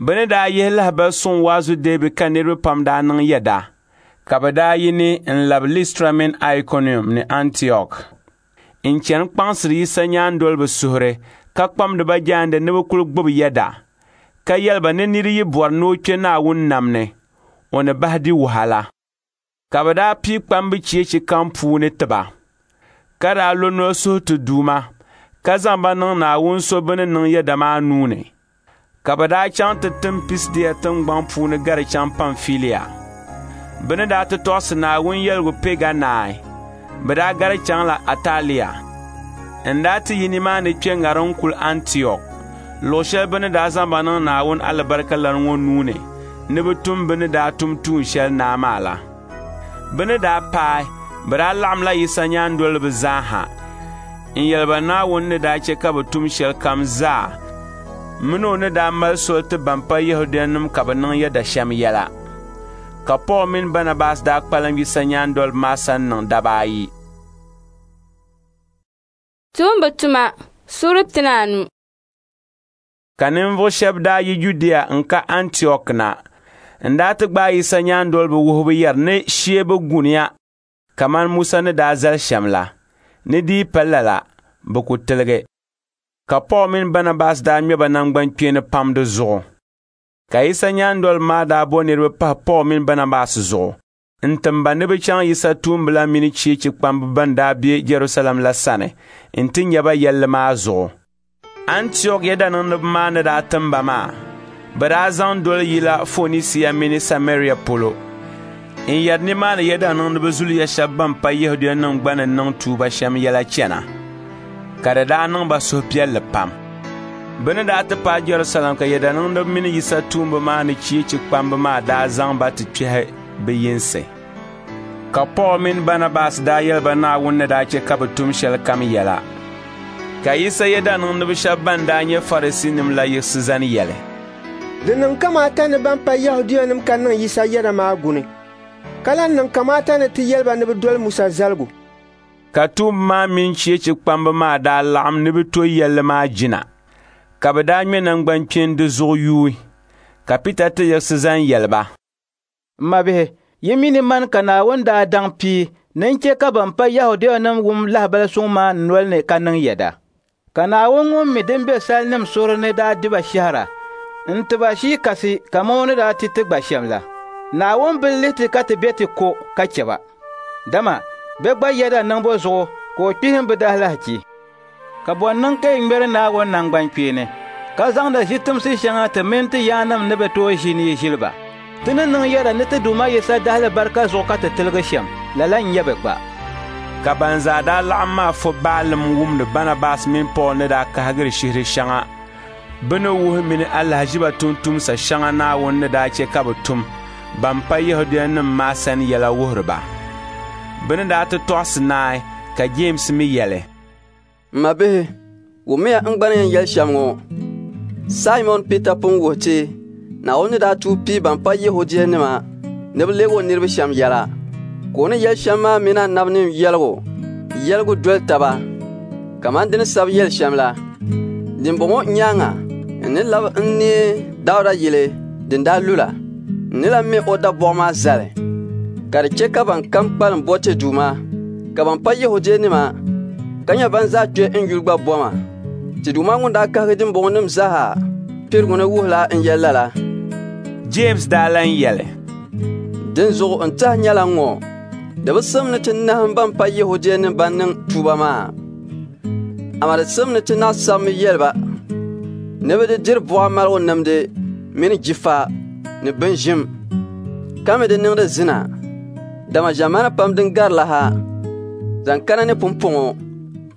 Bɛ ni daa yihi lahibali suŋ waazu Dɛbi ka niriba pam daa niŋ yɛda, ka bɛ daa yi ni n-labi Listra mini Aikɔnium ni Antiɔk n-chani kpaŋsiri Yisa nyaandoliba suhuri ka kpamdi ba jaande ni bɛ kul gbibi yɛda, ka yɛli ba ni nira yi bɔri ni o kpe Naawuni nam ni, o ni bahi di wahala. Ka bɛ daa pii kpambi cheechi kam puuni ti ba, ka daa lo noli suhi ti Duuma, ka zaŋ ba niŋ Naawuni so bɛ ni niŋ yɛda maa nuu ni. Ka bɛ daa chaŋ ti tim Pisidia tiŋgbɔŋ puuni gari chaŋ Pamfilia. Bɛ ni daa ti tɔɣisi Naawuni yɛligu Pɛga naai, bɛ daa gari chaŋla Atalia. N daa ti yi nimaani kpe ŋariŋ kuli Antiɔk, luɣ shɛli bɛ ni daa zaŋ ba niŋ Naawuni alibarika lana ŋɔ nuu ni ni bɛ tum bɛ ni daa tum tuun shɛli naa maa la. Bɛ ni daa paai, bɛ daa laɣimla Yisa nyaandoliba zaa ha n-yɛli ba Naawuni ni daa chɛ ka bɛ tum shɛlikam zaa mini o ni daa mali soli ti ban pa Yɛhudianim ka bɛ niŋ yɛda shɛm yɛla. Ka Pool mini Banabas daa kpalim Yisa nyaandoliba maa sani niŋ daba ayi. Tuumba tuma suura pinaanu. Ka ninvuɣ shɛba daa yi Judia n-ka Antiɔk na n-daa ti gbaai Yisa nyaandoliba wuhibu yɛri ni shee bi guniya kaman Musa ni daa zali shɛm la, ni di yi pa lala, bɛ ku tiligi. Ka Pool mini Banabas daa ŋme ba naŋgbankpeeni pam di zuɣu. Ka Yisa nyaandoliba maa daa bo niriba pahi Pool mini Banabas zuɣu n-tim ba ni bɛ chaŋ Yisa tuumba la mini cheechi kpamba ban daa be Jɛrusalɛm la sani nti nya ba yɛlli maa zuɣu. Antiɔk yɛdaniŋdiba maa ni daa tim ba maa, bɛ daa zaŋ doli yila Fonisia mini Samaria polo n-yɛri nimaani yɛdaniŋdiba zuliya shɛba ban pa Yɛhudianim gba ni niŋ tuuba shɛm yɛla chana, ka di daa niŋ ba suhupiɛlli pam. Bɛ ni daa ti paai Jɛrusalɛm ka yɛdaniŋdiba mini Yisa tuumba maa ni cheechi kpamba maa daa zaŋ ba ti kpɛhi bɛ yinsi. Ka Pool mini Banabas daa yɛli ba Naawuni ni daa chɛ ka bɛ tum shɛlikam yɛla. Ka Yisa yɛdaniŋdiba shɛba ban daa nyɛ Farisiinim la yiɣisi zani yɛli, Di niŋ kamaata ni ban pa Yɛhudianim ka niŋ Yisa yɛda maa guni, ka lan niŋ kamaata ni ti yɛli ba ni bɛ doli Musa zaligu. Ka tuumba maa mini cheechi kpamba maa daa laɣim ni bɛ to yɛlli maa jina, ka bɛ daa ŋme naŋgbankpeeni di zuɣu yuui. Ka Pita ti yiɣisi zani yɛli ba, M mabihi, yi mi ni mani ka Naawuni daa daŋ pii ni n-chɛ ka ban pa Yɛhudianim wum lahibali suŋ maa n noli ni ka niŋ yɛda. Ka Naawuni ŋun mi din be salinim suhuri ni daa di ba shɛhira n-ti ba Shii Kasi kaman o ni daa ti ti gba shɛm la. Naawuni bi lihi ti ka ti be ti ko ka chɛ ba, dama bɛ gba yɛda niŋbu zuɣu ka o kpihim bɛ daalahichi. Ka bɔ n-niŋ ka yi ŋmɛri Naawuni naŋgbankpeeni, ka zaŋdi ʒitimsi shɛŋa ti mini ti yaannim ni bi tooi ʒi ni yi ʒili ba? Ti ni niŋ yɛda ni ti Duuma Yisa dahalibarika zuɣu ka ti tiligi shɛm, lala n-nyɛ bɛ gba. Ka ban zaa daa laɣim maa fo baalim wumdi Banabas mini Pool ni daa kahigiri shihiri shɛŋa bɛ ni wuhi mini alahiziba tumtumsa shɛŋa Naawuni ni daa chɛ ka bɛ tum ban pa Yɛhudianim maa sani yɛla wuhiri ba. Bɛ ni daa ti tɔɣisi naai Ka Jeemsi mi yɛli, M mabihi, wummiya n gba ni yɛn yɛli shɛm ŋɔ. Saimɔn Pita pun wuhi ti Naawuni ni daa tuui pii ban pa Yɛhudianima ni bɛ leeg o niriba shɛm yɛla. Ka o ni yɛli shɛm maa mini anabinim yɛligu yɛligu doli taba kaman di ni sabi yɛli shɛm la. Dimbɔŋɔ nyaaŋa n ni lab n neei Dauda yili din daa lu la. N ni lan me o dabɔɣu maa zali, ka di chɛ ka ban kam kpalim bo ti Duuma, ka ban pa Yɛhudianima ka nyɛ ban zaa kpe n yuli gba bɔma. Ti Duuma ŋun daa kahigi dimbɔŋɔnim zaa pirigu ni wuhila n yɛli lala. Jeemsi daa lan yɛli, Dinzuɣu n tɛha nyɛla ŋ-ŋɔ, di bi simdi ni ti nahim ban pa Yɛhudianim ban niŋ tuuba maa, amaa di simdi ni ti naɣ sabimi yɛli ba ni bɛ di diri buɣa maligu nimdi mini jifa ni binʒim, ka mi di niŋdi zina, dama ʒiɛmani pam din gari la ha zaŋ kana ni pumpɔŋɔ,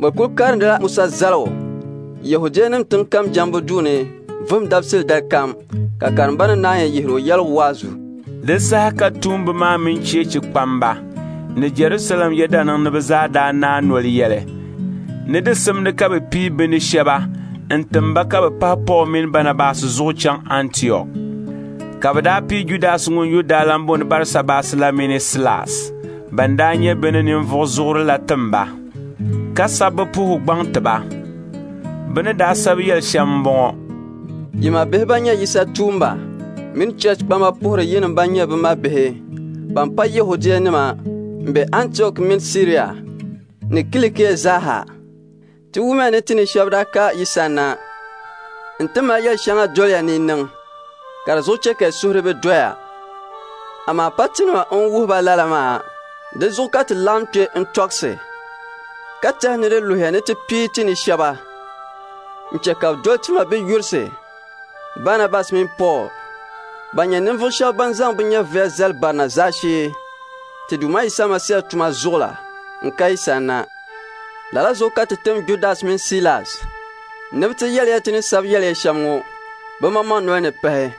bɛ kul karindila Musa zaligu Yɛhudianim tiŋ kam jɛmbu duu ni vuhim dabisili dali kam, ka karimbanim naanyi yihir o yɛligu waazu. Di saha ka tuumba maa mini cheechi kpamba ni Jɛrusalɛm yɛdaniŋdiba zaa daa naai noli yɛli ni di simdi ka bɛ pii bɛ ni shɛba n-tim ba ka bɛ pahi Pool mini Banabas zuɣu chaŋ Antiɔk. Ka bɛ daa pii Judas ŋun yuli daa lan booni Barisabas la mini Silas, ban daa nyɛ bɛ ni ninvuɣ zuɣuri la tim ba, ka sabi bɛ puhigu gbaŋ ti ba. Bɛ ni daa sabi yɛli shɛm m-bɔŋɔ: Yi mabihi ban nyɛ Yisa tuumba mini cheechi kpamba puhiri yinim ban nyɛ bɛ mabihi ban pa Yɛhudianima m-be Antiɔk mini Siria ni Kilikia zaa. Ti wumya ni ti ni shɛba daa ka yi sanna nti mali yɛl shɛŋa doliya ni yi niŋ, ka di zuɣu chɛ ka yi suhuri bi doya. Amaa pa tinima n-wuhi ba lala maa, di zuɣu ka ti laɣim kpe n-tɔɣisi, ka tɛhi ni di luhiya ni ti pii ti ni shɛba n-chɛ ka bɛ doli ti mabiyurisi Banabas mini Pool, ban nyɛ ninvuɣ shɛba ban zaŋ bɛ nyɛviya zali barina zaashee ti Duuma Yisa Masia tuma zuɣu la n-ka yi sanna. Lala zuɣu ka ti tim Judas mini Silas ni bɛ ti yɛli ya ti ni sabi yɛli ya shɛm ŋɔ bɛ maŋmaŋ noli ni pahi.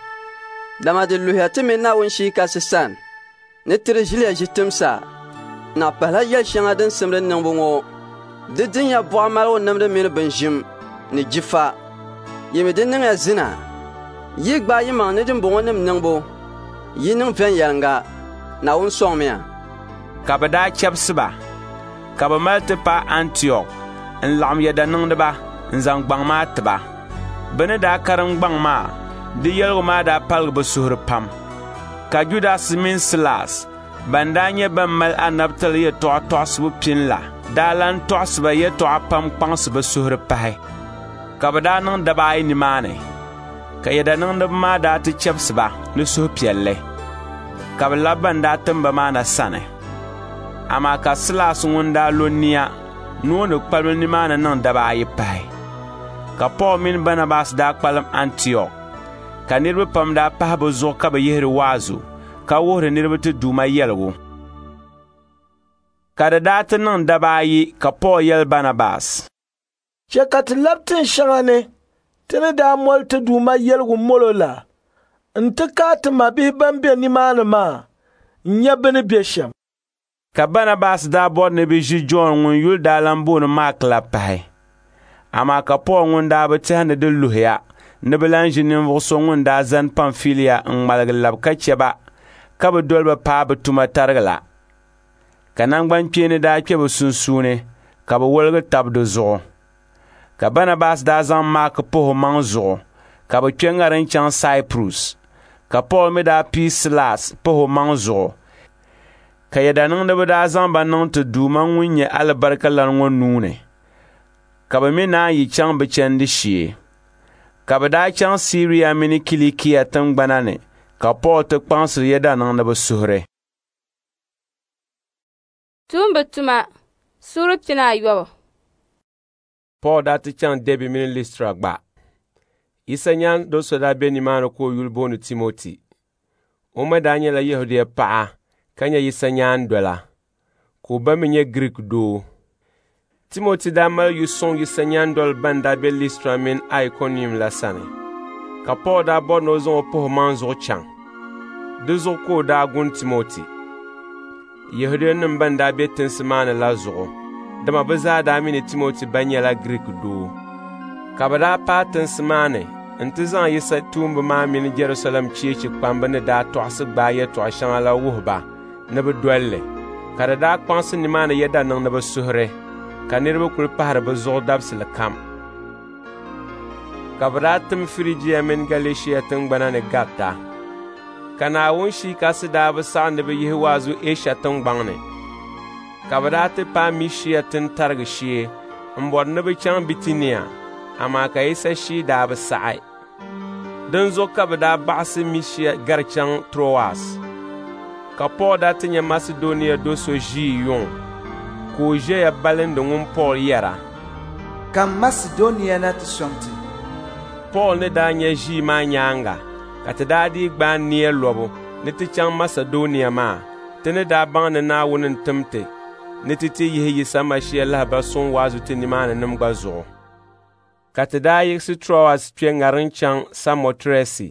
Dama di luhiya ti mini Naawuni Shii Kasi sani ni ti di ʒiliya ʒi timsa, naɣ pahila yɛl shɛŋa din simdi niŋbu ŋɔ. Di dinya buɣa maligu nimdi mini binʒim ni jifa. Yi mi di niŋya zina. Yi gbaai yimaŋ ni dimbɔŋɔnim niŋbu, yi niŋ viɛnyɛliŋga. Naawuni sɔŋmiya. Ka bɛ daa chɛbisi ba, ka bɛ mali ti paai Antiɔk n-laɣim yɛdaniŋdiba n-zaŋ gbaŋ maa ti ba. Bɛ ni daa karim gbaŋ maa, di yɛligu maa daa paligi bɛ suhuri pam. Ka Judas mini Silas, ban daa nyɛ ban mali anabitali yɛtɔɣa tɔɣisibu pini la, daa lan tɔɣisi ba yɛtɔɣa pam kpaŋsi bɛ suhuri pahi. Ka bɛ daa niŋ daba ayi nimaani, ka yɛdaniŋdiba maa daa ti chɛbisi ba ni suhupiɛlli, ka bɛ labi ban daa tim ba maa na sani. Amaa ka Silas ŋun daa lo nia ni o ni kpalim nimaani niŋ daba ayi pahi. Ka Pool mini Banabas daa kpalim Antiɔk, ka niriba pam daa pahi bɛ zuɣu ka bɛ yihiri waazu, ka wuhiri niriba ti Duuma yɛligu. Ka di daa ti niŋ daba ayi ka Pool yɛli Banabas, Chɛ ka ti lab tin shɛŋa ni ti ni daa moli ti Duuma yɛligu molo la nti kaai ti mabihi ban be nimaani maa n-nya bɛ ni be shɛm. Ka Banabas daa bɔri ni bɛ ʒi Jɔn ŋun yuli daa lan booni Maak la pahi. Amaa ka Pool ŋun daa bi tɛhi ni di luhiya ni bɛ lan ʒi ninvuɣ so ŋun daa zani Pamfilia n-ŋmaligi lab ka chɛ ba ka bɛ doli ba paai bɛ tuma tarigi la. Ka naŋgbankpeeni daa kpe bɛ sunsuuni ka bɛ woligi tab di zuɣu. Ka Banabas daa zaŋ Maak pahi o maŋ zuɣu ka bɛ kpe ŋariŋ chaŋ Saipurus, ka Pool mi daa pii Silas pahi o maŋ zuɣu, ka yɛdaniŋdiba daa zaŋ ba niŋ ti Duuma ŋun nyɛ alibarika lana ŋɔ nuu ni, ka bɛ mi naan yi chaŋ bɛ chandi shee. Ka bɛ daa chaŋ Siria mini Kilikia tiŋgbana ni ka Pool ti kpaŋsiri yɛdaniŋdiba suhuri. Tuumba tuma suura pinaayɔbu. Pool daa ti chaŋ Dɛbi mini Listra gba. Yisa nyaandol so daa be nimaani ka o yuli booni Timoti. O ma daa nyɛla Yɛhudia paɣa ka nyɛ Yisa nyaandola, ka o ba mi nyɛ Giriik doo. Timoti daa mali yu suŋ Yisa nyaandoliba ban daa be Listra mini Aikonium la sani. Ka Pool daa bɔri ni o zaŋ o pahi o maŋ zuɣu chaŋ. Di zuɣu ka o daa gun Timoti. Yɛhudianim ban daa be tinsi maa ni la zuɣu, dama bɛ zaa daa mi ni Timoti ba nyɛla Giriik doo. Ka bɛ daa paai tinsi maa ni nti zaŋ Yisa tuumba maa mini Jɛrusalɛm cheechi kpamba ni daa tɔɣisi gbaai yɛtɔɣ shɛŋa la wuhi ba ni bɛ dol li. Ka di daa kpaŋsi nimaani yɛda niŋdiba suhuri, ka niriba kul pahiri bɛ zuɣu dabisili kam. Ka bɛ daa tim Firijia mini Galɛshia tiŋgbana ni garita. Ka Naawuni Shia Kasi daa bi saɣi ni bɛ yihi waazu Ɛsha tiŋgbɔŋ ni. Ka bɛ daa ti paai Misia tintarigi shee m-bɔri ni bɛ chaŋ Bitinia, amaa ka Yisa Shia daa bi saɣi. Dinzuɣu ka bɛ daa baɣisi Misia gari chaŋ Troas. Ka Pool daa ti nya Masidɔnia do so ʒii yuŋ, ka o ʒiɛya balindi ŋun Pool yɛra, “Kam Masidɔnia na ti sɔŋ ti.” Pool ni daa nya ʒii maa nyaaŋa, ka ti daa dii gbaai nia lɔbu ni ti chaŋ Masidɔnia maa, ti ni daa baŋ ni Naawuni n-tim ti ni ti ti yihi Yisa Masia lahibal suŋ waazu ti nimaaninim gba zuɣu. Ka ti daa yiɣisi Troas kpe ŋariŋ chaŋ Samɔtirɛsi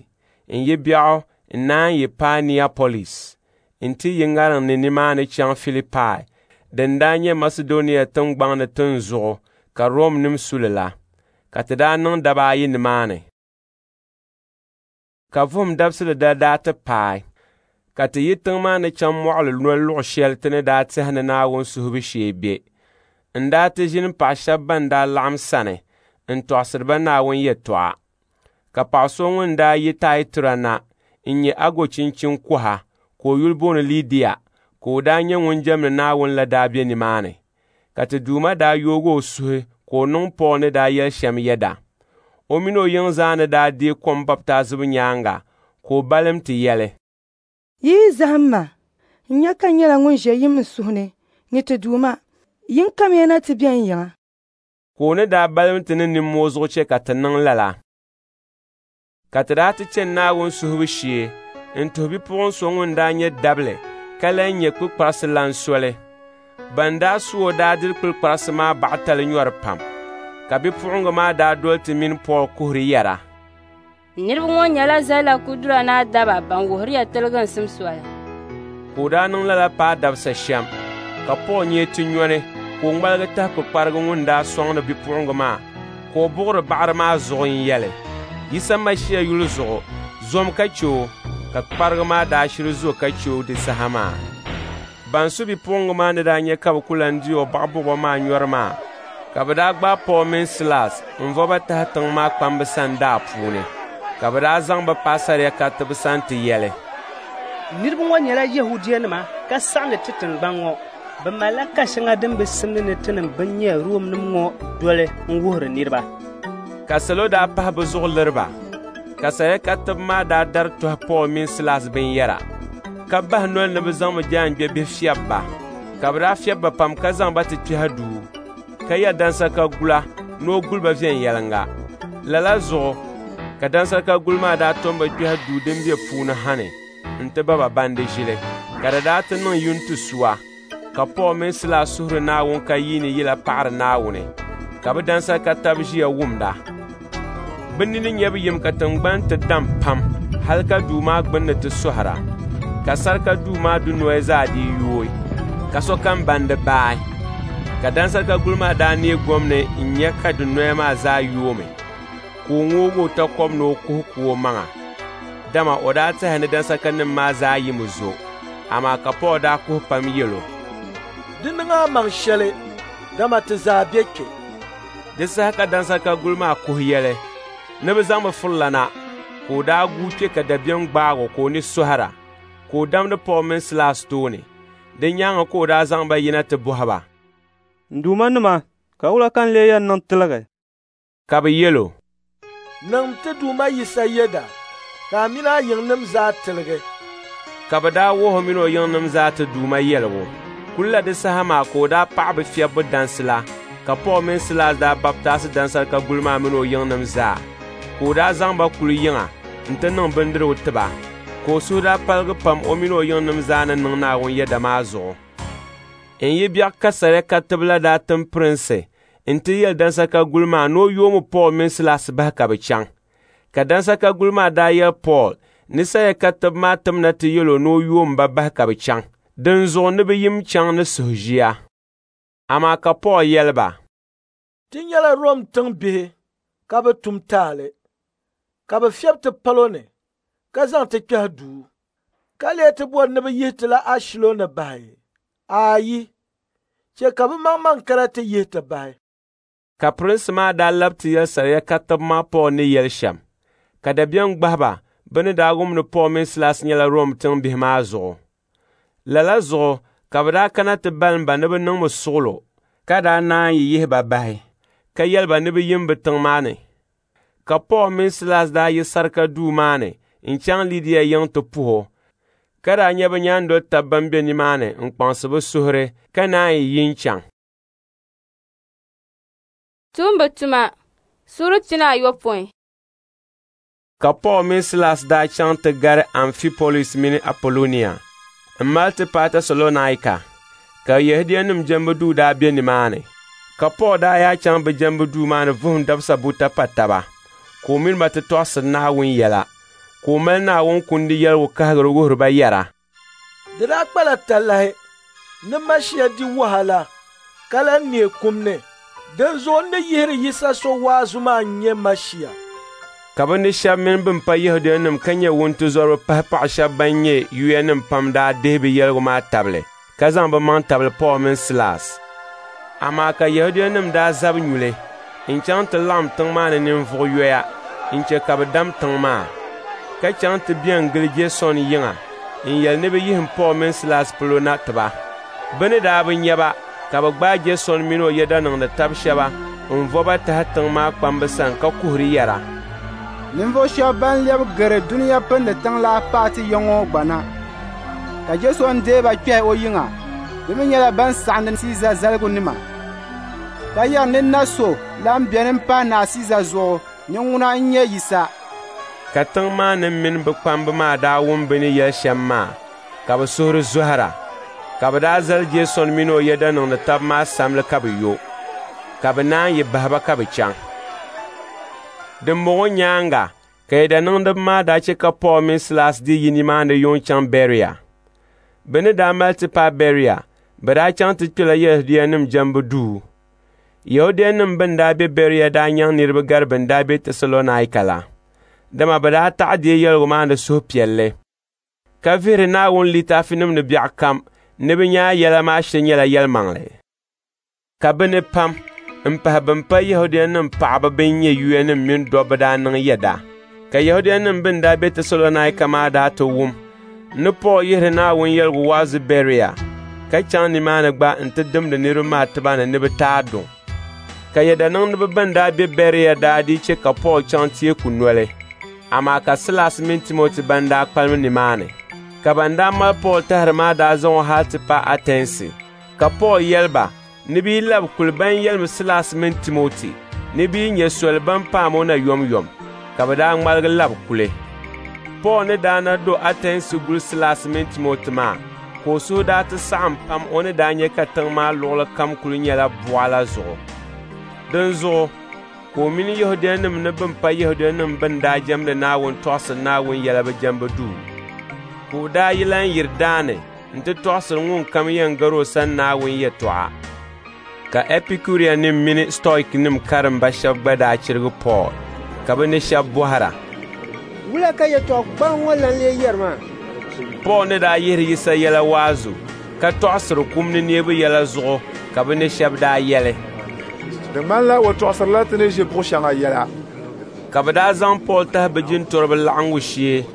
n-yi biɛɣu n-naan yi paai Niapolis nti yi ŋariŋ ni nimaani chaŋ Filipai din daa nyɛ Masidɔnia tiŋgbɔŋ ni tinzuɣu ka Romnim su li la. Ka ti daa niŋ daba ayi nimaani. Ka vuhim dabisili dali daa ti paai, ka ti yi tiŋ maa ni chaŋ mɔɣili noli luɣ shɛli ti ni daa tɛhi ni Naawuni suhubu shee be. N daa ti ʒini paɣ shɛba ban daa laɣim sani n-tɔɣisiri ba Naawuni yɛtɔɣa. Ka paɣ so ŋun daa yi Taatira na n-nyɛ ago chinchin kɔha ka o yuli booni Lidia, ka o daa nyɛ ŋun jɛmdi Naawuni la daa be nimaani. Ka ti Duuma daa yoog o suhu ka o niŋ Pool ni daa yɛli shɛm yɛda. O min o yiŋ zaa ni daa deei kom baptaizibu nyaaŋa, ka o balim ti yɛli, “Yi yi zahim ma, n nya ka n nyɛla ŋun ʒe yim n suhu ni ni ti Duuma, yin kamiya na ti be n yiŋa.” Ka o ni daa balim ti ni nimmoo zuɣu chɛ ka ti niŋ lala. Ka ti daa ti chani Naawuni suhubu shee n-tuhi bipuɣin so ŋun daa nyɛ dabili ka lan nyɛ kpukparisi lan soli. Ban daa su o daa diri kpukparisi maa baɣitali nyɔri pam. Ka bipuɣiŋga maa daa doli ti mini Pool kuhiri yɛra, “Niriba ŋɔ nyɛla Zallakudura Naa daba ban wuhiri ya tiliginsim soli.” Ka o daa niŋ lala paai dabisa shɛm, ka Pool nyee ti nyɔni ka o ŋmaligi tahi kpukparigu ŋun daa sɔŋdi bipuɣiŋga maa, ka o buɣiri baɣiri maa zuɣu n-yɛli, “Yisa Masia yuli zuɣu, zom ka che o.” Ka kpukparigu maa daa shiri zo ka che o di saha maa. Ban su bipuɣiŋga maa ni daa nya ka bɛ ku lan di o baɣibuɣibo maa nyɔri maa, ka bɛ daa gbaai Pool mini Silas n-vo ba tahi tiŋ maa kpamba sani daa puuni. Ka bɛ daa zaŋ ba paai sariakaritiba sani ti yɛli, “Niriba ŋɔ nyɛla Yɛhudianima ka saɣindi ti tiŋgbɔŋ ŋɔ. Bɛ malila ka shɛŋa din bi simdi ni tinim bɛn nyɛ Romnim ŋɔ doli n-wuhiri niriba.” Ka salo daa pahi bɛ zuɣu liri ba, ka sariakaritiba maa daa dari tɔhi Pool mini Silas binyɛra, ka bahi noli ni bɛ zaŋmi jaangbebihi fiɛbi ba. Ka bɛ daa fiɛbi ba pam ka zaŋ ba ti kpɛhi duu, ka yɛli dansarika gula ni o guli ba viɛnyɛliŋga. Lala zuɣu ka dansarika gul maa daa tom ba kpɛhi duu din be puuni ha ni nti ba ba bandi ʒili. Ka di daa ti niŋ yuntisuwa, ka Pool mini Silas suhuri Naawuni ka yiini yila paɣiri Naawuni, ka bɛ dansarika tab ʒiya wumda. Bɛ nini nyabu yim ka tiŋgbani ti dam pam hal ka duu maa gbunni ti sɔhira, ka sarika duu maa dunoya zaa dii yooi, ka sokam bandi baai. Ka dansarika gul maa daa neei gom ni n-nya ka dunoya maa zaa yoomi, ka o ŋoog o takɔbi ni o kuhi ku o maŋa, dama o daa tɛhi ni dansarikanim maa zaa yimi zo. Amaa ka Pool daa kuhi pam yɛl o, “Di niŋ a maŋ shɛli, dama ti zaa be kpe.” Di saha ka dansarika gul maa kuhi yɛli ni bɛ zaŋmi furila na, ka o daa guui kpe ka dabiɛm gbaag o ka o ni sɔhira, ka o damdi Pool mini Silas tooni. Di nyaaŋa ka o daa zaŋ ba yina ti bɔhi ba, “N duumanima, ka wula ka n lee yɛn niŋ tiligi?” Ka bɛ yɛl o, “Niŋm ti Duuma Yisa yɛda, ka a min a yiŋnim zaa tiligi.” Ka bɛ daa wuhi o min o yiŋnim zaa ti Duuma yɛligu. Kulila di saha maa ka o daa paɣi bɛ fiɛbbu dansi la, ka Pool mini Silas daa baptaasi dansarika gul maa min o yiŋnim zaa. Ka o daa zaŋ ba kuli yiŋa nti niŋ bindirigu ti ba, ka o suhu daa paligi pam o min o yiŋnim zaa ni niŋ Naawuni yɛda maa zuɣu. N yi biɛɣu ka sariakaritiba la daa tim pirinsi nti yɛli dansarika gul maa ni o yoomi Pool mini Silas bahi ka bɛ chaŋ. Ka dansarika gul maa daa yɛli Pool ni sariakaritiba maa timna ti yɛl o ni o yoom ba bahi ka bɛ chaŋ. Dinzuɣu ni bɛ yim chaŋ ni suhuʒia. Amaa ka Pool yɛli ba, Ti nyɛla Rom tiŋbihi ka bi tum taali, ka bɛ fiɛbi ti palo ni ka zaŋ ti kpɛhi duu, ka lee ti bɔri ni bɛ yihi ti la ashilo ni bahi. Aayi, chɛ ka bɛ maŋmaŋ kana ti yihi ti bahi. Ka pirinsi maa daa lab ti yɛli sariakariba maa Pool ni yɛli shɛm, ka dabiɛm gbahi ba bɛ ni daa wum ni Pool mini Silas nyɛla Rom tiŋbihi maa zuɣu. Lala zuɣu ka bɛ daa kana ti balim ba ni bɛ niŋmi suɣilo, ka daa naan yi yihi ba bahi, ka yɛli ba ni bɛ yim bɛ tiŋ maa ni. Ka Pool mini Silas daa yi sarika duu maa ni n-chaŋ Lidia yiŋ ti puhi o, ka daa nya bɛ nyaandolitab bɛn be nimaani n-kpaŋsi bɛ suhuri ka naan yi yi n-chaŋ. Tumbu tuma suura pina ayopɔin. Ka Pool mini Silas daa chaŋ ti gari Amfipolis mini Apolonia m-mali ti paai Tɛsalɔnaika, ka Yɛhudianim jɛmbu duu daa be nimaani. Ka Pool daa yaa chaŋ bɛ jɛmbu duu maa ni vuhim dabisa buta pa taba, ka o mini ba ti tɔɣisiri Naawuni yɛla, ka o mali Naawuni Kundi yɛligu kahigiri wuhiri ba yɛra, Di daa kpala talahi ni Mashia di wahala ka lan neei kum ni. Dinzuɣu n ni yihiri Yisa so waazu maa n-nyɛ Mashia. Ka bɛ ni shɛba mini bɛn pa Yɛhudianim ka nyɛ wuntizɔriba pahi paɣ shɛba ban nyɛ yuyanim pam daa dihi bɛ yɛligu maa tabili, ka zaŋ bɛ maŋ tabili Pool mini Silas. Amaa ka Yɛhudianim daa zabi nyuli n-chaŋ ti laɣim tiŋ maa ni ninvuɣ yoya n-chɛ ka bɛ dam tiŋ maa, ka chaŋ ti bɛn gili Jeesɔn yiŋa n-yɛli ni bɛ yihim Pool mini Silas polo na ti ba. Bɛ ni daa bi nya ba, ka bɛ gbaai Jeesɔn mini o yɛdaniŋdi tab shɛba n-vo ba tahi tiŋ maa kpamba sani ka kuhiri yɛra, Ninvuɣ shɛba ban lɛbi gari dunia pindi tiŋ la paai ti ya ŋɔ gba na, ka Jeesɔn deei ba kpɛhi o yiŋa. Bɛ mi nyɛla ban saɣindi Siiza zaligunima, ka yɛri ni na so lan beni m-pahi Naa Siiza zuɣu ni ŋuna n-nyɛ Yisa. Ka tiŋ maa nim mini bɛ kpamba maa daa wum bɛ ni yɛli shɛm maa, ka bɛ suhuri zɔhira. Ka bɛ daa zali Jeesɔn mini o yɛdaniŋdi tab maa samli ka bɛ yo, ka bɛ naan yi bahi ba ka bɛ chaŋ. Dimbɔŋɔ nyaaŋa ka yɛdaniŋdiba maa daa chɛ ka Pool mini Silas dii yi nimaani yuŋ chaŋ Bɛria. Bɛ ni daa mali ti paai Bɛria, bɛ daa chaŋ ti kpɛla Yɛhudianim jɛmbu duu. Yɛhudianim bɛn daa be Bɛria daa nyaŋ niriba gari bɛn daa be Tɛsalɔnaika la, dama bɛ daa taɣi deei yɛligu maa ni suhupiɛlli, ka vihiri Naawuni litaafinim ni biɛɣu kam ni bɛ nya yɛla maa shiri nyɛla yɛlimaŋli. Ka bɛ ni pam m-pahi bɛn pa Yɛhudianim paɣiba bɛn nyɛ yuyanim mini dɔbba daa niŋ yɛda. Ka Yɛhudianim bɛn daa be Tɛsalɔnaika maa daa ti wum ni Pool yihiri Naawuni yɛligu waazu Bɛria, ka chaŋ nimaani gba nti dimdi niriba maa tiba ni ni bɛ taai duŋ. Ka yɛdaniŋdiba bɛn daa be Bɛria daa dii chɛ ka Pool chaŋ teeku noli, amaa ka Silas mini Timoti ban daa kpalim nimaani. Ka ban daa mali Pool tahiri maa daa zaŋ o hal ti paai Atɛnsi. Ka Pool yɛli ba ni bɛ yi labi kuli ban yɛlimi Silas mini Timoti ni bɛ yi nya soli ban paam o na yomyom, ka bɛ daa ŋmaligi labi kuli. Pool ni daa na do Atɛnsi guli Silas mini Timoti maa, ka o suhu daa ti saɣim pam o ni daa nya ka tiŋ maa luɣili kam kuli nyɛla buɣa la zuɣu. Dinzuɣu ka o mini Yɛhudianim ni bɛn pa Yɛhudianim bɛn daa jɛmdi Naawuni tɔɣisiri Naawuni yɛla bɛ jɛmbu duu. Ka o daa yi lan yiri daani nti tɔɣisiri ŋunkam yɛn gari o sani Naawuni yɛtɔɣa. Ka Ɛpikurianim mini Stɔiknim karimba shɛba gba daa chirigi Pool, ka bɛ ni shɛba bɔhira, Wula ka yɛtɔɣ gbaŋ ŋɔ lan lee yɛri maa? Pool ni daa yihiri Yisa yɛla waazu, ka tɔɣisiri kum ni neebu yɛla zuɣu ka bɛ ni shɛba daa yɛli, Di ŋmanila o tɔɣisirila ti ni ʒi buɣ shɛŋa yɛla. Ka bɛ daa zaŋ Pool tahi bɛ jintɔriba laɣiŋgu shee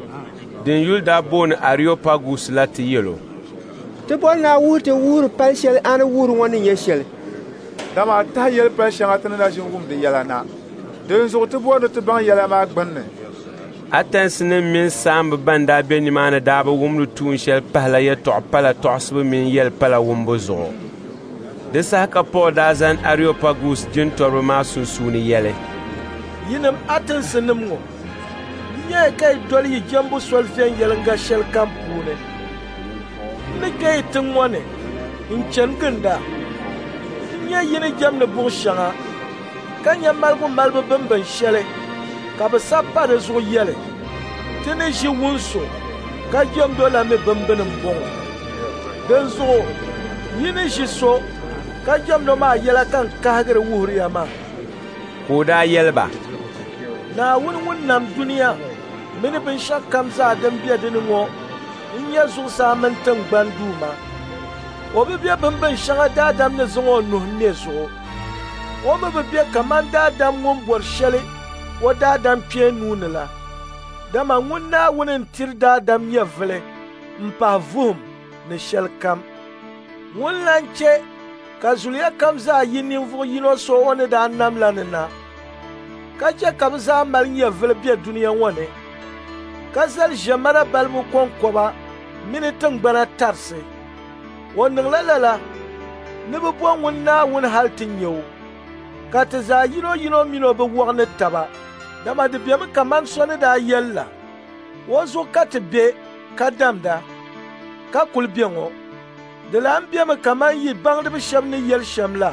din yuli daa booni Areopagus la ti yɛl o, Ti bɔri ni a wuhi ti wuhiri pal shɛli a ni wuhiri ŋɔ ni nyɛ shɛli. Dama a tahi yɛli pal shɛŋa ti ni na ʒin wum di yɛla na. Dinzuɣu ti bɔri ni ti baŋ yɛla maa gbinni. Atɛnsinim mini saamba bɛn daa be nimaani daa bi wumdi tuun shɛli pahila yɛtɔɣ pala tɔɣisibu mini yɛl pala wumbu zuɣu. Di saha ka Pool daa zani Areopagus jintɔriba maa sunsuuni yɛli, Yinim Atɛnsinim ŋɔ, n nyaya ka yi doli yi jɛmbu soli viɛnyɛliŋga shɛlikam puuni. N ni kpe yi tiŋ ŋɔ ni n-chani ginda, n nya yi ni jɛmdi buɣ shɛŋa, ka nya maligu malibu bimbin shɛli ka bɛ sabi pa di zuɣu yɛli, Ti ni ʒi wun so ka jɛmd o la mi bimbini m-bɔŋɔ. Dinzuɣu yi ni ʒi so ka jɛmd o maa yɛla ka n kahigiri wuhiri ya maa. Ka o daa yɛli ba, Naawuni ŋun nam dunia mini binshɛɣukam zaa din be di ni ŋɔ n-nyɛ zuɣusaa mini tiŋgbani Duuma. O bi be bimbin shɛŋa daadam ni zaŋ o nuhi me zuɣu. O mi bi be kaman daadam ŋun bɔri shɛli o daadam kpee nuu ni la. Dama ŋun Naawuni n-tiri daadam nyɛvili m-pahi vuhim ni shɛlikam. Ŋun lan chɛ ka zuliya kam zaa yi ninvuɣ yino so o ni daa nam la ni na, ka chɛ ka bɛ zaa mali nyɛvili be dunia ŋɔ ni, ka zali ʒiɛmana balibu kɔŋkɔba mini tiŋgbana tarisi. O niŋla lala ni bɛ bo ŋun Naawuni hal ti nya o, ka ti zaa yinoyino min o bi wɔɣ ni taba, dama di bemi kaman so ni daa yɛli la, o zuɣu ka ti be ka damda, ka kul be ŋɔ. Di lan bemi kaman yi baŋdiba shɛba ni yɛli shɛm la,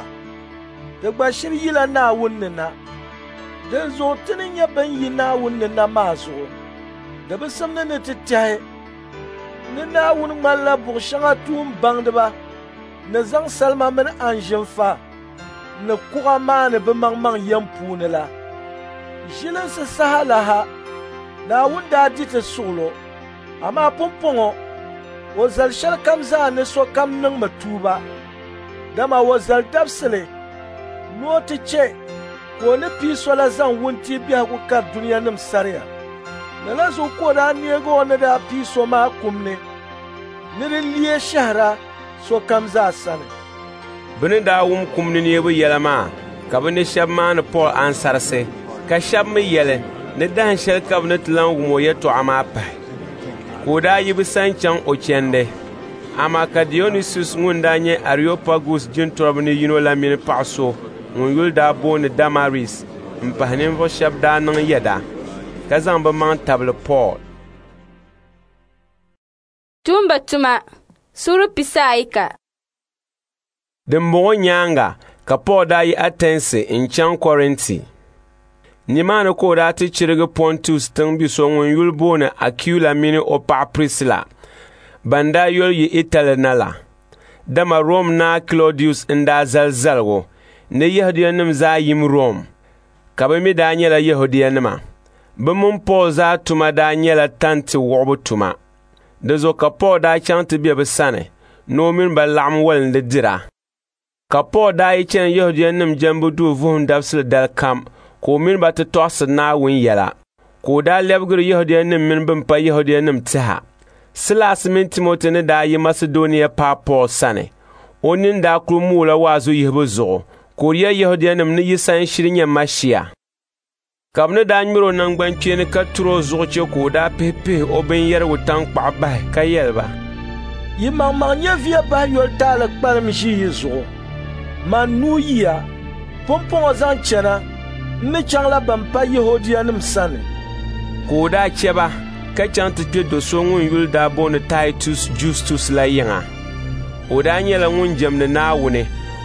ti gba shiri yila Naawuni ni na. Dinzuɣu ti ni nyɛ bɛn yi Naawuni ni na maa zuɣu, di bi simdi ni ti tɛhi ni Naawuni ŋmanila buɣ shɛŋa tuun baŋdiba ni zaŋ salima mini anzinfa ni kuɣa maani bɛmaŋmaŋ yɛm puuni la. Ʒilinsi saha la ha, Naawuni daa di ti suɣilo, amaa pumpɔŋɔ o zali shɛlikam zaa ni sokam niŋmi tuuba, dama o zali dabisili ni o ti chɛ ka o ni pii so la zaŋ wuntia biɛhigu kari dunianim saria. Lala zuɣu ka o daa neegi o ni daa pii so maa kum ni, ni di leei shɛhira sokam zaa sani. Bɛ ni daa wum kum ni neebu yɛla maa, ka bɛ ni shɛba maani Pool ansarisi, ka shɛba mi yɛli ni dahin shɛli ka bɛ ni ti lan wum o yɛtɔɣa maa pahi. Ka o daa yi bɛ sani chaŋ o chandi. Amaa ka Dionisius ŋun daa nyɛ Areopagus jintɔriba ni yino la mini paɣ so ŋun yuli daa booni Damaris m-pahi ninvuɣ shɛba daa niŋ yɛda, ka zaŋ bɛ maŋ tabili Pool. Tuumba tuma suura pisaayika. Dimbɔŋɔ nyaaŋa ka Pool daa yi Atɛnsi n-chaŋ Kɔrinti. Nimaani ka o daa ti chirigi Pɔntus tiŋbi so ŋun yuli booni Akuila mini o paɣa Prisila, ban daa yoli yi Itali na la. Dama Rom naa Klɔdius n-daa zali zaligu ni Yɛhudianim zaa yim Rom, ka bɛ mi daa nyɛla Yɛhudianima. Bɛ mini Pool zaa tuma daa nyɛla tanti wuɣibu tuma. Di zuɣu ka Pool daa chaŋ ti be bɛ sani ni o mini ba laɣim wolindi dira. Ka Pool daa yi chani Yɛhudianim jɛmbu duu vuhim dabisili dali kam ka o mini ba ti tɔɣisiri Naawuni yɛla. Ka o daa lɛbigiri Yɛhudianim mini bɛn pa Yɛhudianim tɛha. Silas mini Timoti ni daa yi Masidɔnia paai Pool sani, o nini daa kul moola waazu yihibu zuɣu, ka o yɛli Yɛhudianim ni Yisa n-shiri nyɛ Mashia. Ka bɛ ni daa ŋmɛr o naŋgbankpeeni ka tur o zuɣu chɛ ka o daa pihipihi o binyɛrigu taŋkpaɣu bahi ka yɛli ba, Yi maŋmaŋ nyɛviya bahi yoli taali kpalim ʒi yi zuɣu. Man nuu yiya, pumpɔŋɔ zaŋ chana, n ni chaŋla bɛn pa Yɛhudianim sani. Ka o daa chɛ ba ka chaŋ ti kpe do so ŋun yuli daa booni Taitus Justus la yiŋa. O daa nyɛla ŋun jɛmdi Naawuni,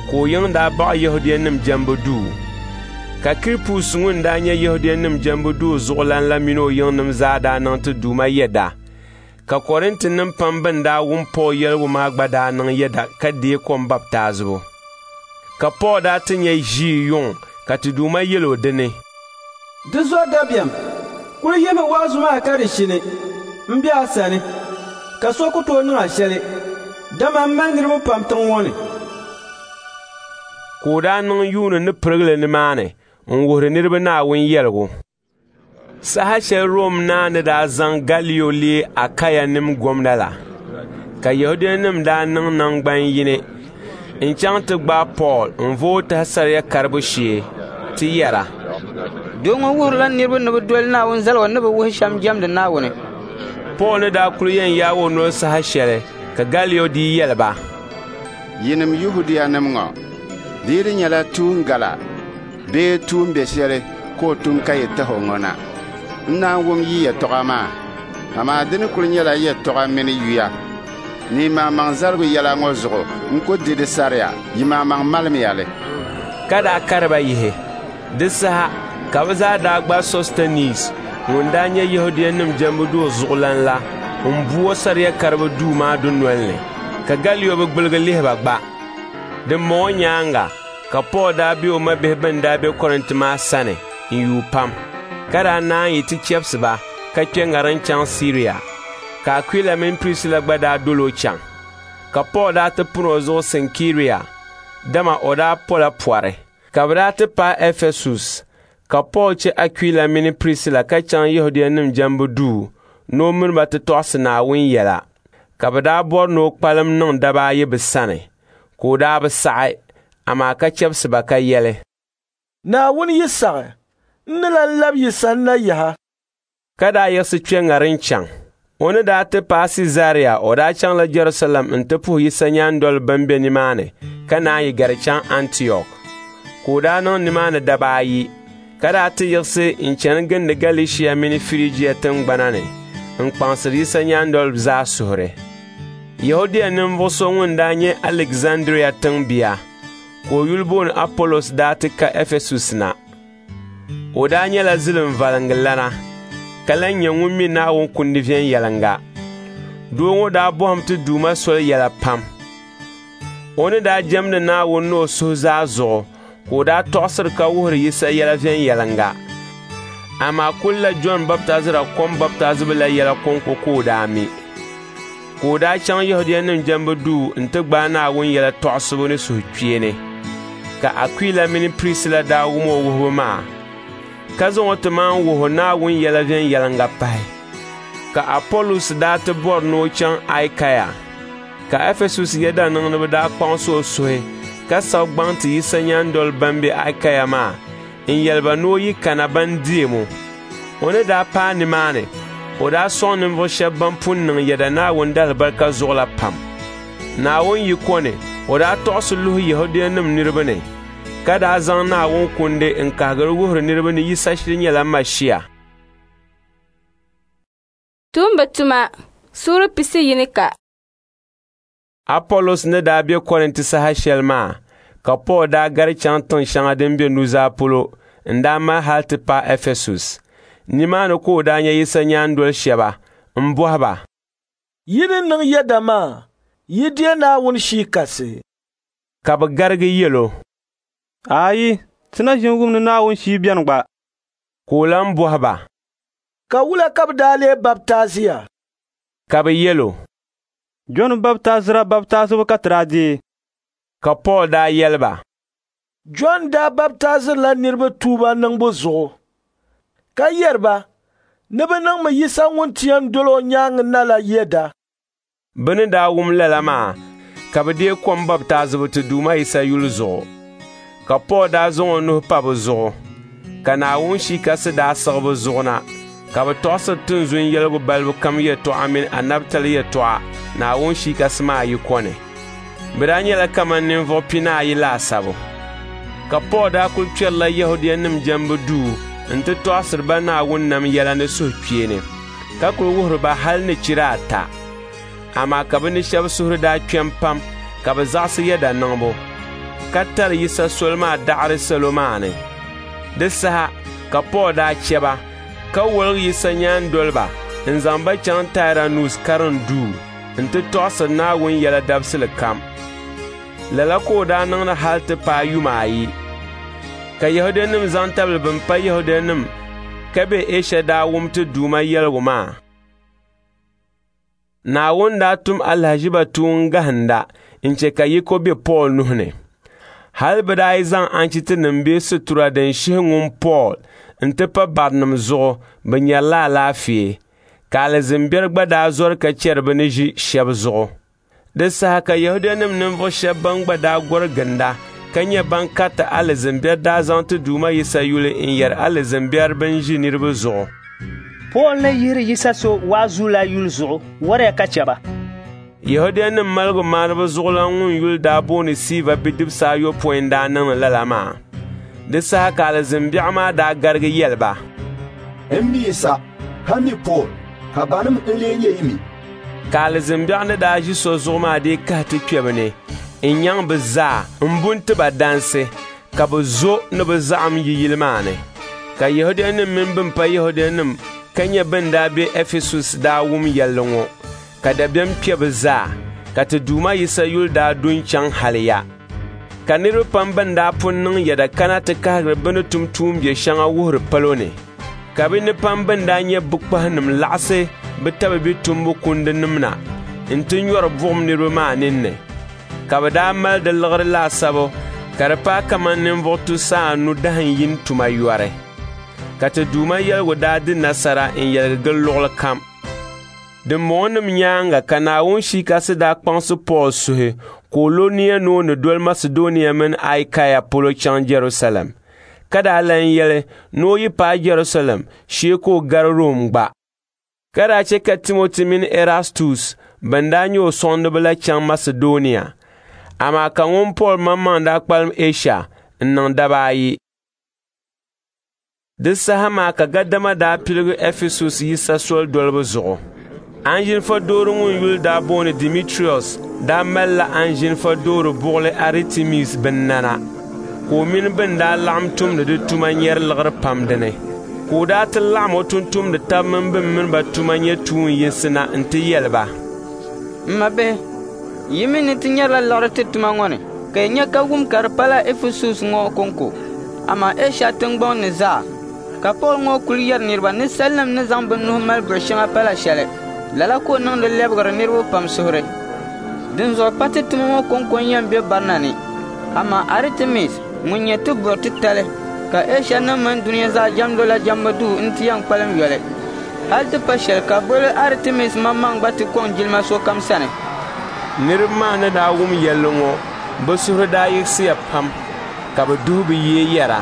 ka o yiŋ daa baɣi Yɛhudianim jɛmbu duu. Ka Kiripus ŋun daa nyɛ Yɛhudianim jɛmbu duu zuɣulan la mini o yiŋnim zaa daa niŋ ti Duuma yɛda. Ka Kɔrintinim pam bɛn daa wum Pool yɛligu maa gba daa niŋ yɛda ka deei kom baptaizibu. Ka Pool daa ti nya ʒii yuŋ ka ti Duuma yɛl o di ni, Di zɔri dabiɛm, kul yihimi waazu maa ka di shini. M be a sani, ka so ku tooi niŋ a shɛli, dama m mali niriba pam tiŋ ŋɔ ni. Ka o daa niŋ yuuni ni pirigili nimaani n-wuhiri niriba Naawuni yɛligu. Saha shɛli Rom naa ni daa zaŋ Galio leei Akaianim gomna la, ka Yɛhudianim daa niŋ naŋgban yini n-chaŋ ti gbaai Pool n-vooi tahi saria karibu shee ti yɛra, Doo ŋɔ wuhirila niriba ni bɛ doli Naawuni zaligu ni bi wuhi shɛm jɛmdi Naawuni. Pool ni daa kul yɛn yaag o noli saha shɛli ka Galio dii yɛli ba, Yinim Yɛhudianim ŋɔ, di yi di nyɛla tuun gala bee tuun be shɛli ka o tum ka yi tahi o ŋɔ na, n naan wum yi yɛtɔɣa maa. Amaa di ni kul nyɛla yɛtɔɣa mini yuya ni yimaŋmaŋ zaligu yɛla ŋɔ zuɣu, n ku di di saria, yimaŋmaŋ malimiya li. Ka daa kari ba yihi. Di saha ka bɛ zaa daa gbaai Sɔstɛniis ŋun daa nyɛ Yɛhudianim jɛmbu duu zuɣulan la m-bu o saria karibu duu maa dunol ni, ka Galio bi gbuligi lihi ba gba. Dimbɔŋɔ nyaaŋa ka Pool daa be o mabihi bɛn daa be Kɔrinti maa sani n-yuui pam, ka daa naan yi ti chɛbisi ba ka kpe ŋariŋ chaŋ Siria, ka Akwila mini Prisila gba daa dol o chaŋ. Ka Pool daa ti pun o zuɣu Sinkiria, dama o daa pola pɔri. Ka bɛ daa ti paai Ɛfɛsus, ka Pool chɛ Akwila mini Prisila ka chaŋ Yɛhudianim jɛmbu duu ni o mini ba ti tɔɣisi Naawuni yɛla. Ka bɛ daa bɔri ni o kpalim niŋ daba ayi bɛ sani, ka o daa bi saɣi, amaa ka chɛbisi ba ka yɛli, Naawuni yi saɣi, n ni lan lab yi sanna yaha. Ka daa yiɣisi kpe ŋariŋ chaŋ. O ni daa ti paai Siizaria, o daa chaŋla Jɛrusalɛm nti puhi Yisa nyaandoliba bɛn be nimaani ka naan yi gari chaŋ Antiɔk. Ka o daa niŋ nimaani daba ayi, ka daa ti yiɣisi n-chani gindi Galɛshia mini Firijia tiŋgbana ni n-kpaŋsiri Yisa nyaandoliba zaa suhuri. Yɛhudia ninvuɣ so ŋun daa nyɛ Aligzandria tiŋbia, ka o yuli booni Apolos daa ti ka Ɛfɛsus na. O daa nyɛla zilimvaliŋgilana, ka lan nyɛ ŋun mi Naawuni kundi viɛnyɛliŋga. Doo ŋɔ daa bɔhim ti Duuma soli yɛla pam. O ni daa jɛmdi Naawuni ni o suhu zaa zuɣu, ka o daa tɔɣisiri ka wuhiri Yisa yɛla viɛnyɛliŋga. Amaa kulla Jɔn Baptaizira kom baptaizibu la yɛla kɔŋko ka o daa mi. Ka o daa chaŋ Yɛhudianim jɛmbu duu nti gbaai Naawuni yɛla tɔɣisibu ni suhukpeeni. Ka Akwila mini Prisila daa wum o wuhibu maa, ka zaŋ o ti maan wuhi Naawuni yɛla viɛnyɛliŋga pahi. Ka Apolos daa ti bɔri ni o chaŋ Akaya, ka Ɛfɛsus yɛdaniŋdiba daa kpaŋs o suhi ka sabi gbaŋ ti Yisa nyaandoliba bɛn be Akaya maa n-yɛli ba ni o yi kana ban deem o. O ni daa paai nimaani, o daa sɔŋ ninvuɣ shɛba ban pun niŋ yɛda Naawuni daalibarika zuɣu la pam. Naawuni yiko ni o daa tɔɣisi luhi Yɛhudianim niriba ni, ka daa zaŋ Naawuni kundi n-kahigiri wuhiri niriba ni Yisa shiri nyɛla Mashia. Tumbu tuma suura pisi yinika. Apolos ni daa be Kɔrinti saha shɛli maa, ka Pool daa gari chaŋ tiŋ shɛŋa din be nuzaa polo n-daa mali hal ti paai Ɛfɛsus. Nimaani ka o daa nya Yisa nyaandol shɛba m-bɔhi ba, Yi ni niŋ yɛda maa, yi deei Naawuni Shii Kasi? Ka bɛ garigi yɛl o, Ayi, ti na ʒin wum ni Naawuni Shii beni gba. Ka o lan bɔhi ba, Ka wula ka bɛ daa lee baptaiziya? Ka bɛ yɛl o, Jɔn Baptaizira baptaizibu ka ti daa deei. Ka Pool daa yɛli ba, Jɔn daa baptaizirila niriba tuuba niŋbu zuɣu, ka yɛri ba ni bɛ niŋmi Yisa ŋun ti yɛn dol o nyaaŋa na la yɛda. Bɛ ni daa wum lala maa, ka bɛ deei kom baptaizibu ti Duuma Yisa yuli zuɣu. Ka Pool daa zaŋ o nuhi pa bɛ zuɣu, ka Naawuni Shii Kasi daa siɣi bɛ zuɣu na, ka bɛ tɔɣisiri tinzun yɛligu balibu kam yɛtɔɣa mini anabitali yɛtɔɣa Naawuni Shii Kasi maa yiko ni. Bɛ daa nyɛla kaman ninvuɣ pinaayi laasabu. Ka Pool daa kul kpɛrila Yɛhudianim jɛmbu duu nti tɔɣisiri ba Naawuni nam yɛla ni suhukpeeni, ka kul wuhiri ba hal ni chira ata. Amaa ka bɛ ni shɛba suhuri daa kpɛm pam ka bɛ zaɣisi yɛda niŋbu, ka tari Yisa soli maa daɣiri salo maa ni. Di saha ka Pool daa chɛ ba, ka woligi Yisa nyaandoliba n-zaŋ ba chaŋ Tairanus karim duu nti tɔɣisiri Naawuni yɛla dabisili kam. Lala ka o daa niŋdi hal ti paai yuma ayi. Ka Yɛhudianim zaŋ tabili bɛn pa Yɛhudianim ka be Ɛsha daa wum ti Duuma yɛligu maa. Naawuni daa tum alahiziba tuun gahinda n-chɛ ka yiko be Pool nuhi ni. Hal bɛ daa yi zaŋ anchitinim bee situra din shihi ŋun Pool nti pa barinim zuɣu, bɛ nyarila alaafee, ka alizin biɛri gba daa zɔri ka chɛri bɛ ni ʒi shɛba zuɣu. Di saha ka Yɛhudianim ninvuɣ shɛba bɛn gba daa gɔri ginda ka nyɛ ban kariti alizin biɛri daa zaŋ ti Duuma Yisa yuli n-yɛri alizin biɛri bɛn ʒi niriba zuɣu. Pool ni yihiri Yisa so waazu la yuli zuɣu, wariya ka chɛ ba. Yɛhudianim maligumaaniba zuɣulan ŋun yuli daa booni Siiva bidibisi ayopɔin daa niŋdi lala maa. Di saha ka alizin biɛɣu maa daa garigi yɛli ba, N mi Yisa, ka mi Pool, ka banim n-lee nyɛ yi mi? Ka alizin biɛɣu ni daa ʒi so zuɣu maa dii kahi ti kpe bɛ ni n-nyaŋ bɛ zaa m-bu n-ti ba dansi, ka bɛ zo ni bɛ zaɣim yi yili maa ni. Ka Yɛhudianim mini bɛn pa Yɛhudianim ka nyɛ bɛn daa be Ɛfɛsus daa wum yɛlli ŋɔ, ka dabiɛm kpe bɛ zaa, ka ti Duuma Yisa yuli daa du n-chaŋ haliya. Ka niriba pam bɛn daa pun niŋ yɛda kana ti kahigiri bɛ ni tum tuumbiɛ shɛŋa wuhiri palo ni. Ka bɛ ni pam bɛn daa nyɛ bukpahinim laɣisi bɛ tabibi tumbu kundinim na nti nyɔri buɣim niriba maa ninni. Ka bɛ daa mali di liɣiri laasabu ka di paai kaman ninvuɣ tusa anu dahin yini tuma yɔri. Ka ti Duuma yɛligu daa di nasara n-yɛligi gili luɣili kam. Dimbɔŋɔnim nyaaŋa ka Naawuni Shia Kasi daa kpaŋsi Pool suhi ka o lo nia ni o ni doli Masidɔnia mini Akaya polo chaŋ Jɛrusalɛm, ka daa lan yɛli ni o yi paai Jɛrusalɛm shee ka o gari Rom gba. Ka daa chɛ ka Timoti mini Erastus bɛn daa nyɛ o sɔŋdiba la chaŋ Masidɔnia, amaa ka ŋun Pool maŋmaŋ daa kpalim Ɛsha n-niŋ daba ayi. Di saha maa ka gadama daa piligi Ɛfɛsus Yisa soli dolibu zuɣu. Anzinfa doori ŋun yuli daa booni Dimitrius daa malila anzinfa doori buɣili Aritimis binnana, ka o mini bɛn daa laɣim tumdi di tuma nyari liɣiri pam dini. Ka o daa ti laɣim o tumtumdi taba mini bɛn mini ba tuma nyɛ tuun yinsi na nti yɛli ba, M mabihi, yi mi ni ti nyarila liɣiri ti tuma ŋɔ ni, ka yi nya ka wum ka di pala Ɛfɛsus ŋɔ kɔŋko, amaa Ɛsha tiŋgbɔŋ ni zaa. Ka Pool ŋɔ kul yɛri niriba ni salinim ni zaŋ bɛ nuhi mali buɣ shɛŋa pala shɛli. Lala ka o niŋdi lɛbigiri niriba pam suhuri. Dinzuɣu pa ti tuma ŋɔ kɔŋko n-yɛn be barina ni, amaa Aritimis ŋun nyɛ ti buɣ titali ka Ɛshanim mini dunia zaa jɛmdi o la jɛmbu duu nti yɛn kpalim yoli. Hal ti pa shɛli ka buɣili Aritimis maŋmaŋ gba ti kɔŋ jilima sokam sani. Niriba maa ni daa wum yɛlli ŋɔ, bɛ suhuri daa yiɣisiya pam, ka bɛ duhi bɛ yee yɛra,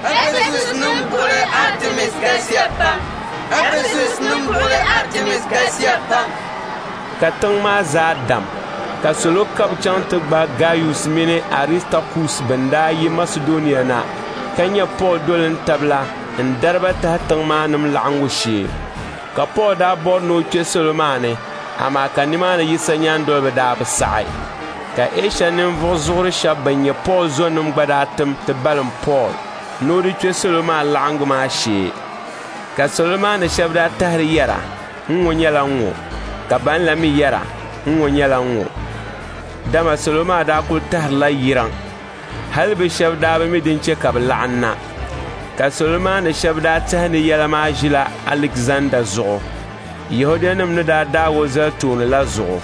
Ɛfɛsusnim buɣili Aritimis galisiya pam! Ɛfɛsusnim buɣili Aritimis galisiya pam! Ka tiŋ maa zaa dam, ka salo kab chaŋ ti gbaai Gaius mini Aristakus bɛn daa yi Masidɔnia na ka nyɛ Pool dolintab la n-dari ba tahi tiŋ maa nim laɣingu shee. Ka Pool daa bɔri ni o kpe salo maa ni, amaa ka nimaani Yisa nyaandoliba daa bi saɣi. Ka Ɛsha ninvuɣ zuɣuri shɛba bɛn nyɛ Pool zɔnim gba daa tim ti balim Pool ni o di kpe salo maa laɣingu maa shee. Ka salo maa ni shɛba daa tahiri yɛra, ŋ-ŋɔ nyɛla ŋ-ŋɔ, ka ban la mi yɛra, ŋ-ŋɔ nyɛla ŋ-ŋɔ. Dama salo maa daa kul tahirila yiraŋ. Hali bɛ shɛba daa bi mi din chɛ ka bɛ laɣim na. Ka salo maa ni shɛba daa tɛhi ni yɛla maa ʒila Alikzanda zuɣu, Yɛhudianim ni daa daag o zali tooni la zuɣu.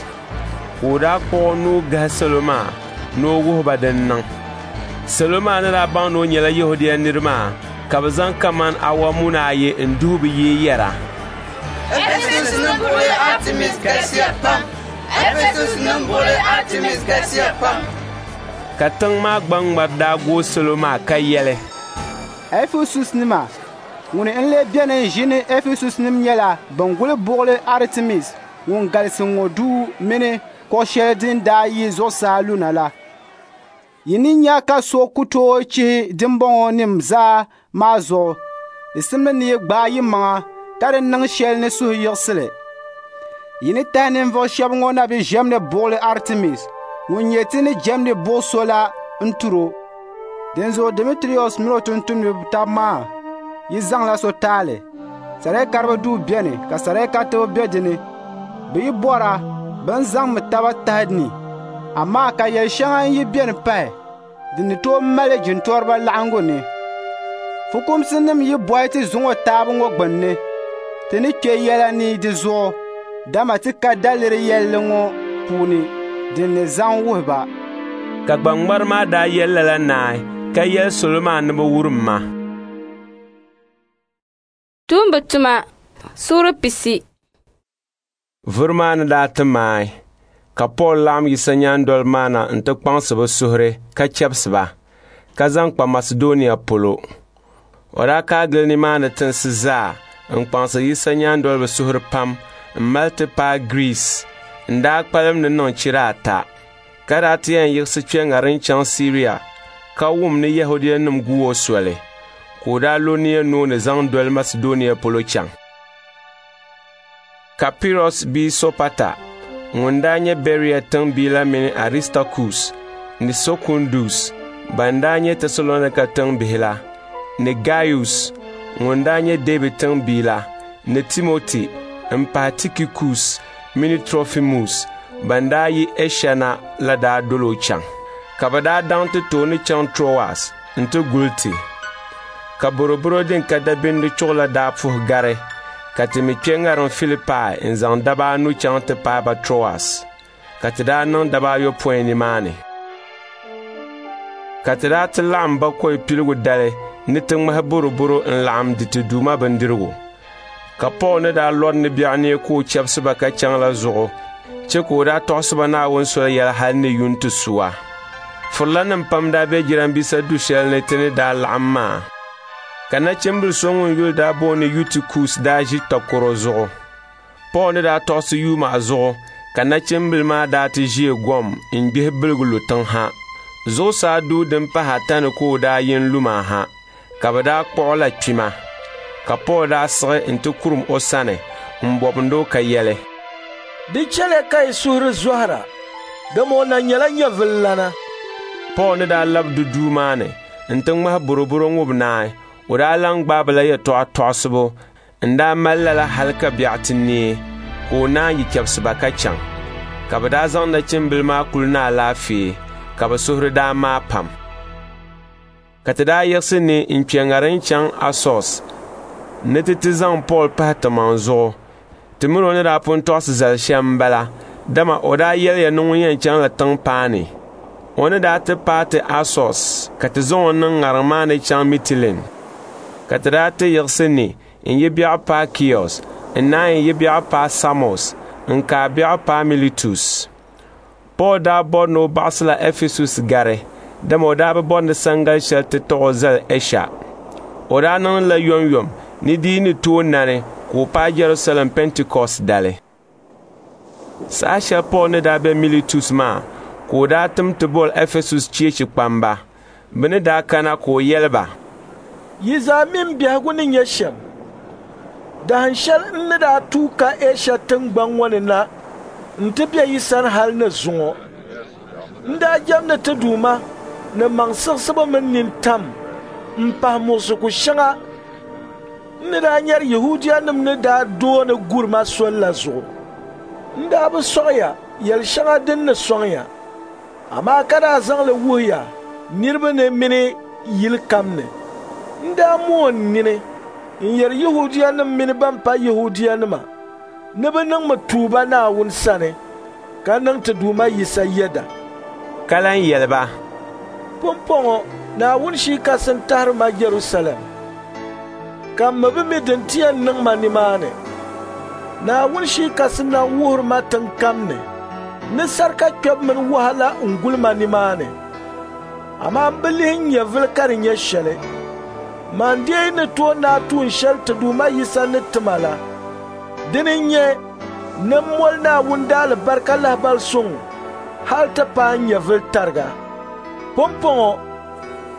Ka o daa kpuɣ o nuu gahi salo maa ni o wuhi ba din niŋ. Salo maa ni daa baŋ ni o nyɛla Yɛhudia nir maa, ka bɛ zaŋ kaman awa muna ayi n-duhi bɛ yee yɛra, Ɛfɛsusnim buɣili Aritimis galisiya pam! Ɛfɛsusnim buɣili Aritimis galisiya pam! Ka tiŋ maa gbaŋŋmari daa gooi salo maa ka yɛli, Ɛfɛsusnima, ŋuni n-lee beni n-ʒini Ɛfɛsusnim nyɛla bɛn guli buɣili Aritimis ŋun galisi ŋɔ duu mini kuɣ shɛli din daa yi zuɣusaa luna la. Yi ni nya ka so ku tooi chihi dimbɔŋɔnim zaa maa zuɣu, di simdi ni yi gbaai yimaŋa ka di niŋ shɛli ni suhuyiɣisili. Yi ni tahi ninvuɣ shɛba ŋɔ na bi ʒiɛmdi buɣili Aritimis ŋun nyɛ ti ni jɛmdi buɣ so la n-tur o. Dinzuɣu Dimitrius min o tumtumdiba taba maa yi zaŋla so taali. Sariakaribo duu beni ka sariakaritiba be di ni. Bɛ yi bɔra, bɛ ni zaŋmi taba tahi ni. Amaa ka yɛl shɛŋa n-yi beni pahi, di ni tooi mali jintɔriba laɣiŋgu ni. Fukumsinim yi bɔhi ti zuŋɔ taabu ŋɔ gbinni, ti ni kpe yɛla ni di zuɣu, dama ti ka daliri yɛlli ŋɔ puuni din ni zaŋ wuhi ba. Ka gbaŋŋmari maa daa yɛli lala naai ka yɛli salo maa ni bɛ wurim ma. Tuumba tuma suura pisi. Vuri maa ni daa ti maai, ka Pool laɣim Yisa nyaandoliba maa na nti kpaŋsi bɛ suhuri ka chɛbisi ba, ka zaŋ kpa Masidɔnia polo. O daa kaai gili nimaani tinsi zaa n-kpaŋsi Yisa nyaandoliba suhuri pam m-mali ti paai Giriis n-daa kpalim ni niŋ chira ata, ka daa ti yɛn yiɣisi kpe ŋariŋ chaŋ Siria ka wum ni Yɛhudianim gu o soli, ka o daa lo nia ni o ni zaŋ doli Masidɔnia polo chaŋ. Ka Pirɔs bia Sopata ŋun daa nyɛ Bɛria tiŋbia la mini Aristakus ni Sokundus ban daa nyɛ Tɛsalɔnika tiŋbihi la, ni Gaius ŋun daa nyɛ Dɛbi tiŋbia la, ni Timoti m-pahi Tikikus mini Trofimus ban daa yi Ɛsha na la daa dol o chaŋ. Ka bɛ daa daŋ ti tooni chaŋ Troas nti guli ti. Ka boroboro din ka dabindi chuɣu la daa puhi gari, ka ti mi kpe ŋariŋ Filipai n-zaŋ daba anu chaŋ ti paai ba Troas, ka ti daa niŋ daba ayopɔin nimaani. Ka ti daa ti laɣim bakɔi piligu dali ni ti ŋmahi boroboro n-laɣim di ti Duuma bindirigu. Ka Pool ni daa lɔri ni biɛɣu neei ka o chɛbisi ba ka chaŋ la zuɣu chɛ ka o daa tɔɣisi ba Naawuni soli yɛla hal ni yuŋ ti suwa. Firilanim pam daa be jirambisa du shɛli ni ti ni daa laɣim maa. Ka nachimbil so ŋun yuli daa booni Yutikus daa ʒi takɔro zuɣu. Pool ni daa tɔɣisi yuuma zuɣu ka nachimbil maa daa ti ʒee gom n-gbihi biligi lu tiŋ ha. Zuɣusaa duu din pahi ata ni ka o daa yi n-lu maa ha, ka bɛ daa kpuɣi la kpima. Ka Pool daa siɣi nti kurum o sani m-bɔbindi o ka yɛli, Di chɛliya ka yi suhuri zɔhira, dama o na nyɛla nyɛvililana. Pool ni daa lab di duu maa ni nti ŋmahi boroboro ŋubi naai, o daa lan gbaai ba la yɛtɔɣa tɔɣisibu n-daa mali lala hal ka biɛɣu ti neei, ka o naanyi chɛbisi ba ka chaŋ. Ka bɛ daa zaŋ nachimbila maa kuli ni alaafee, ka bɛ suhuri daa maai pam. Ka ti daa yiɣisi ni n-kpe ŋariŋ chaŋ Asos ni ti ti zaŋ Pool pahi timaŋ zuɣu. Ti min o ni daa pun tɔɣisi zali shɛm m-bala, dama o daa yɛliya ni ŋun yɛn chaŋla tiŋ paani. O ni daa ti paai ti Asos ka ti zaŋ o niŋ ŋariŋ maa ni chaŋ Mitilin. Ka ti daa ti yiɣisi ni n-yi biɛɣu paai Kios, n-naanyi yi biɛɣu paai Samos, n-kaai biɛɣu paai Militus. Pool daa bɔri ni o baɣisila Ɛfɛsus gari, dama o daa bi bɔri ni sangali shɛli ti taɣ o zali Ɛsha. O daa niŋdila yomyom ni di yi ni tooi nani ka o paai Jɛrusalɛm Pɛntikɔst dali. Saha shɛli Pool ni daa be Militus maa ka o daa tim ti boli Ɛfɛsus cheechi kpamba. Bɛ ni daa kana ka o yɛli ba, Yi zaa mi m biɛhigu ni nyɛ shɛm. Dahin shɛli n ni daa tuui ka Ɛsha tiŋgbɔŋ ŋɔ ni na nti be yi sani hal ni zuŋɔ. N daa jɛmdi ti Duuma ni maŋsiɣisibu mini nintam m-pahi muɣisigu shɛŋa n ni daa nyari Yɛhudianim ni daa dooni guri ma sol la zuɣu. N daa bi sɔɣi ya yɛl shɛŋa din ni sɔŋ ya, amaa ka daa zaŋ li wuhi ya niriba ni mini yili kam ni. N daa mooi n nini n-yɛri Yɛhudianim mini bɛn pa Yɛhudianima ni bɛ niŋmi tuuba Naawuni sani ka niŋ ti Duuma Yisa yɛda. Ka lan yɛli ba, Pumpɔŋɔ Naawuni Shii Kasi n-tahiri ma Jɛrusalɛm, ka m mi bi mi din ti yɛn niŋ ma nimaani. Naawuni Shii Kasi na wuhiri ma tiŋ kam ni ni sarika kpɛbu mini wahala n-guli ma nimaani. Amaa m bi lihi n nyɛvili ka di nyɛ shɛli. Man deei ni tooi naai tuun shɛli ti Duuma Yisa ni ti ma la. Dini n-nyɛ ni m moli Naawuni daalibarika lahibal suŋ hal ti paai n nyɛvili tariga. Pumpɔŋɔ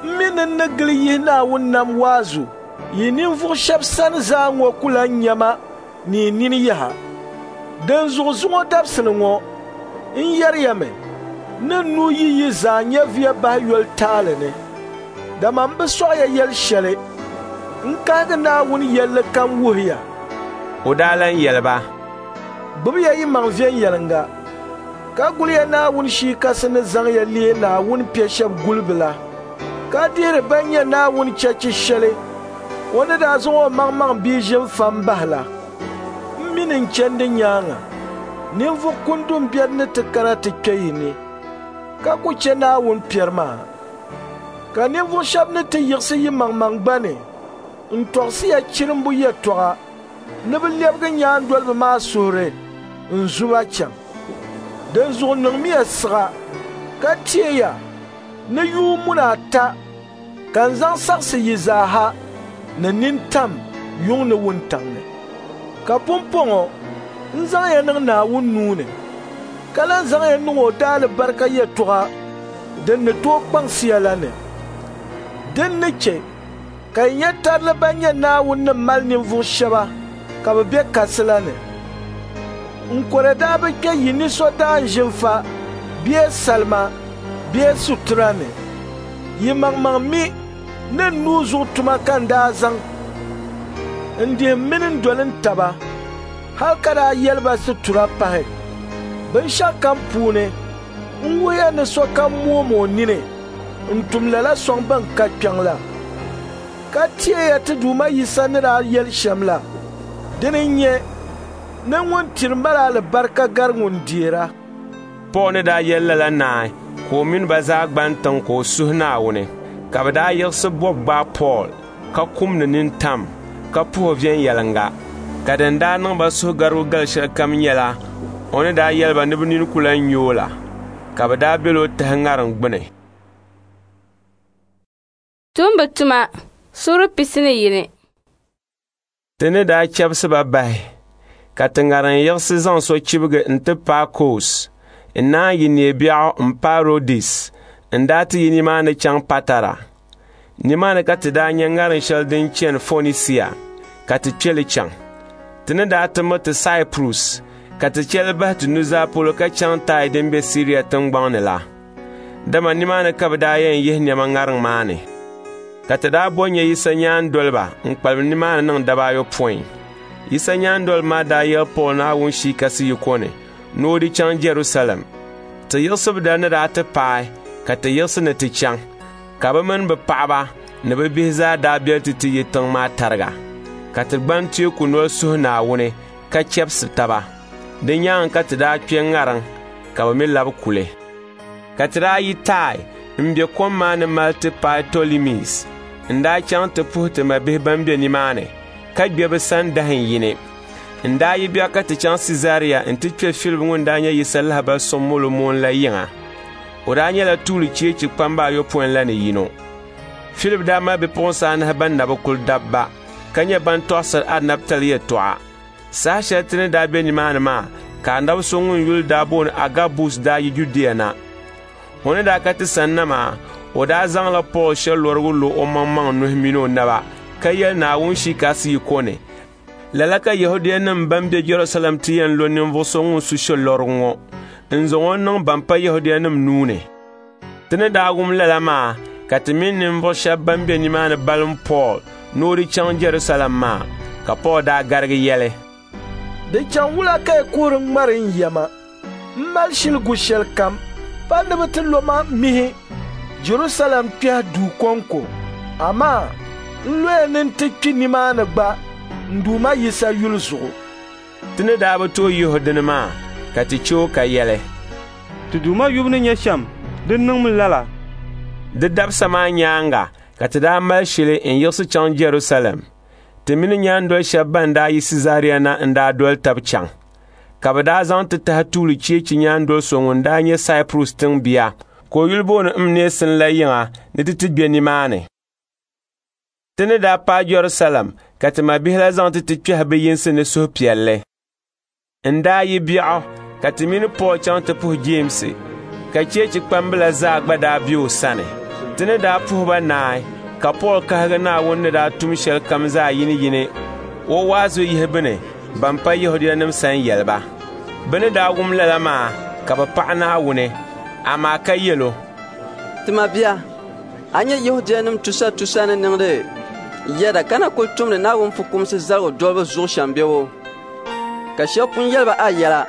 m mi ni n ni gili yihi Naawuni nam waazu yi ninvuɣ shɛb sani zaa ŋɔ ku lan nya ma ni yi nini yaha. Dinzuɣu zuŋɔ dabisili ŋɔ n yɛri ya mi ni n nuu yi yi zaa nyɛviya bahi yoli taali ni. Dama m bi sɔɣi ya yɛl shɛli, n kahigi Naawuni yɛlli kam wuhi ya. O daa lan yɛli ba, Gbibiya yimaŋ viɛnyɛliŋga, ka guliya Naawuni Shii Kasi ni zaŋ ya leei Naawuni piɛ shɛb gulibu la, ka dihiri bɛn nyɛ Naawuni chechi shɛli o ni daa zaŋ o maŋmaŋ bia ʒim fa m-bahi la. M mi ni n chandi nyaaŋa, ninvuɣ kundun biɛri ni ti kana ti kpe yi ni, ka ku chɛ Naawuni piɛri maa. Ka ninvuɣ shɛb ni ti yiɣisi yimaŋmaŋ gba ni n-tɔɣisi ya chirimbu yɛtɔɣa ni bɛ lɛbigi nyaandoliba maa suhuri n-zu ba chaŋ. Dinzuɣu niŋmiya siɣa ka teeya ni yuun muna ata ka n zaŋ saɣisi yi zaa ha ni nintam yuŋ ni wuntaŋ ni. Ka pumpɔŋɔ n zaŋ ya niŋ Naawuni nuu ni, ka lan zaŋ ya niŋ o daalibarika yɛtɔɣa din ni tooi kpaŋsi ya la ni. Din ni chɛ ka yi nya tarili ban nyɛ Naawuni ni mali ninvuɣ shɛba ka bɛ be kasi la ni. N kɔre daa bi kpe yi ni so daanʒinfa bee salima bee sutura ni. Yi maŋmaŋ mi ni n nuu zuɣu tuma ka n daa zaŋ n dihi m mini n doli n taba hal ka daa yɛli ba situra pahi. Binshɛɣukam puuni N wuhiya ni sokam moom o nini n-tum lala sɔŋ bɛn ka kpiɔŋ la. Ka teeya ti Duuma Yisa ni daa yɛli shɛm la. Dini n-nyɛ ni ŋun tiri mali alibarika gari ŋun deera. Pool ni daa yɛli lala naai ka o mini ba zaa gban tiŋ ka o suhi Naawuni. Ka bɛ daa yiɣisi bɔbu gbaai Pool ka kumdi nintam ka puhi o viɛnyɛliŋga. Ka din daa niŋ ba suhugarigu gali shɛlikam nyɛla o ni daa yɛli ba ni bɛ nini ku lan nya o la, ka bɛ daa bel o tahi ŋariŋ gbini. Tumbu tuma suura pisi ni yini. Ti ni daa chɛbisi ba bahi, ka ti ŋariŋ yiɣisi zaŋ so chibigi nti paai Kos, n-naan yi neebiɛɣu m-paai Rodis, n-daa ti yi nimaani chaŋ Patara. Nimaani ka ti daa nya ŋariŋ shɛli din chani Fonisia, ka ti kpe li chaŋ. Ti ni daa ti miriti Saipurus, ka ti chɛ li bahi ti nuzaa polo ka chaŋ Taai din be Siria tiŋgbɔŋ ni la. Dama nimaani ka bɛ daa yɛn yihi nɛma ŋariŋ maa ni. Ka ti daa bo nya Yisa nyaandoliba n-kpalim nimaani niŋ daba ayopɔin. Yisa nyaandoliba maa daa yɛli Pool Naawuni Shii Kasi yiko ni ni o di chaŋ Jɛrusalɛm. Ti yiɣisibu dali ni daa ti paai ka ti yiɣisi ni ti chaŋ, ka bɛ mini bɛ paɣiba ni bɛ bihi zaa daa beli ti ti yi tiŋ maa tariga. Ka ti gbani teeku noli suhi Naawuni ka chɛbisi taba. Di nyaaŋa ka ti daa kpe ŋariŋ ka bɛ mi labi kuli. Ka ti daa yi Taai m-be kom maa ni mali ti paai Tolimis. N daa chaŋ ti puhi ti mabihi ban be nimaani, ka gbe bɛ sani dahin yini. N daa yi biɛɣu ka ti chaŋ Siizaria nti kpe Filip ŋun daa nyɛ Yisa lahibal suŋ molo moon la yiŋa. O daa nyɛla tuuli cheechi kpamba ayopɔin la ni yino. Filip daa mali bipuɣinsi anahi ban na bi kuli dabba, ka nyɛ ban tɔɣisiri anabitali yɛtɔɣa. Saha shɛli ti ni daa be nimaani maa, ka anabi so ŋun yuli daa booni Agabus daa yi Judia na. O ni daa ka ti sanna maa, o daa zaŋla Pool shɛlɔrigu lo omaŋmaŋ nuhi min o naba, ka yɛli Naawuni Shii Kasi yiko ni, lala ka Yɛhudianim bɛn be Jɛrusalɛm ti yɛn lo ninvuɣ so ŋun su shɛlɔrigu ŋɔ n-zaŋ o niŋ ban pa Yɛhudianim nuu ni. Ti ni daa wum lala maa, ka ti mini ninvuɣ shɛb bɛn be nimaani balim Pool ni o di chaŋ Jɛrusalɛm maa, ka Pool daa garigi yɛli, Di chaŋ wula ka yi kuhiri ŋmari n yɛma? M mali shili gu shɛlikam, pa ni bɛ ti lo ma mihi Jɛrusalɛm kpɛhi duu kɔŋko, amaa n loya ni n ti kpi nimaani gba n Duuma Yisa yuli zuɣu. Ti ni daa bi tooi yihi o dini maa, ka ti chɛ o ka yɛli, Ti Duuma yubu ni nyɛ shɛm, di niŋmi lala. Di dabisa maa nyaaŋa ka ti daa mali shili n-yiɣisi chaŋ Jɛrusalɛm. Ti mini nyaandol shɛba ban daa yi Siizaria na n-daa doli tab chaŋ. Ka bɛ daa zaŋ ti tahi tuuli cheechi nyaandol so ŋun daa nyɛ Saipurus tiŋbia, ka o yuli booni Mneesin la yiŋa ni ti ti gbe nimaani. Ti ni daa paai Jɛrusalɛm ka ti mabihi la zaŋ ti ti kpɛhi bɛ yinsi ni suhupiɛlli. N daa yi biɛɣu ka ti mini Pool chaŋ ti puhi Jeemsi, ka cheechi kpambila zaa gba daa be o sani. Ti ni daa puhi ba naai, ka Pool kahigi Naawuni ni daa tum shɛlikam zaa yiniyini o waazu yihibu ni ban pa Yɛhudianim sani yɛli ba. Bɛ ni daa wum lala maa ka bɛ paɣi Naawuni, amaa ka yɛl o, Ti mabia, a nyɛ Yɛhudianim tusatusa ni niŋdi yɛda ka na kul tumdi Naawuni fukumsi zaligu dolibu zuɣu shɛm bebo? Ka shɛb pun yɛli ba a yɛla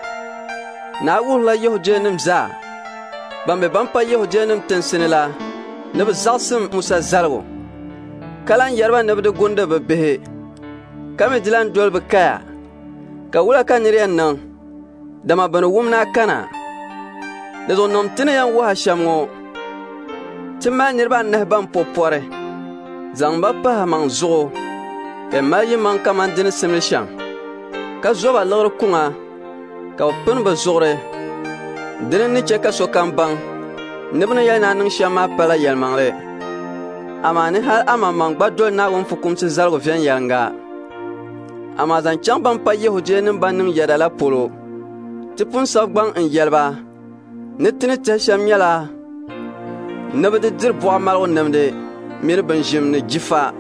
ni a wuhirila Yɛhudianim zaa ban be ban pa Yɛhudianim tinsi ni la ni bɛ zaɣisim Musa zaligu, ka lan yɛri ba ni bɛ di gundi bɛ bihi, ka mi di lan doli bɛ kaya. Ka wula ka nir yɛn niŋ, dama bɛ ni wum ni a kana? Di zuɣu niŋm ti ni yɛn wuhi a shɛm ŋɔ. Ti mali niriba anahi ban po pɔri, zaŋm ba pahi amaŋ zuɣu, ka yi mali yimaŋ kaman di ni simdi shɛm, ka zo ba liɣiri kuŋa ka bɛ pini bɛ zuɣuri. Dini n-ni chɛ ka sokam baŋ ni bɛ ni yɛli ni a niŋ shɛm maa pala yɛlimaŋli, amaa ni hal amaŋmaŋ gba doli Naawuni fukumsi zaligu viɛnyɛliŋga. Amaa zaŋ chaŋ ban pa Yɛhudianim ban niŋ yɛda la polo, ti pun sabi gbaŋ n-yɛli ba ni ti ni tɛhi shɛm nyɛla ni bɛ di diri buɣa maligu nimdi mini binʒim ni jifa,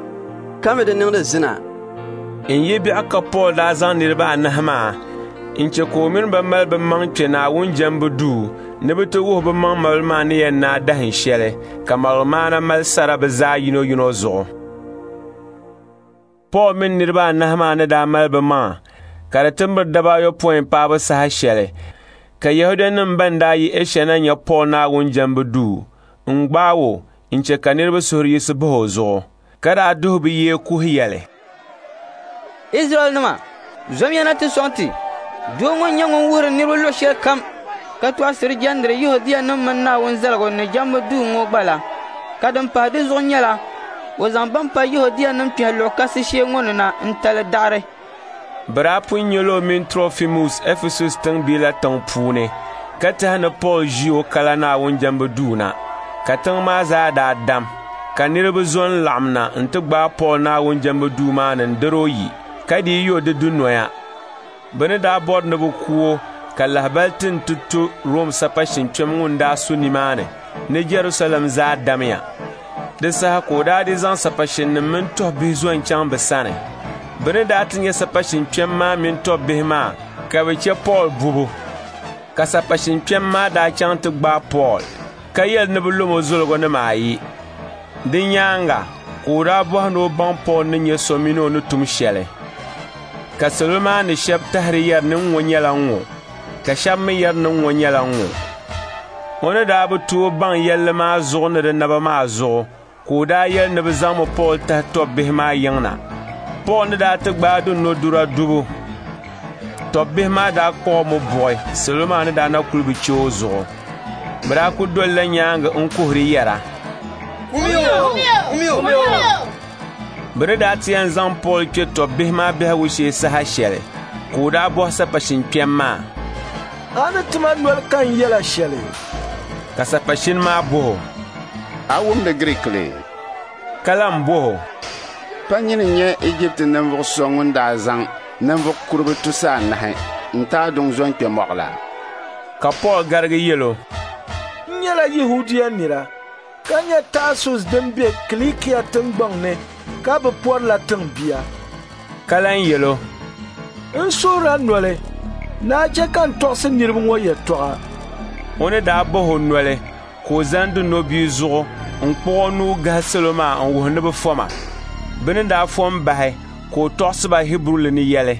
ka mi di niŋdi zina. N yi biɛɣu ka Pool daa zaŋ niriba anahi maa n-chɛ ka o mini ba mali bɛ maŋ kpe Naawuni jɛmbu duu ni bɛ ti wuhi bɛ maŋ malibu maa ni yɛn naai dahin shɛli, ka maligumaana mali sara bɛ zaa yinoyino zuɣu. Pool mini niriba anahi maa ni daa mali bɛ maŋa ka di ti miri daba ayopɔin paabu saha shɛli, Ka Yɛhudianim bɛn daa yi Ɛsha na nya Pool Naawuni jɛmbu duu n-gbaag o n-chɛ ka niriba suhuri yiɣisi bah o zuɣu, ka daa duhi bɛ yee kuhi yɛli, “Izraɛlnima, zomiya na ti sɔŋ ti! Doo ŋɔ n-nyɛ ŋun wuhiri niriba luɣ shɛlikam ka tɔɣisiri jɛndiri Yɛhudianim mini Naawuni zaligu ni jɛmbu duu ŋɔ gba la. Ka din pahi di zuɣu nyɛla o zaŋ bɛn pa Yɛhudianim kpɛhi luɣ kasi shee ŋɔ ni na n-tali daɣiri.” Bɛ daa pun nyɛla o mini Trofimus Ɛfɛsus tiŋbia la tiŋ puuni, ka tɛhi ni Pool ʒi o kala Naawuni jɛmbu duu na. Ka tiŋ maa zaa daa dam, ka niriba zo n-laɣim na nti gbaai Pool Naawuni jɛmbu duu maa ni n-dir o yi, ka dii yo di dunoya. Bɛ ni daa bɔri ni bɛ ku o, ka lahibali ti nti to Rom sapashin kpɛm ŋun daa su nimaani ni Jɛrusalɛm zaa damya. Di saha ka o daa di zaŋ sapashinnim mini tɔbbihi zo n-chaŋ bɛ sani. Bɛ ni daa ti nya sapashin kpɛm maa mini tɔbbihi maa, ka bɛ chɛ Pool bubu. Ka sapashin kpɛm maa daa chaŋ ti gbaai Pool, ka yɛli ni bɛ lom o zoligunima ayi. Di nyaaŋa ka o daa bɔhi ni o baŋ Pool ni nyɛ so mini o ni tum shɛli. Ka salo maa ni shɛba tahiri yɛri ni ŋ-ŋɔ nyɛla ŋ-ŋɔ, ka shɛba mi yɛri ni ŋ-ŋɔ nyɛla ŋ-ŋɔ. O ni daa bi tooi baŋ yɛlli maa zuɣu ni di naba maa zuɣu, ka o daa yɛli ni bɛ zaŋmi Pool tahi tɔbbihi maa yiŋ na. Pool ni daa ti gbaai dunɔdura dubu, tɔbbihi maa daa kpuɣ o mi buɣi salo maa ni daa na kul bi chɛ o zuɣu. Bɛ daa kul dolila nyaaŋa n-kuhiri yɛra, “Kumiyo! Kumiyo!” Bɛ ni daa ti yɛn zaŋ Pool kpe tɔbbihi maa biɛhigu shee saha shɛli, ka o daa bɔhi sapashin kpɛm maa, “A ni ti ma noli ka n yɛl a shɛli?” Ka sapashini maa bɔh o, “A wumdi Giriikili?” Ka lan bɔh o, “Pa nyini n-nyɛ Ijipti ninvuɣ so ŋun daa zaŋ ninvuɣ kuriba tusa anahi n-taai duŋ zo n-kpe mɔɣu la?” Ka Pool garigi yɛl o, “N nyɛla Yɛhudia nira, ka nyɛ Taasus din be Kilikia tiŋgbɔŋ ni ka bɛ pɔrila tiŋbia.” Ka lan yɛl o, “N suhir a noli ni a chɛ ka n tɔɣisi niriba ŋɔ yɛtɔɣa.” O ni daa bah o noli, ka o zani dunɔbia zuɣu n-kpuɣ o nuu gahi salo maa n-wuhi ni bɛ foma. Bɛ ni daa fom bahi, ka o tɔɣisi ba Hiburuli ni yɛli,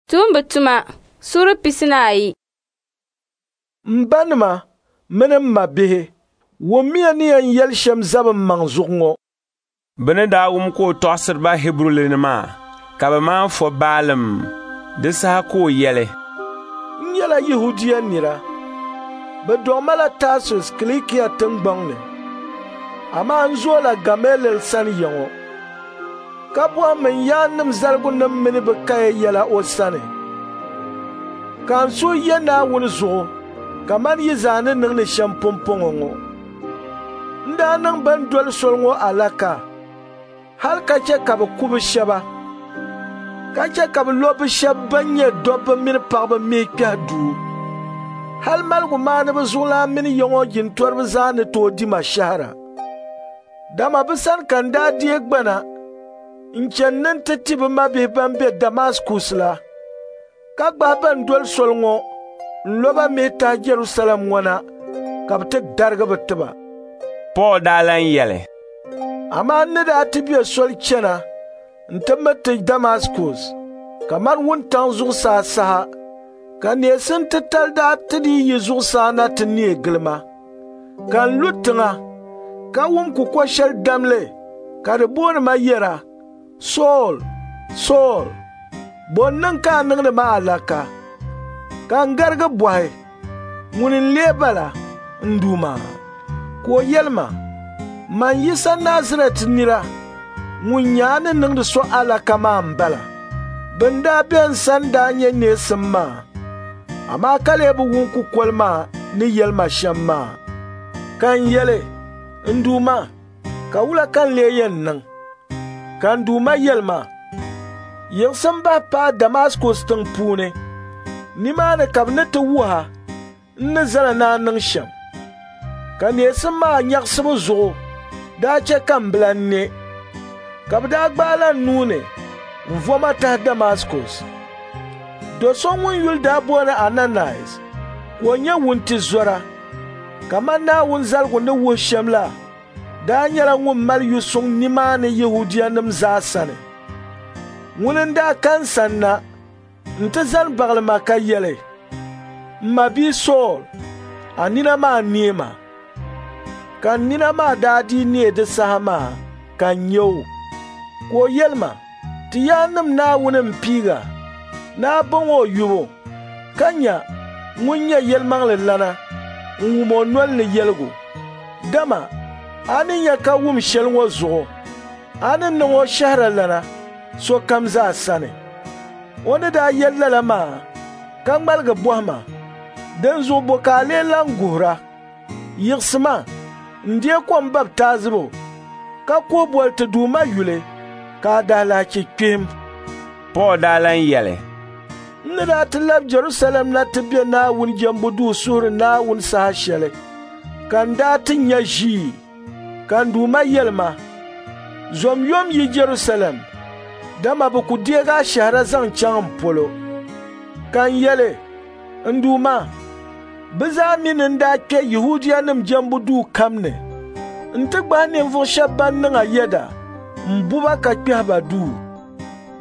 Tuumba tuma suura pisi ni ayi. M banima mini m mabihi, wummiya ni yɛn yɛli shɛm zabi m maŋ zuɣu ŋɔ. Bɛ ni daa wum ka o tɔɣisiri ba Hiburuli ni maa, ka bɛ maan fo baalim. Di saha ka o yɛli, “N nyɛla Yɛhudia nira. Bɛ dɔɣi ma la Taasus Kilikia tiŋgbɔŋ ni, amaa n zoola Gamaliɛl sani ya ŋɔ, ka bɔhim n yaannim zaligunim mini bɛ kaya yɛla o sani. Ka n suhu ye Naawuni zuɣu kaman yi zaa ni niŋdi shɛm pumpɔŋɔ ŋɔ. N daa niŋ bɛn doli soli ŋɔ alaka, hal ka chɛ ka bɛ ku bɛ shɛba, ka chɛ ka bɛ lo bɛ shɛba bɛn nyɛ dɔbba mini paɣiba mihi kpɛhi duu. Hal maligumaaniba zuɣulan mini ya ŋɔ jintɔriba zaa ni tooi di ma shɛhira. Dama bɛ sani ka n daa deei gbana n-chani ni n ti ti bɛ mabihi bɛn be Damaskus la, ka gbahi bɛn doli soli ŋɔ n-lo ba mihi tahi Jɛrusalɛm ŋɔ na ka bɛ ti darigi bɛ tiba.” Pool daa lan yɛli, “Amaa n ni daa ti be soli chana nti miriti Damaskus, kaman wuntaŋ zuɣusaa saha, ka neesim titali daa ti dii yi zuɣusaa na ti neei gili ma. Ka n lu tiŋa, ka wum kukol shɛli damli ka di booni ma yɛra, ‘Sool, Sool, bɔ n-niŋ ka a niŋdi ma alaka?’ Ka n garigi bɔhi, ‘Ŋuni n-lee bala, n Duuma?’ Ka o yɛli ma, ‘Man Yisa Nazarɛt nira ŋun nyɛ a ni niŋdi so alaka maa m-bala.’ Bɛn daa be n sani daa nyɛ neesim maa, amaa ka lee bi wum kukoli maa ni yɛli ma shɛm maa. Ka n yɛli, ‘N Duuma, ka wula ka n lee yɛn niŋ?’ Ka n Duuma yɛli ma, ‘Yiɣisim bahi paai Damaskus tiŋ puuni. Nimaani ka bɛ ni ti wuhi a n ni zali ni a niŋ shɛm.’ Ka neesim maa nyaɣisibu zuɣu daa chɛ ka m bi lan ne. Ka bɛ daa gbaai la n nuu ni n-vo ma tahi Damaskus. Do so ŋun yuli daa booni Ananias, ka o nyɛ wuntizɔra, kaman Naawuni zaligu ni wuhi shɛm la, daa nyɛla ŋun mali yu suŋ nimaani Yɛhudianim zaa sani. Ŋuni n-daa ka n sanna nti zani baɣili ma ka yɛli, M ma bia Sool, a nina maa neema. Ka n nina maa daa dii neei di saha maa ka n nya o. Ka o yɛli ma, Ti yaannim Naawuni m-piiga ni a baŋ o yubu, ka nya ŋun nyɛ yɛlimaŋli lana n-wum o nol ni yɛligu. Dama a ni nya ka wum shɛli ŋɔ zuɣu, a ni niŋ o shɛhiralana sokam zaa sani. O ni daa yɛli lala maa, ka ŋmaligi bɔhi ma, Dinzuɣu bɔ ka a lee lan guhira? Yiɣisima n-deei kom baptaizibu ka kuhi boli ti Duuma yuli ka a daalahichi kpihim. Pool daa lan yɛli, N ni daa ti lab Jɛrusalɛm na ti be Naawuni jɛmbu duu suhiri Naawuni saha shɛli, ka n daa ti nya ʒii, ka n Duuma yɛli ma, Zom yom yi Jɛrusalɛm, dama bɛ ku deeg a shɛhira zaŋ chaŋ m polo. Ka n yɛli, N Duuma, bɛ zaa mi ni n daa kpe Yɛhudianim jɛmbu duu kam ni nti gbahi ninvuɣ shɛb ban niŋ a yɛda m-bu ba ka kpɛhi ba duu.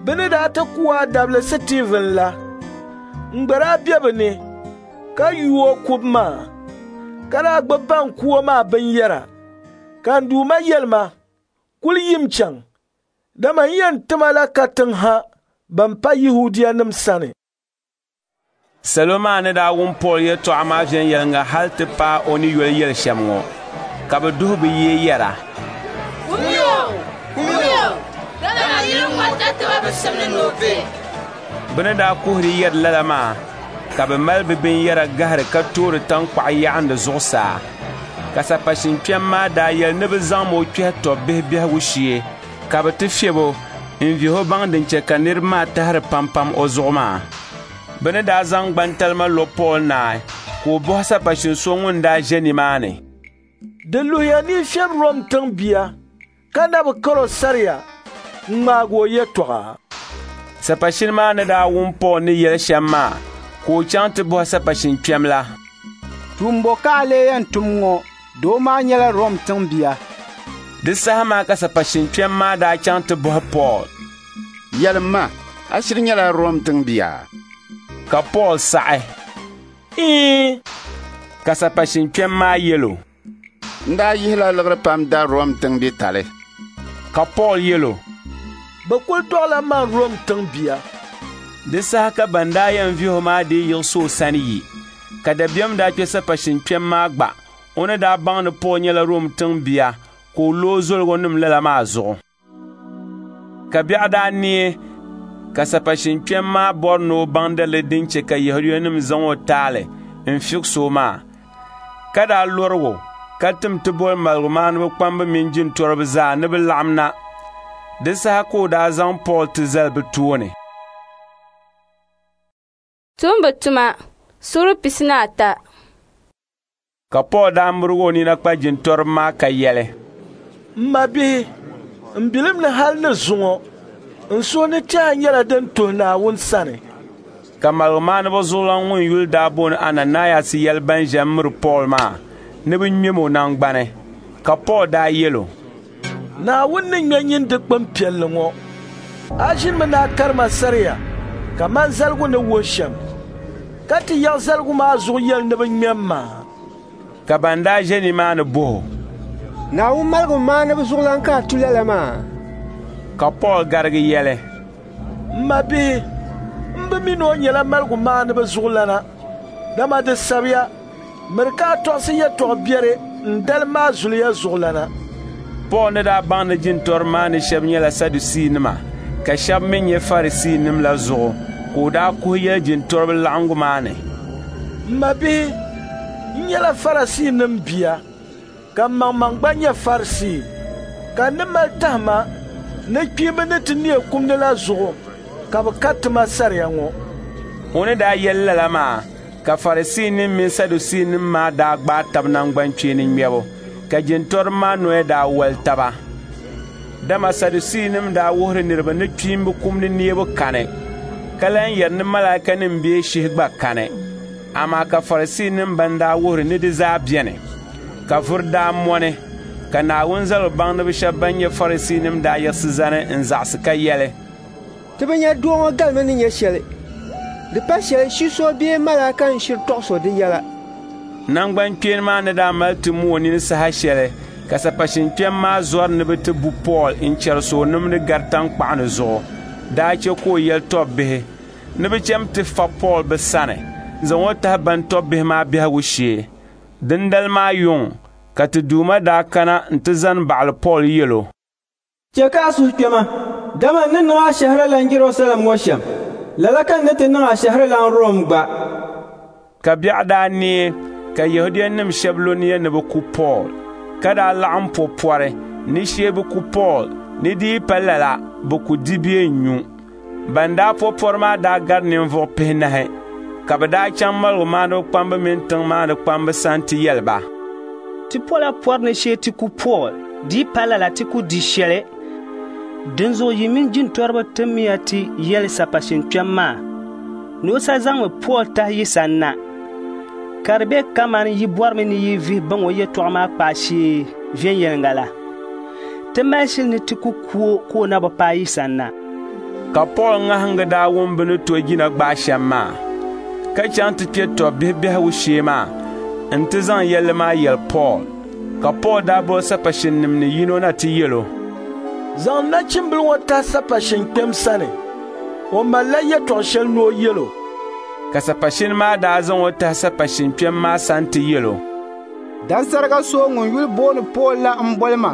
Bɛ ni daa ti ku a dabili Sitiivin la, n gba daa be bɛ ni ka yu o kubu maa, ka daa gbibi ban ku o maa binyɛra. Ka n Duuma yɛli ma, Kul yim chaŋ, dama n yɛn tima la katiŋ ha bɛn pa Yɛhudianim sani. Salo maa ni daa wum Pool yɛtɔɣa maa viɛnyɛliŋga hal ti paai o ni yoli yɛli shɛm ŋɔ, ka bɛ duhi bɛ yee yɛra, Kumiya o! Kumiya o! Dama niriba ŋɔ tatabo bi simdi ni o be. Bɛ ni daa kuhiri yɛri lala maa, ka bɛ mali bɛ binyɛra gahiri ka toori taŋkpaɣu yaɣindi zuɣusaa. Ka sapashin kpɛm maa daa yɛli ni bɛ zaŋm o kpɛhi tɔbbihi biɛhigu shee ka bɛ ti fiɛb o n-vihi o baŋ din chɛ ka niriba maa tahiri pampam o zuɣu maa. Bɛ ni daa zaŋ gbantalima lo Pool naai, ka o bɔhi sapashin so ŋun daa ʒe nimaani, Di luhiya ni yi fiɛbi Rom tiŋbia ka na bi kar o saria ŋ-ŋmaag o yɛtɔɣa? Sapashini maa ni daa wum Pool ni yɛli shɛm maa, ka o chaŋ ti bɔhi sapashin kpɛm la, Tuumbo ka a lee yɛn tum ŋɔ? Doo maa nyɛla Rom tiŋbia. Di saha maa ka sapashin kpɛm maa daa chaŋ ti bɔhi Pool, Yɛlim ma, a shiri nyɛla Rom tiŋbia? Ka Pool saɣi, Iin. Ka sapashin kpɛm maa yɛl o, N daa yihila liɣiri pam da Rom tiŋbitali. Ka Pool yɛl o, Bɛ kul dɔɣila man Rom tiŋbia. Di saha ka ban daa yɛn vihi o maa dii yiɣisi o sani yi, ka dabiɛm daa kpe sapashin kpɛm maa gba o ni daa baŋ ni Pool nyɛla Rom tiŋbia ka o lo o zoligonim lala maa zuɣu. Ka biɛɣu daa neei, ka sapashin kpɛm maa bɔri ni o baŋ daliri din chɛ ka Yɛhudianim zaŋ o taali n-fiɣis o maa, ka daa lɔrig o ka tim ti boli maligumaaniba kpamba mini jintɔriba zaa ni bɛ laɣim na. Di saha ka o daa zaŋ Pool ti zali bɛ tooni. Tumbu tuma suura pisi ni ata. Ka Pool daa mirigi o nina kpa jintɔriba maa ka yɛli, M mabihi, m bilim ni hal ni zuŋɔ, n suhu ni tɛha nyɛla din tuhi Naawuni sani. Ka maligumaaniba zuɣulan ŋun yuli daa booni Ananayas yɛli ban ʒe m-miri Pool maa ni bɛ ŋmɛm o naŋgbani. Ka Pool daa yɛl o, Naawuni ni ŋme nyin dikpin piɛlli ŋɔ, a ʒinimi ni a kari ma saria kaman zaligu ni wuhi shɛm, ka ti yaɣi zaligu maa zuɣu yɛli ni bɛ ŋmɛm ma. Ka ban daa ʒe nimaani bɔh o, Naawuni maligumaaniba zuɣulan ka a tu lala maa? Ka Pool garigi yɛli, M mabihi, m bi mi ni o nyɛla maligumaaniba zuɣulana, dama di sabiya, miri ka a tɔɣisi yɛtɔɣ biɛri n-dalim a zuliya zuɣulana. Pool ni daa baŋ ni jintɔriba maa ni shɛba nyɛla Sadusiinima ka shɛba mi nyɛ Farisiinim la zuɣu ka o daa kuhi yɛli jintɔriba laɣiŋgu maa ni, M mabihi, n nyɛla Farisiinim bia, ka m maŋmaŋ gba nyɛ Farisii, ka n ni mali tahima ni kpiimba ni ti neei kum ni la zuɣu ka bɛ kariti ma saria ŋɔ. O ni daa yɛli lala maa, ka Farisiinim mini Sadusiinim maa daa gbaai tab naŋgbankpeeni ŋmɛbu, ka jintɔriba maa noya daa wali taba. Dama Sadusiinim daa wuhiri niriba ni kpiimba kum ni neebu kani, ka lan yɛri ni malaikanim bee shihi gba kani. Amaa ka Farisiinim ban daa wuhiri ni di zaa beni. Ka vuri daa mɔni, ka Naawuni zaligu baŋdiba shɛba ban nyɛ Farisiinim daa yiɣisi zani n-zaɣisi ka yɛli, Ti bi nya doo ŋɔ galimi ni nyɛ shɛli. Di pa shɛli shi so bee malaika n-shiri tɔɣis o di yɛla. Naŋgbankpeeni maa ni daa mali ti mooi nini saha shɛli ka sapashin kpɛm maa zɔri ni bɛ ti bu Pool n-chɛrisi o nimdi gari taŋkpaɣu ni zuɣu daa chɛ ka o yɛli tɔbbihi ni bɛ cham ti fa Pool bɛ sani n-zaŋ o tahi ban tɔbbihi maa biɛhigu shee. Dindali maa yuŋ ka ti Duuma daa kana nti zani baɣili Pool yɛl o, Chɛ ka a suhu kpɛma, dama n ni niŋ a shɛhiralan Jɛrusalɛm ŋɔ shɛm, lala ka n ni ti niŋ a shɛhiralan Rom gba. Ka biɛɣu daa neei ka Yɛhudianim shɛb lo nia ni bɛ ku Pool, ka daa laɣim po pɔri ni shee bɛ ku Pool ni di yi pa lala bɛ ku di bee n-nyu. Ban daa po pɔri maa daa gari ninvuɣ pihinahi, ka bɛ daa chaŋ maligumaaniba kpamba mini tiŋ maa ni kpamba sani ti yɛli ba, Ti pola pɔri ni shee ti ku Pool, di yi pa lala ti ku di shɛli. Dinzuɣu yi mini jintɔriba timiya ti yɛli sapashin kpɛm maa ni o sa zaŋmi Pool tahi yi sani na, ka di be kaman yi bɔrimi ni yi vihi baŋ o yɛtɔɣa maa kpaai shee viɛnyɛliŋga la. Ti mali shili ni ti ku ku o ka o na bi paai yi sani na. Ka Pool ŋahiŋga daa wum bɛ ni to jina gbaai shɛm maa, ka chaŋ ti kpe tɔbbihi biɛhigu shee maa nti zaŋ yɛlli maa yɛli Pool. Ka Pool daa boli sapashinnim ni yino na ti yɛl o, Zaŋ nachimbila ŋɔ tahi sapashin kpɛm sani. O malila yɛtɔɣ shɛli ni o yɛl o. Ka sapashini maa daa zaŋ o tahi sapashin kpɛm maa sani ti yɛl o, Dansarika so ŋun yuli booni Pool la m-boli ma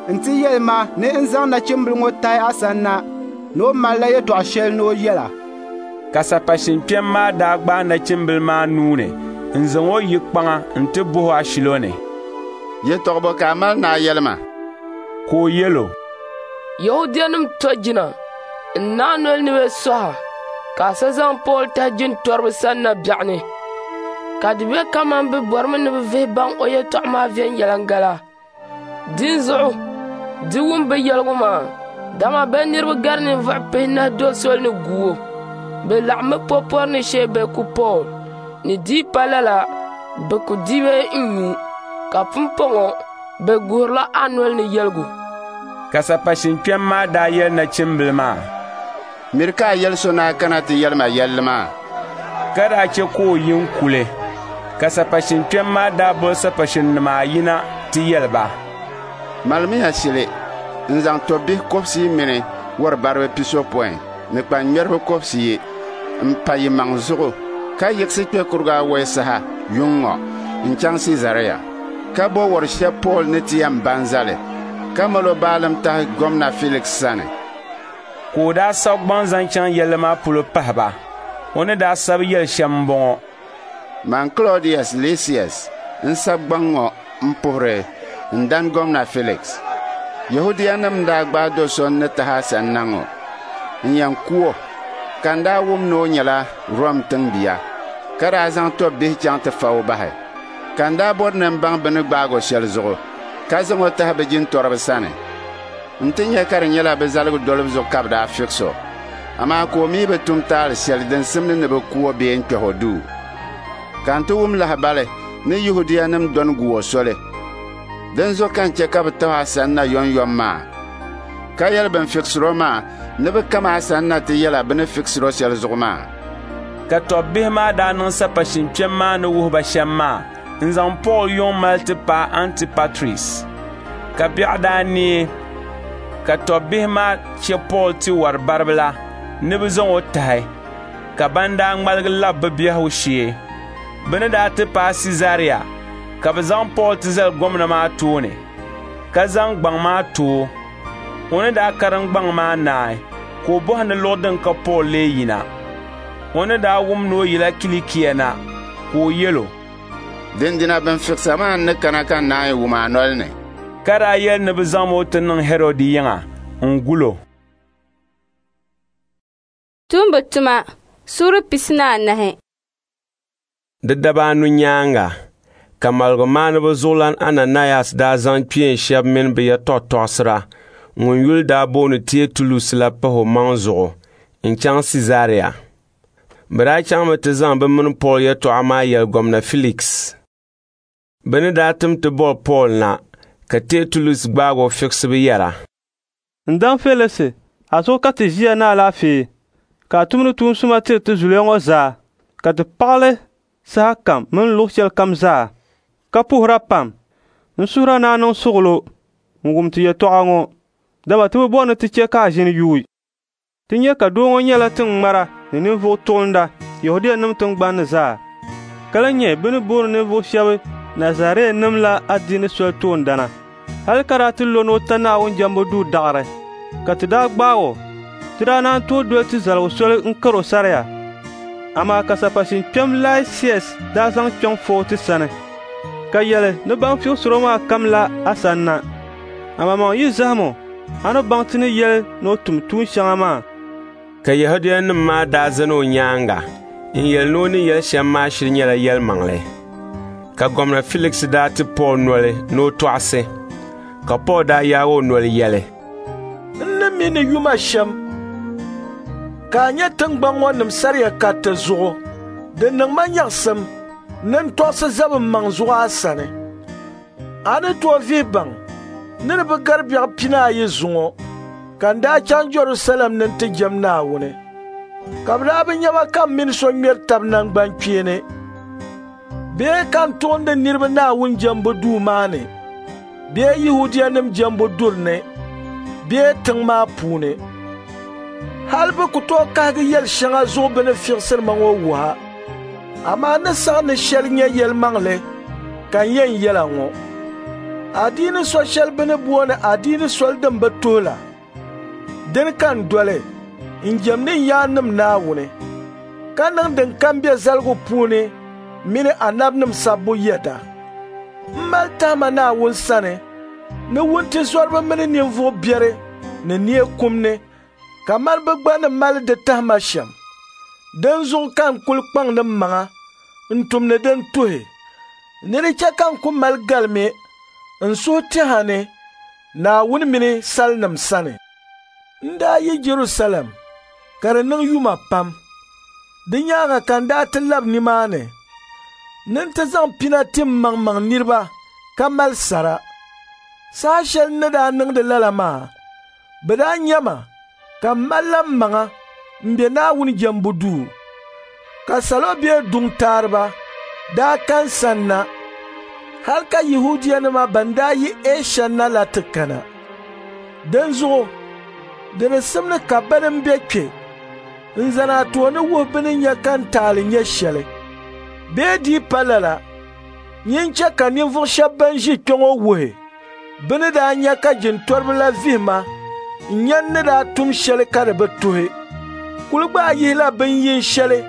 nti yɛli ma ni n zaŋ nachimbila ŋɔ tahi a sani na ni o malila yɛtɔɣ shɛli ni o yɛl a. Ka sapashin kpɛm maa daa gbaai nachimbila maa nuu ni n-zaŋ o yi kpaŋa nti bɔh o ashilo ni, Yɛtɔɣ bɔ ka a mali ni a yɛli ma? Ka o yɛl o, Yɛhudianim tɔjina n naai noli ni bɛ sɔh a ka a sa zaŋ Pool tahi jintɔriba sani na biɛɣuni, ka di be kaman bɛ bɔrimi ni bɛ vihi baŋ o yɛtɔɣa maa viɛnyɛliŋga la. Dinzuɣu di wum bɛ yɛligu maa, dama bɛ niriba gari ninvuɣ pihinahi doli soli ni gu o. Bɛ laɣimmi po pɔri ni shee bɛ ku Pool, ni di yi pa lala bɛ ku di bee n-nyu, ka pumpɔŋɔ bɛ guhirila a noli ni yɛligu. Ka sapashin kpɛm maa daa yɛli nachimbila maa, Miri ka a yɛli so ni a kana ti yɛli ma yɛlli maa. Ka daa chɛ ka o yi n-kuli. Ka sapashin kpɛm maa daa boli sapashinnima ayi na ti yɛli ba, Malimiya shili n-zaŋ tɔbbihi kɔbisiyi mini wɔribariba pisopɔin ni kpanŋmɛriba kɔbisiyi m-pa yimaŋ zuɣu ka yiɣisi kpe kuriga awɛi saha yuŋ ŋɔ n-chaŋ Siizaria, ka bo wɔr shɛb Pool ni ti yɛn ba n-zali, ka mal o baalim tahi Gomna Filiksi sani. Ka o daa sabi gbaŋ zaŋ chaŋ yɛlli maa polo pahi ba. O ni daa sabi yɛli shɛm m-bɔŋɔ: Man Klɔdius Lisias n-sabi gbaŋ ŋɔ m-puhiri n dan Gomna Filiksi. Yɛhudianim n-daa gbaai do so n ni tahi a sani na ŋɔ n-yɛn ku o, ka n daa wum ni o nyɛla Rom tiŋbia, ka daa zaŋ tɔbbihi chaŋ ti fa o bahi. Ka n daa bɔri ni m baŋ bɛ ni gbaag o shɛli zuɣu, ka zaŋ o tahi bɛ jintɔriba sani. N ti nya ka di nyɛla bɛ zaligu dolibu zuɣu ka bɛ daa fiɣis o, amaa ka o mi bi tum taali shɛli din simdi ni bɛ ku o bee n-kpɛh o duu. Ka n ti wum lahibali ni Yɛhudianim dɔni gu o soli. Dinzuɣu ka n chɛ ka bɛ tahi a sani na yomyom maa, ka yɛli bɛn fiɣisir o maa ni bɛ kam a sani na ti yɛl a bɛ ni fiɣisir o shɛli zuɣu maa. Ka tɔbbihi maa daa niŋ sapashin kpɛm maa ni wuhi ba shɛm maa n-zaŋ Pool yuŋ mali ti paai Antipatris. Ka biɛɣu daa neei, ka tɔbbihi maa chɛ Pool ti wɔribariba la ni bɛ zaŋ o tahi, ka ban daa ŋmaligi lab bɛ biɛhigu shee. Bɛ ni daa ti paai Siizaria, ka bɛ zaŋ Pool ti zali gomna maa tooni, ka zaŋ gbaŋ maa ti o. O ni daa karim gbaŋ maa naai, ka o bɔhi ni luɣ din ka Pool lee yina. O ni daa wum ni o yila Kilikia na, ka o yɛl o, Dindina bɛn fiɣisa maa n-ni kana ka n naanyi wum a noli ni. Ka daa yɛli ni bɛ zaŋm o ti niŋ Hɛrɔd yiŋa n-gul o. Tumbu tuma suuri pisi ni anahi. Di daba anu nyaaŋa ka maligumaaniba zuɣulan Ananayas daa zaŋ kpeen shɛba mini bɛ yɛtɔɣ tɔɣisira ŋun yuli daa booni Tietulus la pah omaŋ zuɣu n-chaŋ Siizaria. Bɛ daa chaŋmi ti zaŋ bɛ mini Pool yɛtɔɣa maa yɛli Gomna Filiksi. Bɛ ni daa tim ti boli Pool na, ka Tietulus gbaag o fiɣisibu yɛra, N dan Felisi, a zuɣu ka ti ʒiya ni alaafee. ka a tumdi tuun suma tiri ti zuliya ŋɔ zaa, ka ti paɣ li sahakam mini luɣ shɛlikam zaa, ka puhira pam. N suhira ni a niŋ suɣilo n-wum ti yɛtɔɣa ŋɔ, dama ti bi bɔri ni ti chɛ ka a ʒini yuui. Ti nya ka doo ŋɔ nyɛla tiŋŋmara ni ninvuɣ tuɣinda Yɛhudianim tiŋgbani ni zaa, ka lan nyɛ bɛ ni booni ninvuɣ shɛba Nazareenima la adiini soli toondana. Hal ka daa ti lo ni o ta Naawuni jɛmbu duu daɣiri, ka ti daa gbaag o. Ti daa naan tooi doli ti zaligu soli n-kar o saria. Amaa ka sapashin kpɛm Laisias daa zaŋ kpiɔŋ fo o ti sani, ka yɛli ni ban fiɣisir o maa kamla a sanna. Amaŋmaŋ yi zahim o, a ni baŋ ti ni yɛli ni o tum tuun shɛŋa maa. Ka Yɛhudianim maa daa zani o nyaaŋa n-yɛli ni o ni yɛli shɛm maa shiri nyɛla yɛlimaŋli. Ka Gomna Filiksi daa ti Pool noli ni o tɔɣisi, ka Pool daa yaag o noli yɛli, N ni mi ni yuma shɛm ka a nyɛ tiŋgbɔŋ ŋɔ nim saria kariti zuɣu, di niŋ ma nyaɣisim ni n tɔɣisi zabi m maŋ zuɣu a sani. A ni tooi vihi baŋ ni di bi gari biɛɣu pinaayi zuŋɔ ka n daa chaŋ Jɛrusalɛm ni nti jɛm Naawuni, ka bɛ daa bi nya ma ka m mini so ŋmɛri tab naŋgbankpeeni bee ka n tuɣindi niriba Naawuni jɛmbu duu maa ni bee Yɛhudianim jɛmbu duri ni bee tiŋ maa puuni. Hal bɛ ku tooi kahigi yɛl shɛŋa zuɣu bɛ ni fiɣisiri ma ŋɔ wuha, amaa n ni saɣi ni shɛli nyɛ yɛlimaŋli ka n yɛn yɛla ŋɔ. Adiini so shɛli bɛ ni booni adiini soli din bi tuhi la, dini ka n doli n jɛmdi n yaannim Naawuni, ka niŋ din kam be zaligu puuni mini anabinim sabbu yɛda. M mali tahima Naawuni sani ni wuntizɔriba mini ninvuɣ biɛri ni neei kum ni kamani bɛ gba ni mali di tahima shɛm. Dinzuɣu ka n kul kpaŋdi mmaŋa n tumdi din tuhi, ni di chɛ ka n ku mali galimi n suhu tɛha ni Naawuni mini salinim sani. N daa yi Jɛrusalɛm ka di niŋ yuma pam. Di nyaaŋa ka n daa ti lab nimaani ni n ti zaŋ pina ti mmaŋmaŋ niriba ka mali sara. Saha shɛli n ni daa niŋdi lala maa, bɛ daa nya ma ka m malila mmaŋa m-be Naawuni jɛmbu duu, ka salo bee duŋ taariba daa ka n sanna, hal ka Yɛhudianima ban daa yi Ɛsha na la ti kana. Dinzuɣu di di simdi ka bɛn m-be kpe n-zani a tooni wuhi bɛ ni nya ka n taali nyɛ shɛli. Bee di pa lala, nyin chɛ ka ninvuɣ shɛb bɛn ʒi kpe ŋɔ wuhi bɛ ni daa nya ka jintɔriba la vihi ma n-nya n ni daa tum shɛli ka di bi tuhi. Kul gbaai yihila bin yin shɛli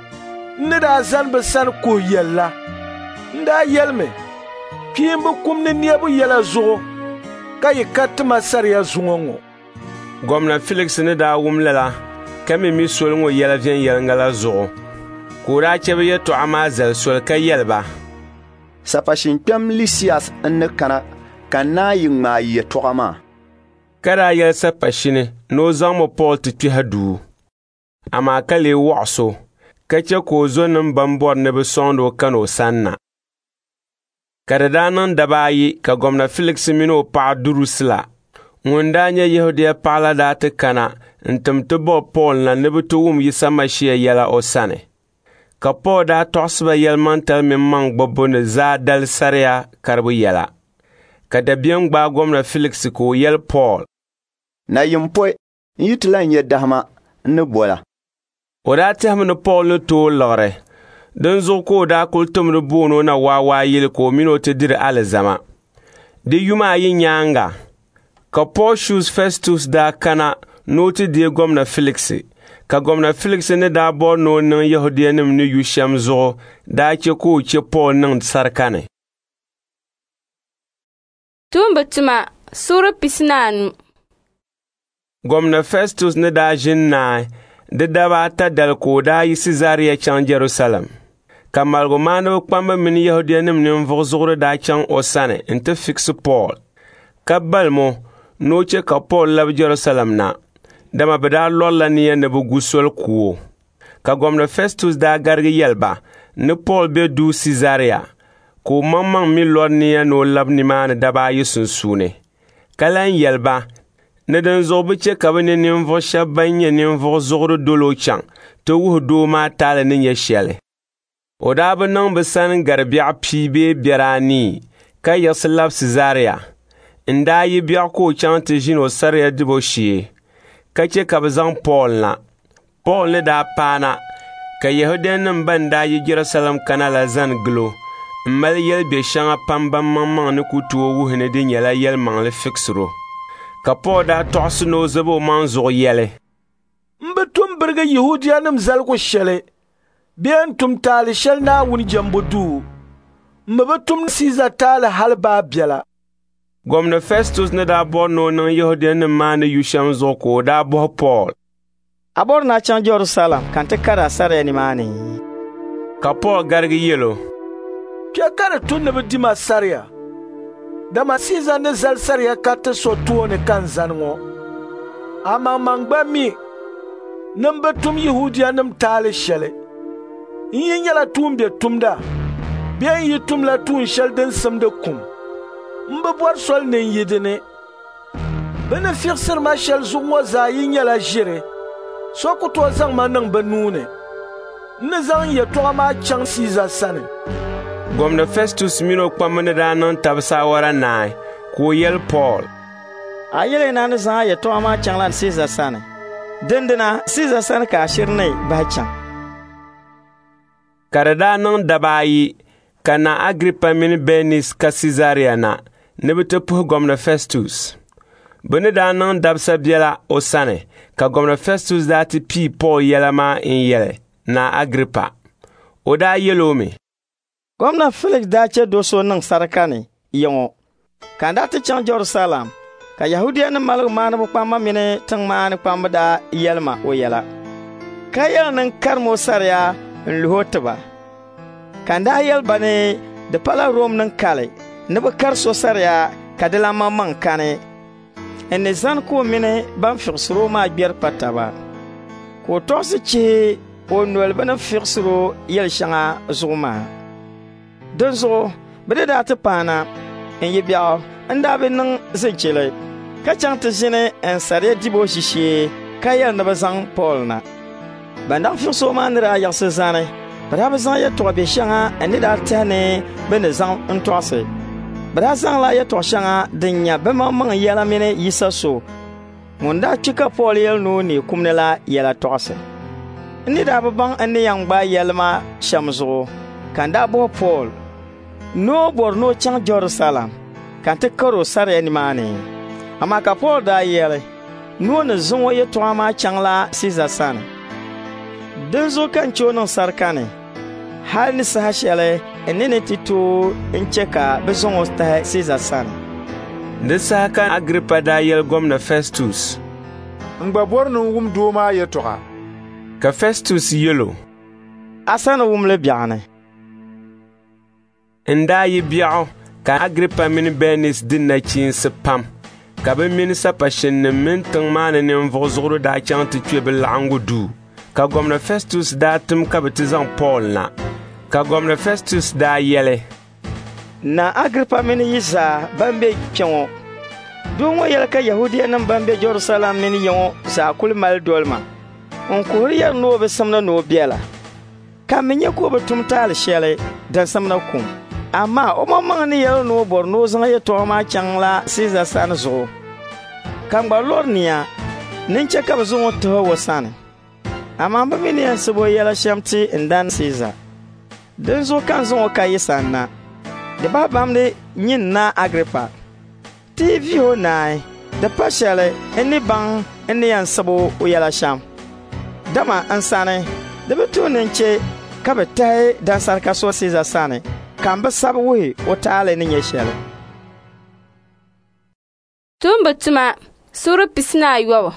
n ni daa zani bɛ sani kuhi yɛl la. N daa yɛlimi, kpiimba kum ni neebu yɛla zuɣu ka yi kariti ma saria zuŋɔ ŋɔ. Gomna Filiksi ni daa wum lala ka mi mi soli ŋɔ yɛla viɛnyɛliŋga la zuɣu, ka o daa chɛ bɛ yɛtɔɣa maa zali soli ka yɛli ba, Sapashin kpɛm Lisias n-ni kana ka n naan yi ŋmaai yɛtɔɣa maa. Ka daa yɛli sapashini ni o zaŋmi Pool ti kpɛhi duu, amaa ka lee wɔɣis o, ka chɛ ka o zɔnim bɛn bɔri ni bɛ sɔŋdi o kana o sanna. Ka di daa niŋ daba ayi ka Gomna Filiksi mini o paɣa Durusila ŋun daa nyɛ Yɛhudia paɣa la daa ti kana n-tim ti bɔbi Pool na ni bɛ ti wum Yisa Mashia yɛla o sani. Ka Pool daa tɔɣisi ba yɛlimaŋtali mini maŋgbibbu ni zaadali saria karibu yɛla. Ka dabiɛm gbaai Gomna Filiksi ka o yɛli Pool, Nayim pɔi, n yi ti lan nya dahima, n ni bol a. O daa tɛhimi ni Pool ni tooi liɣiri, dinzuɣu ka o daa kul timdi booni o na waawaayili ka o mini o ti diri alizama. Di yuma ayi nyaaŋa ka Pɔɔshius Fɛstus daa kana ni o ti deei Gomna Filiksi, ka Gomna Filiksi ni daa bɔri ni o niŋ Yɛhudianim ni yu shɛm zuɣu daa chɛ ka o chɛ Pool niŋ sarika ni. Tuumba tuma suura pisi ni anu. Gomna Fɛstus ni daa ʒini naai di daba ata dali ka o daa yi Siizaria chaŋ Jɛrusalɛm, ka maligumaaniba kpamba mini Yɛhudianim ninvuɣ zuɣuri daa chaŋ o sani nti fiɣisi Pool, ka balim o ni o chɛ ka Pool labi Jɛrusalɛm na, dama bɛ daa lɔrila nia ni bɛ gu soli ku o. Ka Gomna Fɛstus daa garigi yɛli ba ni Pool be duu Siizaria, ka o maŋmaŋ mi lɔri nia ni o labi nimaani daba ayi sunsuuni, ka lan yɛli ba ni dinzuɣu bɛ chɛ ka bɛ ni ninvuɣ shɛba ban nyɛ ninvuɣ zuɣuri dol o chaŋ ti wuhi doo maa taali ni nyɛ shɛli. O daa bi niŋ bɛ sani gari biɛɣu pia bee biɛr anii ka yiɣisi labi Siizaria. N-daa yi biɛɣu ka o chaŋ ti ʒini o saria dibu shee, ka chɛ ka bɛ zaŋ Pool na. Pool ni daa paana ka Yɛhudianim ban daa yi Jɛrusalɛm kana la zani gil o m-mali yɛl' shɛŋa pam ban maŋmaŋ ni ku tooi wuhi ni di nyɛla yɛlimaŋli fiɣisir o. Ka Pool daa tɔɣisi ni o zabi omaŋ zuɣu yɛli, M bi tum birigi Yɛhudianim zaligu shɛli bee n-tum taali shɛli Naawuni jɛmbu duu. M mi bi tum Siiza taali hali baa biɛla. Gomna Festus ni daa bɔri ni o niŋ Yɛhudianim maa ni yu shɛm zuɣu ka o daa bɔhi Pool, A bɔri ni a chaŋ Jɛrusalɛm ka n ti kari a saria nimaani? Ka Pool garigi yɛl o, Kpe ka di tu ni bɛ di ma saria, dama Siiza ni zali saria kariti so tooni ka n zani ŋɔ. A maŋmaŋ gba mi ni m bi tum Yɛhudianim taali shɛli. N yi nyɛla tuumbiɛtumda bee n yi tumla tuun shɛli din simdi kum, m bi bɔri soli ni n yi di ni. Bɛ ni fiɣisiri ma shɛli zuɣu ŋɔ zaa yi nyɛla ʒiri, so ku tooi zaŋ ma niŋ bɛ nuu ni. N ni zaŋ n yɛtɔɣa maa chaŋ Siiza sani. Gomna Festus min o kpamba ni daa niŋ tab saawara naai, ka o yɛli Pool, A yɛli ni a ni zaŋ a yɛtɔɣa maa chaŋla Siiza sani. Dindina Siiza sani ka a shiri ni bahi chaŋ. Ka di daa niŋ daba ayi ka Naa Agripa mini Bɛnis ka Siizaria na ni bɛ ti puhi Gomna Festus. Bɛ ni daa niŋ dabisa biɛla o sani, ka Gomna Festus daa ti pii Pool yɛla maa n-yɛli Naa Agripa. O daa yɛl o mi, Gomna Felix daa chɛ do so niŋ sarika ni ya ŋɔ, ka n daa ti chaŋ Jɛrusalɛm, ka Yɛhudianim maligumaaniba kpamba mini tiŋ maa ni kpamba daa yɛli ma o yɛla, ka yɛli ni n karim o saria n-luhi o ti ba. Ka n daa yɛli ba ni di pala Romnim kali ni bɛ kari so saria ka di lan maŋmaŋ kani. N ni zani ka o mini ban fiɣisir o maa gbɛri kpa taba, ka o tɔɣisi chihi o noli bɛ ni fiɣisir o yɛl shɛŋa zuɣu maa. Dinzuɣu bɛ ni daa ti paana, n yi biɛɣu n daa bi niŋ zinchili, ka chaŋ ti ʒini n saria dibu ʒishee ka yɛli ni bɛ zaŋ Pool na. Ban daa fiɣis o maa ni daa yiɣisi zani, bɛ daa bi zaŋ yɛtɔɣ biɛ shɛŋa n ni daa tɛhi ni bɛ ni zaŋ n tɔɣisi. Bɛ daa zaŋla yɛtɔɣ shɛŋa din nya bɛmaŋmaŋ yɛla mini Yisa so ŋun daa kpi ka Pool yɛli ni o neei kum ni la yɛla tɔɣisi. N ni daa bi baŋ n ni yɛn gbaai yɛli maa shɛm zuɣu, ka n daa bɔhi Pool ni o bɔri ni o chaŋ Jɛrusalɛm ka n ti kar o saria nimaani. Amaa ka Pool daa yɛli ni o ni zaŋ o yɛtɔɣa maa chaŋla Siiza sani. Dinzuɣu ka n chɛ o niŋ sarika ni, hal ni saha shɛli n ni ni ti tooi n-chɛ ka bɛ zaŋ o tahi Siiza sani. Di saha ka Agripa daa yɛli Gomna Festus, N gba bɔri ni n wum doo maa yɛtɔɣa. Ka Festus yɛl o, A sa ni wum li biɛɣuni. N daa yi biɛɣu ka Agripa mini Bɛnis di nachiinsi pam, ka bɛ mini sapashinnim mini tiŋ maa ni ninvuɣ zuɣuri daa chaŋ ti kpe bɛ laɣiŋgu duu. Ka Gomna Festus daa tim ka bɛ ti zaŋ Pool na. Ka Gomna Festus daa yɛli, Naa Agripa mini yi zaa ban be kpe ŋɔ, doo ŋɔ yɛli ka Yɛhudianim ban be Jɛrusalɛm mini ya ŋɔ zaa kul mali doli ma. N kuhiri yɛri ni o bi simdi ni o bela, ka m mi nya ka o bi tum taali shɛli din simdi kum. Amaa o maŋmaŋ ni yɛli ni o bɔri ni o zaŋ yɛtɔɣa maa chaŋla Siiza sani zuɣu, ka n gba lɔri nia ni n chɛ ka bɛ zaŋ o tahi o sani. Amaa m bi mi ni yɛn sab o yɛla shɛm ti n dan Siiza. Dinzuɣu ka n zaŋ o ka yi sani na. Di bahi bamdi nyin Naa Agripa. Ti yi vihi o naai, di pa shɛli n ni baŋ n ni yɛn sab o yɛla shɛm. Dama n sani, di bi tuhi ni n chɛ ka bɛ tahi dansarika so Siiza sani ka n bi sabi wuhi o taali ni nyɛ shɛli. Tumbu tuma suura pisi ni ayɔbu.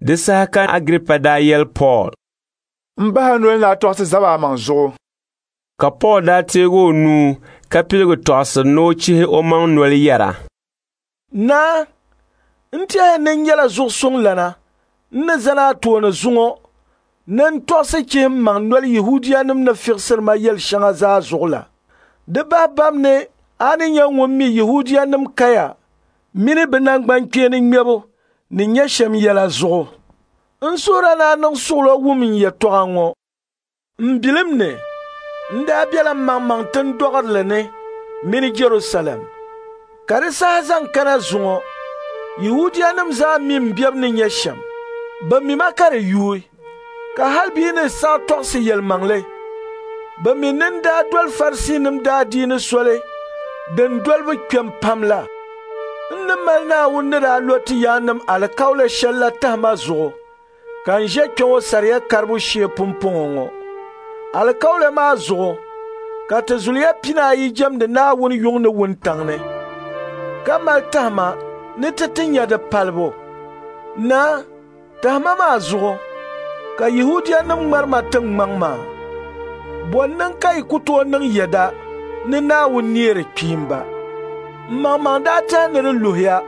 Di saha ka Agripa daa yɛli Pool, M bahi noli ni a tɔɣisi zaba a maŋ zuɣu. Ka Pool daa teegi o nuu ka piligi tɔɣisiri ni o chihi omaŋ noli yɛra, Naa, n tɛhiya ni n nyɛla zuɣusuŋlana n ni zani a tooni zuŋɔ ni n tɔɣisi chihi m maŋ noli Yɛhudianim ni fiɣisiri ma yɛl shɛŋa zaa zuɣu la. Di bahi bam ni a ni nyɛ ŋun mi Yɛhudianim kaya mini bɛ naŋgbankpeeni ŋmɛbu ni nyɛ shɛm yɛla zuɣu. N suhira ni a niŋ suɣilo wum n yɛtɔɣa ŋɔ. N bilim ni, n daa bela mmaŋmaŋ tindɔɣirili ni mini Jɛrusalɛm. Ka di saha zaŋ kana zuŋɔ, Yɛhudianim zaa mi m bebu ni nyɛ shɛm. Bɛ mi ma ka di yuui, ka hal bɛ yi ni saɣi tɔɣisi yɛlimaŋli. Bɛ mi ni n daa doli Farisiinim daadiini soli din dolibu kpɛm pam la. N ni mali Naawuni ni daa lo ti yaannim alikauli shɛl la tahima zuɣu, ka n ʒe kpe ŋɔ saria karibu shee pumpɔŋɔ ŋɔ. Alikauli maa zuɣu ka ti zuliya pinaayi jɛmdi Naawuni yuŋ ni wuntaŋ ni, ka mali tahima ni ti ti nya di palibu. Naa, tahima maa zuɣu ka Yɛhudianim ŋmari ma tiŋŋmaŋ maa. Bɔ n-niŋ ka yi ku tooi niŋ yɛda ni Naawuni neeri kpiimba? M maŋmaŋ daa tɛhi ni di luhiya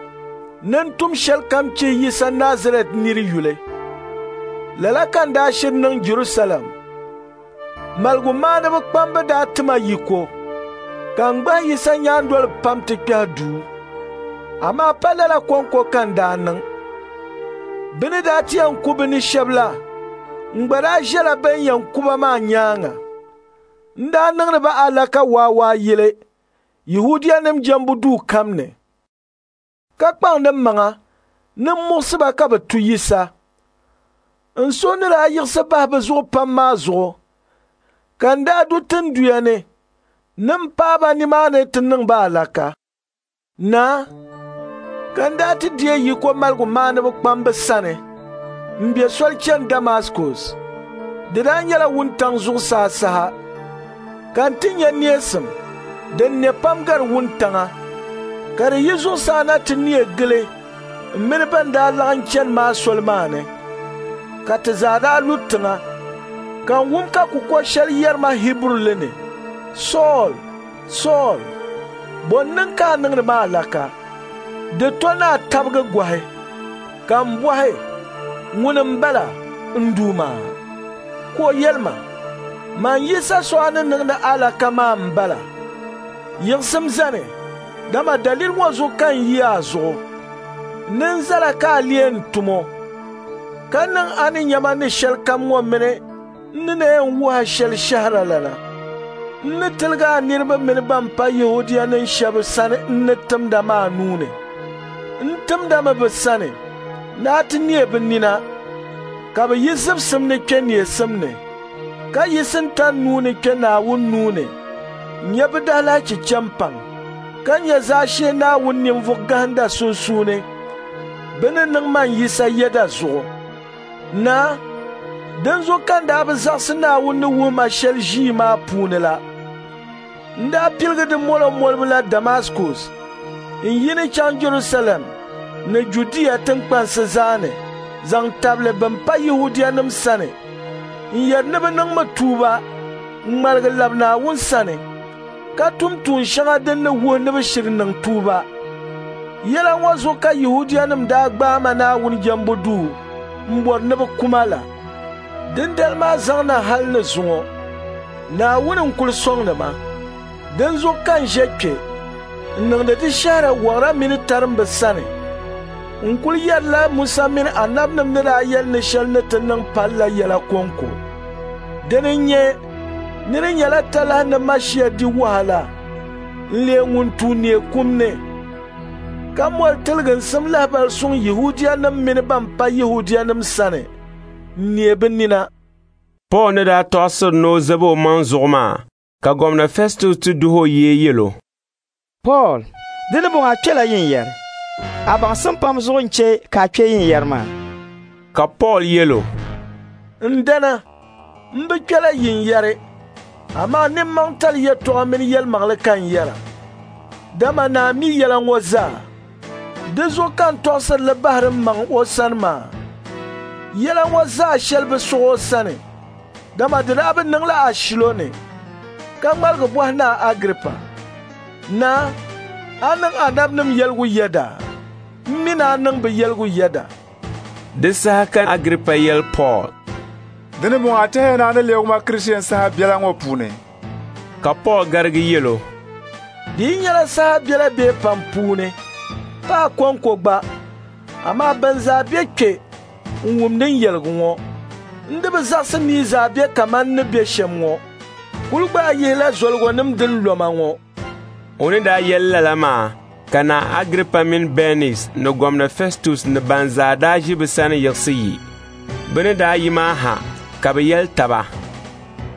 ni n tum shɛlikam chihi Yisa Nazarɛt nir yuli. Lala ka n daa shiri niŋ Jɛrusalɛm. Maligumaaniba kpamba daa ti ma yiko, ka n gbahi Yisa nyaandoliba pam ti kpɛhi duu. Amaa pa lala kɔŋko ka n daa niŋ. Bɛ ni daa ti yɛn ku bɛ ni shɛba la, n gba daa ʒɛla bɛn yɛn ku ba maa nyaaŋa. N daa niŋdi ba alaka waawaayili Yɛhudianim jɛmbu duu kam ni, ka kpaŋdi mmaŋa ni m muɣisi ba ka bɛ tu Yisa. N suhu ni daa yiɣisi bahi bɛ zuɣu pam maa zuɣu, ka n daa du tinduya ni ni m paai ba nimaani ti niŋ ba alaka. Naa, ka n daa ti deei yiko maligumaaniba kpamba sani m be soli chani Damaskus. Di daa nyɛla wuntaŋ zuɣusaa saha, ka n ti nya neesim din ne pam gari wuntaŋa, ka di yi zuɣusaa na ti neei gili m mini bɛn daa laɣim chani maa soli maa ni. Ka ti zaa daa lu tiŋa, ka n wum ka kukol shɛli yɛri ma Hiburuli ni, Sool, Sool, bɔ n-niŋ ka a niŋdi ma alaka? Di to ni a tabigi gɔhi. Ka m bɔhi, ŋuni m-bala, n Duuma? Ka o yɛli ma, man Yisa so a ni niŋdi alaka maa m-bala. Yiɣisim zani, dama daliri ŋɔ zuɣu ka n yi a zuɣu, ni n zala ka a leei n tumo, ka niŋ a ni nya ma ni shɛlikam ŋɔ mini n ni na yɛn wuhi a shɛli shɛhiralana. N ni tiligi a niriba mini ban pa Yɛhudianim shɛba sani n ni timda maa nuu ni. N timdami bɛ sani ni a ti neei bɛ nina, ka bɛ yi zibisim ni kpe neesim ni, ka yi Sintani nuu ni kpe Naawuni nuu ni n-nya bɛ daalahichi chɛ m-paŋ, ka nya zaashee Naawuni ninvuɣ gahinda sunsuuni bɛ ni niŋ man Yisa yɛda zuɣu. Naa, dinzuɣu ka n daa bi zaɣisi Naawuni ni wuhi ma shɛli ʒii maa puuni la. N daa piligi di molo molibu la Damaskus n yi ni chaŋ Jɛrusalɛm ni Judia tiŋkpansi zaa ni zaŋ tabili bɛn pa Yɛhudianim sani n yɛri ni bɛ niŋmi tuuba n-ŋmaligi lab Naawuni sani, ka tum tuun shɛŋa din ni wuhi ni bɛ shiri niŋ tuuba. Yɛla ŋɔ zuɣu ka Yɛhudianim daa gbaai ma Naawuni jɛmbu duu m-bɔri ni bɛ ku ma la. Dindali maa zaŋ na hal ni zuŋɔ, Naawuni n-kul sɔŋdi ma. Dinzuɣu ka n ʒe kpe n niŋdi di shɛhira wɔɣira mini tarimba sani. N kul yɛrila Musa mini anabinim ni daa yɛli ni shɛli ni ti niŋ pali la yɛla kɔŋko. Dini n-nyɛ ni di nyɛla talahi ni Mashia di wahala n-leei ŋun tuui neei kum ni, ka moli tiliginsim lahibal suŋ Yɛhudianim mini ban pa Yɛhudianim sani n-neei bɛ nina. Pool ni daa tɔɣisiri ni o zabi omaŋ zuɣu maa, ka Gomna Festus ti duhi o yee yɛl o, Pool, di ni bɔŋɔ a kpɛla yinyɛri. A baŋsim pam zuɣu n-chɛ ka a kpe yinyɛri maa. Ka Pool yɛl o, N dana, m bi kpɛla yinyɛri, amaa nimmaŋtali yɛtɔɣa mini yɛlimaŋli ka n yɛra. Dama naa mi yɛla ŋɔ zaa. Di zuɣu ka n tɔɣisiri li bahiri m maŋ o sani maa. Yɛla ŋɔ zaa shɛli bi sɔɣ o sani, dama di daa bi niŋla ashilo ni. Ka ŋmaligi bɔhi Naa Agiripa, Naa, a niŋ anabinim yɛligu yɛda? M mi ni a niŋ bɛ yɛligu yɛda. Di saha ka Agiripa yɛli Pool, Di ni bɔŋɔ a tɛhiya ni a ni leegi ma Kristiɛn saha biɛla ŋɔ puuni? Ka Pool garigi yɛl o, Di yi nyɛla saha biɛla bee pam puuni, Pa a kɔŋko gba, amaa bɛn zaa be kpe n-wumdi n yɛligu ŋɔ. N di bi zaɣisi ni yi zaa be kaman n ni be shɛm ŋɔ. Kul gbaai yihila zoligɔnim din lo ma ŋɔ. O ni daa yɛli lala maa, ka Naa Agiripa mini Bɛnis ni Gomna Fɛstus ni ban zaa daa ʒi bɛ sani yiɣisi yi. Bɛ ni daa yi maa ha, ka bɛ yɛli taba,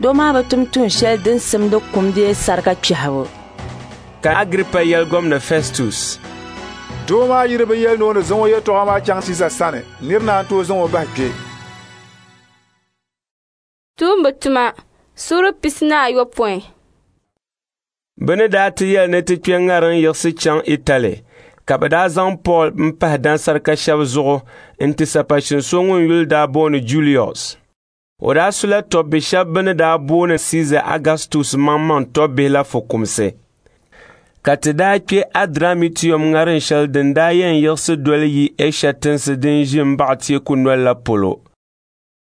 Doo maa bi tum tuun shɛli din simdi kum bee sarika kpɛhibu. Ka Agiripa yɛli Gomna Fɛstus, Doo maa yi di bi yɛli ni o ni zaŋ o yɛtɔɣa maa chaŋ Siiza sani, nir naan tooi zaŋ o bahi kpe. Tuumba tuma suura pisi ni ayopɔin. Bɛ ni daa ti yɛli ni ti kpe ŋariŋ yiɣisi chaŋ Itali, ka bɛ daa zaŋ Pool m-pahi dansarika shɛba zuɣu nti sapashin so ŋun yuli daa booni Julius. O daa sula tɔbbi shɛba bɛ ni daa booni Siiza Augustus maŋmaŋ tɔbbihi la fukumsi. Ka ti daa kpe Adramitium ŋariŋ shɛli din daa yɛn yiɣisi doli yi Ɛsha tinsi din ʒi m-baɣi teeku noli la polo.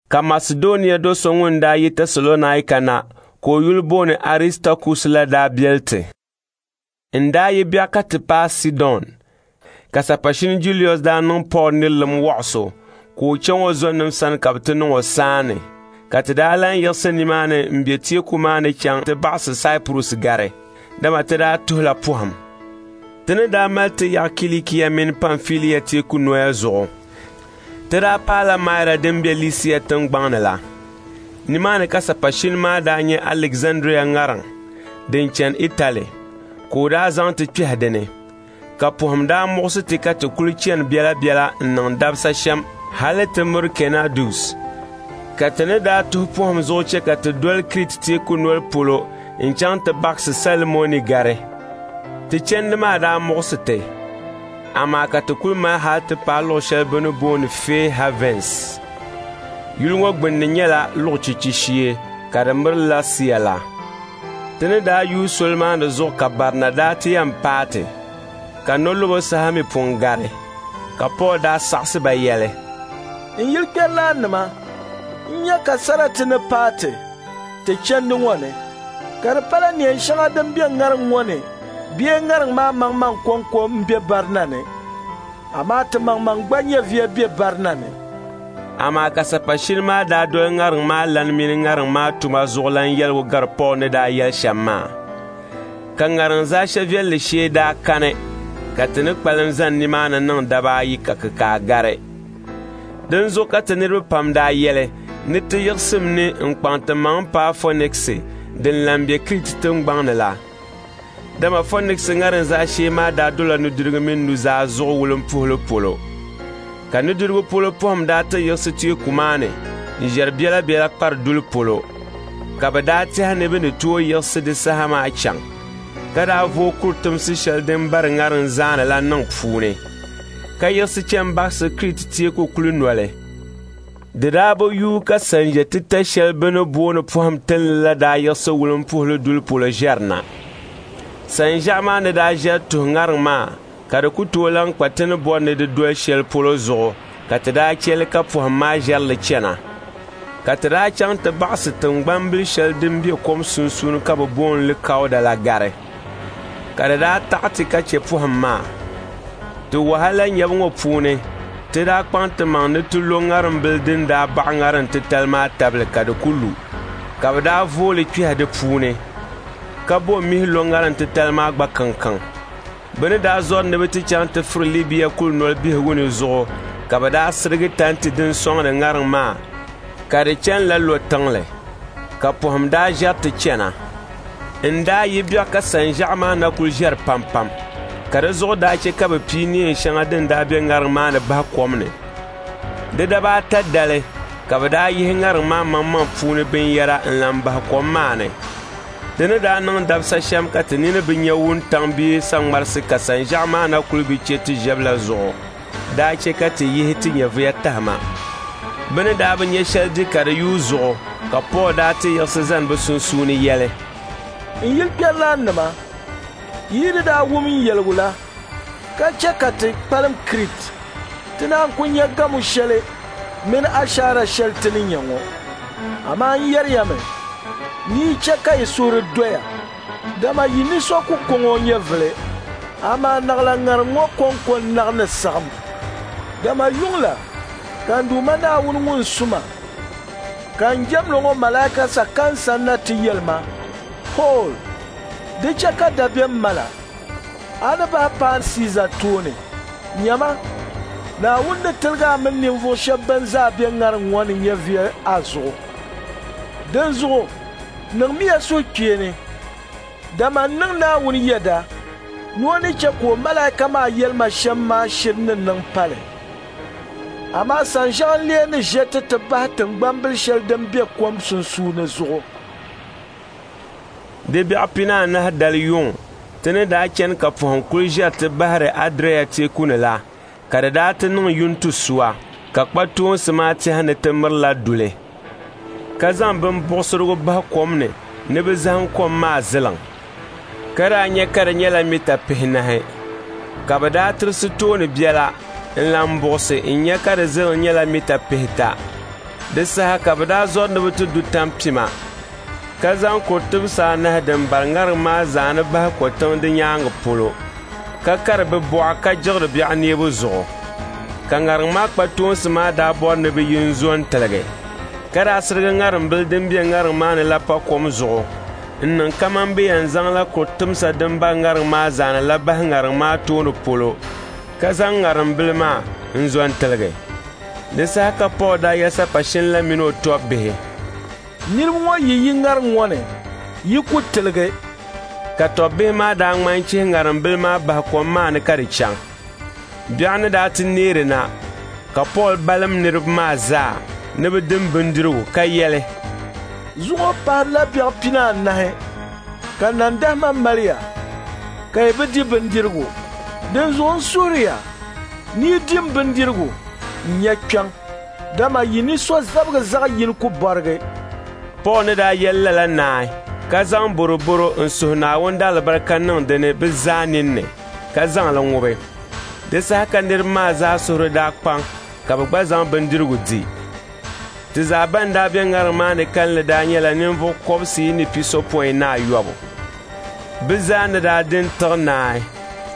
Ka Masedonia do so ŋun daa yi Tɛsalɔnaika na ka o yuli booni Aristakus la daa beli ti. N daa yi biɛɣu ka ti paai Sidon, ka sapashini Julius daa niŋ Pool nirilim wɔɣiso ka o chaŋ o zɔnim sani ka bɛ ti niŋ o saani. Ka ti daa lan yiɣisi nimaani m-be teeku maa ni chaŋ ti baɣisi Saipurus gari, dama ti daa tuhila pɔhim. Ti ni daa mali ti yaɣi Kilikia mini Pamfilia teeku noya zuɣu, ti daa paala Maira din be Lisia tiŋgbaŋ ni la. Nimaani ka sapashini maa daa nyɛ Alizandria ŋariŋ din chani Itali, ka o daa zaŋ ti kpɛhi di ni. Ka pɔhim daa muɣisi ti ka ti kuli chani biɛlabiɛla n-niŋ dabisa shɛm hali ti miri Kɛnadus. Ka ti ni daa tuhi pɔhim zuɣu chɛ ka ti doli Kriti teeku noli polo n-chaŋ ti baɣisi Salimoni gari. Ti chandi maa daa muɣisi ti, amaa ka ti kuli mali hali ti paai luɣ shɛli bɛ ni booni Fair Havens. Yuli ŋɔ gbunni nyɛla luɣ chichi shee ka di miri Lasia la. Ti ni daa yuui soli maa ni zuɣu ka barina daa ti yɛn paai ti, ka nolɔbo saha mi pun gari, ka Pool daa saɣisi ba yɛli, N yilkpɛrilaannima, n nya ka sarati ni paai ti ti chandi ŋɔ ni, ka di pala neen shɛŋa din be ŋariŋ ŋɔ ni bee ŋariŋ maa maŋmaŋ kɔŋko m-be barina ni, amaa ti maŋmaŋ gba nyɛviya be barina ni. Amaa ka sapashini maa daa doli ŋariŋ maa lani mini ŋariŋ maa tuma zuɣulan yɛligu gari Pool ni daa yɛli shɛm maa. Ka ŋariŋ zaashe viɛlli shee daa kani, ka ti ni kpalim zani nimaani niŋ daba ayi ka kikaa gari. Dinzuɣu ka ti niriba pam daa yɛli ni ti yiɣisim ni n-kpaŋ ti maŋ paai Fɔniksi din lan be Kriti tiŋgbaŋ ni la. Dama Fɔniksi ŋariŋ zaashee maa daa dola nudirigu mini nuzaa zuɣu wulimpuhili polo. Ka nudirigu polo pɔhim daa ti yiɣisi teeku maa ni n-ʒɛri biɛlabiɛla kpari duli polo, ka bɛ daa tɛhi ni bɛ ni tooi yiɣisi di saha maa chaŋ, ka daa vooi kuritimsi shɛli din bari ŋariŋ zaani la niŋ puuni, ka yiɣisi chani baɣisi Kriti teeku kuli noli. Di daa bi yuui ka sanʒe titali shɛli bɛ ni booni pɔhim tinli la daa yiɣisi wulimpuhili duli polo ʒɛri na. Sanʒiɛɣu maa ni daa ʒɛri tuhi ŋariŋ maa ka di ku tooi lan kpa ti ni bɔri ni di doli shɛli polo zuɣu, ka ti daa chɛ li ka pɔhim maa ʒɛri li chana. Ka ti daa chaŋ ti baɣisi tiŋgbambil shɛli din be kom sunsuuni ka bɛ booni li Kauda la gari. Ka di daa taɣi ti ka chɛ pɔhim maa. Ti wahala nyabu ŋɔ puuni, ti daa kpaŋ timaŋ ni ti lo ŋariŋ din daa baɣi ŋariŋ titali maa tabili ka di ku lu, ka bɛ daa vooi li kpɛhi di puuni, ka bo mihi lo ŋariŋ titali maa gba kankaŋ. Bɛ ni daa zɔri ni bɛ ti chaŋ ti firi Libia kulinoli bihigu ni zuɣu, ka bɛ daa sirigi tanti din sɔŋdi ŋariŋ maa, ka di chani la lo tiŋli, ka pɔhim daa ʒɛri ti chana. N daa yi biɛɣu ka sanʒiɛɣu maa na kuli ʒɛri pampam, ka di zuɣu daa chɛ ka bɛ pii neen shɛŋa din daa be ŋariŋ maa ni bahi kom ni. Di daba ata dali ka bɛ daa yihi ŋariŋ maa maŋmaŋ puuni binyɛra n-lan bahi kom maa ni. Di ni daa niŋ dabisa shɛm ka ti nini bi nya wuntaŋ bee saŋmarisi ka sanʒiɛɣu maa na kuli bi chɛ ti ʒɛbu la zuɣu daa chɛ ka ti yihi ti nyɛviya tahima. Bɛ ni daa bi nya shɛli di ka di yuui zuɣu, ka Pool daa ti yiɣisi zani bɛ sunsuuni yɛli, N yilkpɛrilaannima, yi ni daa wum n yɛligu la, ka chɛ ka ti kpalim Kriti, ti naan ku nya gamo shɛli mini ashaara shɛli ti ni nya ŋɔ. Amaa n yɛri ya mi ni yi chɛ ka yi suhuri doya, dama yi ni so ku kɔŋ o nyɛvili, Amaa naɣila ŋariŋ ŋɔ kɔŋko n-naɣ ni saɣim. Dama yuŋ la ka n Duuma Naawuni ŋun su ma, ka n jɛmdi ŋɔ malaika sa ka n sanna ti yɛli ma, Pool, di chɛ ka dabiɛm mal a. A ni bahi paai Siiza tooni. Nyama, Naawuni ni tiligi a mini ninvuɣ shɛb bɛn zaa be ŋariŋ ŋɔ ni nyɛviya a zuɣu. Dinzuɣu niŋmiya suhukpeeni, dama n niŋ Naawuni yɛda ni o ni chɛ ka o malaika maa yɛli ma shɛm maa shiri ni niŋ pali. Amaa sanʒiɛɣu n-lee ni ʒe ti ti bahi tiŋgbambil shɛli din be kom sunsuuni zuɣu. Di biɛɣu pinaanahi dali yuŋ, ti ni daa chani ka pɔhim kul ʒiɛri ti bahiri Adria teeku ni la, ka di daa ti niŋ yuntisuɣa, ka kpatoonsi maa tɛhi ni ti mirila duli, ka zaŋ bimbuɣisirigu bahi kom ni ni bɛ zahim kom maa ziliŋ. Ka daa nya ka di nyɛla mita pihinahi, ka bɛ daa tirisi tooni biɛla n-lan buɣisi n-nya ka di ziliŋ nyɛla mita pihita. Di saha ka bɛ daa zɔri ni bɛ ti du tampima, ka zaŋ kur tibisa anahi din bari ŋariŋ maa zaani bahi kɔtiŋ di nyaaŋa polo, ka kari bɛ bɔɣa ka jiɣiri biɛɣu neebu zuɣu. Ka ŋariŋ maa kpatoonsi maa daa bɔri ni bɛ yi n-zo n-tiligi, ka daa sirigi ŋarimbila din be ŋariŋ maa ni la pa kom zuɣu n-niŋ kaman bɛ yɛn zaŋla kur timsa din bari ŋariŋ maa zaani la bahi ŋariŋ maa tooni polo, ka zaŋ ŋarimbila maa n-zo n-tiligi. Di saha ka Pool daa yɛli sapashin la min o tɔbbihi, Niriba ŋɔ yi yi ŋariŋ ŋɔ ni, yi ku tiligi. Ka tɔbbihi maa daa ŋmanchihi ŋarimbila maa bahi kom maa ni ka di chaŋ. Biɛɣu ni daa ti neeri na, ka Pool balim niriba maa zaa ni bɛ dim bindirigu ka yɛli, Zuŋɔ pahirila biɛɣu pinaanahi ka nandahima mali ya, ka yi bi di bindirigu. Dinzuɣu n suhiri ya ni yi dim bindirigu n-nya kpiɔŋ, dama yi ni so zabigi zaɣ yini ku bɔrigi. Pool ni daa yɛli lala naai, ka zaŋ boroboro n-suhi Naawuni daalibarika niŋ di ni bɛ zaa ninni, ka zaŋ li ŋubi. Di saha ka niriba maa zaa suhuri daa kpaŋ ka bɛ gba zaŋ bindirigu di. Ti zaa ban daa be ŋariŋ maa ni kalinli daa nyɛla ninvuɣ kɔbisiyi ni pisopɔin ni ayɔbu. Bɛ zaa ni daa di n-tiɣi naai,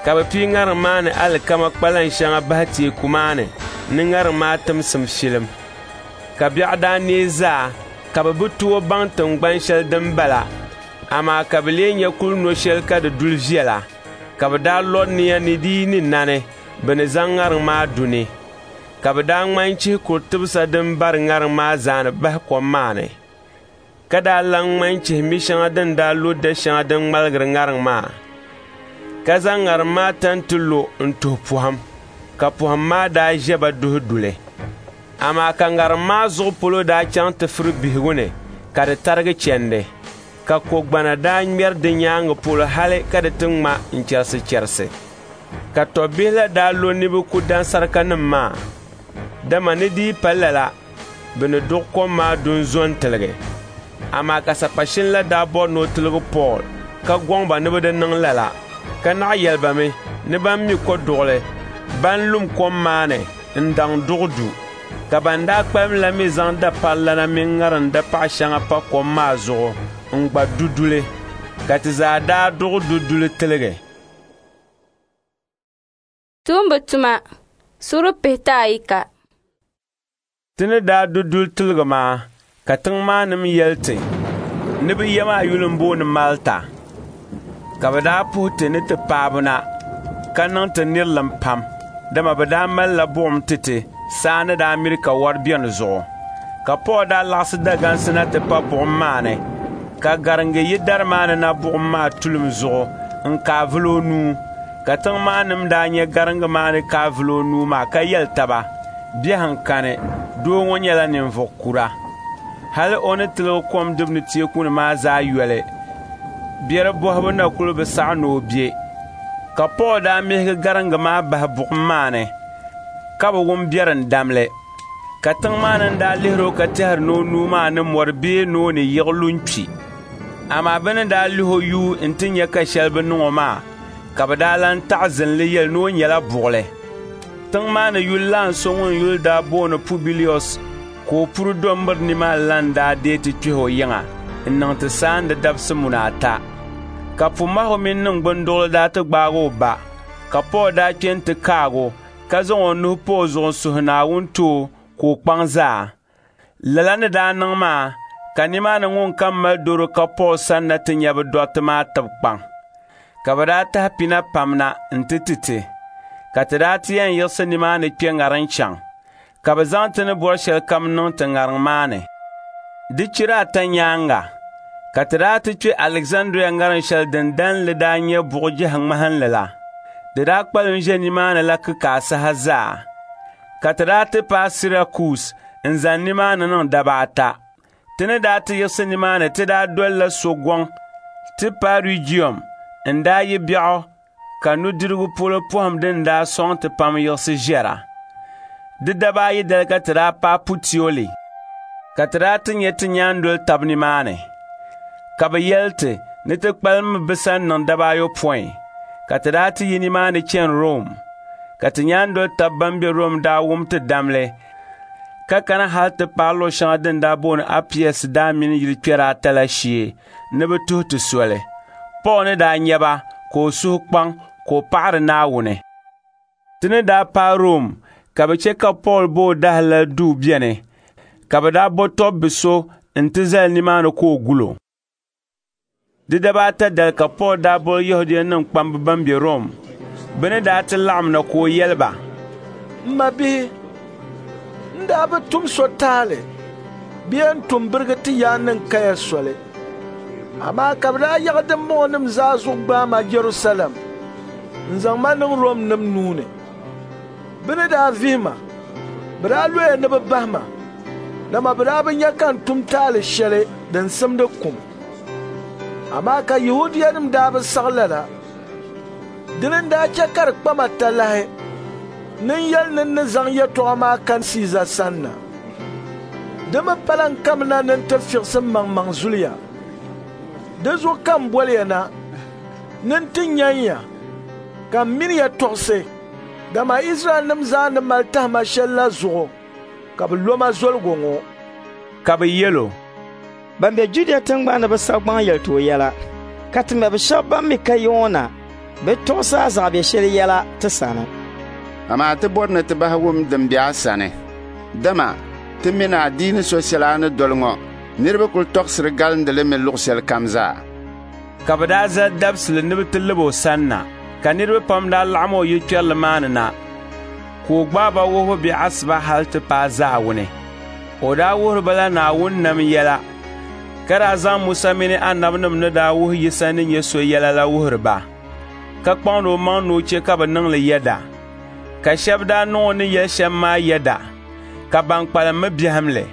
ka bɛ pii ŋariŋ maa ni alikama kpalan shɛŋa bahi teeku maa ni ni ŋariŋ maa timsim shilim. Ka biɛɣu daa neei zaa, ka bɛ bi tooi baŋ tiŋgban shɛli din bala, amaa ka bɛ lee nya kul no shɛli ka di duli viɛla, ka bɛ daa lo nia ni di yi ni nani, bɛ ni zaŋ ŋariŋ maa du ni. Ka bɛ daa ŋmanchihi kur tibisa din bari ŋariŋ maa zaani bahi kom maa ni, ka daa lan ŋmanchihi mi shɛŋa din daa lo da shɛŋa din ŋmaligiri ŋariŋ maa, ka zaŋ ŋariŋ maa tanti lo n-tuhi pɔhim, ka pɔhim maa daa ʒe ba duhi duli. Amaa ka ŋariŋ maa zuɣu polo daa chaŋ ti firi bihigu ni ka di tarigi chandi, ka kogbana daa ŋmɛri di nyaaŋa polo hali ka di ti ŋma n-chɛrisichɛrisi. Ka tɔbbihi la daa lo ni bɛ ku dansarikanim maa, dama ni di yi pa lala, bɛ ni duɣi kom maa du n-zo n-tiligi. Amaa ka sapashin la daa bɔri ni o tiligi Pool, ka gɔŋ ba ni bɛ di niŋ lala, ka naɣ yɛli ba mi ni ban mi kɔduɣili, ban lum kom maa ni n-daŋ duɣi du. Ka ban daa kpalim la mi zaŋ daparilana mini ŋariŋ dapaɣ shɛŋa pa kom maa zuɣu n-gba du duli, ka ti zaa daa duɣi du duli tiligi. Tuumba tuma suura pihita ayika. Ti ni daa du duli tiligi maa, ka tiŋ maa nim yɛli ti ni bɛ ya maa yuli m-booni Malta. Ka bɛ daa puhi ti ni ti paabu na, ka niŋ ti nirilim pam, dama bɛ daa malila buɣim ti ti saa ni daa miri ka wɔri beni zuɣu. Ka Pool daa laɣisi dagansi na ti pa buɣim maa ni, ka gariŋgi yi dari maa ni na buɣim maa tulim zuɣu n-kaai vuli o nuu. Ka tiŋ maa nim daa nya gariŋgi maa ni kaai vuli o nuu maa ka yɛli taba, Biɛhiŋ kani, doo ŋɔ nyɛla ninvuɣ kura. Hali o ni tiligi kom dibu ni teeku ni maa zaa yoli, biɛri bɔhibu na kul bi saɣi ni o be. Ka Pool daa mihigi gariŋgi maa bahi buɣim maa ni, ka bi wum biɛrim damli. Ka tiŋ maa ni daa lihiri o ka tɛhiri ni o nuu maa ni mɔri bee ni o ni yiɣi lu n-kpi. Amaa bɛ ni daa lihi o yuui nti nya ka shɛli bi niŋ o maa, ka bɛ daa lan taɣi zinli yɛli ni o nyɛla buɣili. Tiŋ maa ni yuli laan so ŋun yuli daa booni Pubilius ka o puri do m-biri nimaani la n-daa deei ti kpɛhi o yiŋa n-niŋ ti saandi dabisi muna ata. Ka pumahigu mini niŋgbunduɣili daa ti gbaagi o ba, Ka Pool daa kpe nti kaag o, ka zaŋ o nuhi pa o zuɣu n-suhi Naawuni ti o ka o kpaŋ zaa. Lala ni daa niŋ maa ka nimaani ŋunkam mali dɔro ka Pool sanna ti nya bɛ dɔriti maa tib kpaŋ. Ka bɛ daa tahi pina pam na nti ti ti, ka ti daa ti yɛn yiɣisi nimaani kpe ŋariŋ chaŋ, ka bɛ zaŋ ti ni bɔri shɛlikam niŋ ti ŋariŋ maa ni. Di chira ata nyaaŋa ka ti daa ti kpe Alizandria ŋariŋ shɛli din dalinli daa nyɛ buɣ' ŋmahinli la. Di daa kpalim ʒe nimaani la kikaa saha zaa. Ka ti daa ti paai Sirakus n-zani nimaani niŋ daba ata. Ti ni daa ti yiɣisi nimaani ti daa dolila sogɔŋ ti paai Regium n-daa yi biɛɣu ka nudirigu polo pɔhim din daa sɔŋ ti pam yiɣisi ʒɛra. Di daba ayi dali ka ti daa paai Putioli, ka ti daa ti nya ti nyaandoli tab nimaani. Ka bɛ yɛli ti ni ti kpalimmi bɛ sani niŋ daba ayopɔin, ka ti daa ti yi nimaani chani Rom. Ka ti nyaandoli tab ban be Rom daa wum ti damli, ka kana hal ti paai luɣ shɛŋa din daa booni Apius daa mini yilikpɛra ata la shee ni bɛ tuhi ti soli. Pool ni daa nya ba ka o suhu kpaŋ ka o paɣiri Naawuni. Ti ni daa paai Rom ka bɛ chɛ ka Pool bo o dahalali duu beni, ka bɛ daa bo tɔbbi so nti zali nimaani ka o gul o. Di daba ata dali ka Pool daa boli Yɛhudianim kpamba bɛn be Rom. Bɛ ni daa ti laɣim na ka o yɛli ba, M mabihi, n daa bi tum so taali bee n-tum birigi ti yaannim kaya soli. Amaa ka bɛ daa yaɣi dimbɔŋɔnim zaa zuɣu gbaai ma Jɛrusalɛm n-zaŋ ma niŋ Romnim nuu ni. Bɛ ni daa vihi ma, bɛ daa loya ni bɛ bahi ma, dama bɛ daa bi nya ka n tum taali shɛli din simdi kum. Amaa ka Yɛhudianim daa bi saɣi lala. Dini n-daa chɛ ka di kpa ma talahi ni n yɛli ni n ni zaŋ yɛtɔɣa maa kani Siiza sanna. Di mi pala n kamina ni n ti fiɣisi mmaŋmaŋ zuliya. Di zuɣu ka m boli ya na ni n ti nyan ya, ka m mini ya tɔɣisi, dama Izraɛlnim zaa ni mali tahima shɛl la zuɣu ka bɛ lo ma zoligu ŋɔ. Ka bɛ yɛl o, Ban be Judia tiŋgbani ni bi sabi gbaŋ yɛli ti o yɛla, ka ti mabi shɛba ban mi ka yi ŋɔ na bɛ tɔɣisi a zaɣ biɛ shɛli yɛla ti sani. Amaa ti bɔri ni ti bahi wum din be a sani, dama ti mi ni adiini so shɛli a ni doli ŋɔ niriba kul tɔɣisiri galindi li mi luɣ shɛlikam zaa. Ka bɛ daa zali dabisili ni bɛ ti lib o sanna, ka niriba pam daa laɣim o yilkpɛrili maa ni na, ka o gbaai ba wuhibu biɛ asiba hal ti paai zaawuni. O daa wuhiri ba la Naawuni nam yɛla, ka daa zaŋ Musa mini anabinim ni daa wuhi Yisa ni nyɛ so yɛla la wuhiri ba, ka kpaŋdi omaŋ ni o chɛ ka bɛ niŋ li yɛda. Ka shɛba daa niŋ o ni yɛli shɛm maa yɛda, ka ban kpalim mi biɛhim li.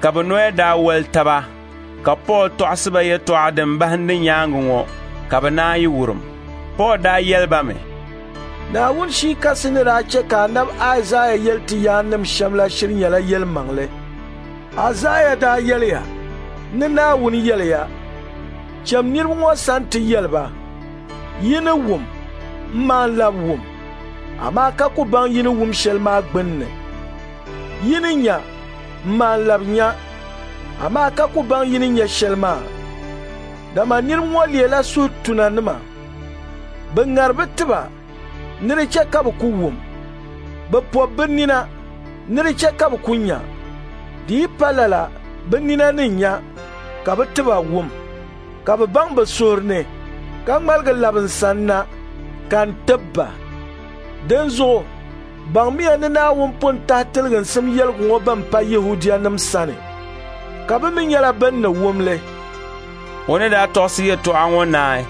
Ka bɛ noya daa wali taba, ka Pool tɔɣisi ba yɛtɔɣa din bahindi nyaaŋa ŋɔ, ka bɛ naan yi wurim. Pool daa yɛli ba mi, Naawuni Shii Kasi ni daa chɛ ka anabi Aizaia yɛli ti yaannim shɛm la shiri nyɛla yɛlimaŋli. Aizaia daa yɛliya ni Naawuni yɛliya, Cham niriba ŋɔ sani ti yɛli ba, yi ni wum, m maan lab wum, amaa ka ku baŋ yi ni wum shɛli maa gbinni. Yi ni nya, m maan lab nya, amaa ka ku baŋ yi ni nya shɛli maa. Dama niriba ŋɔ leela suhutunanima. Bɛ ŋari bɛ tiba ni di chɛ ka bɛ ku wum. Bɛ pɔbi bɛ nina ni di chɛ ka bɛ ku nya. Di yi pa lala bɛ nina ni nya, ka bɛ tiba wum, ka bɛ baŋ bɛ suhuri ni, ka ŋmaligi labi n sanna, ka n tib ba. Dinzuɣu baŋmiya ni Naawuni pun tahi tiliginsim yɛligu ŋɔ bɛn pa Yɛhudianim sani, ka bɛ mi nyɛla bɛn ni wum li. O ni daa tɔɣisi yɛtɔɣa ŋɔ naai,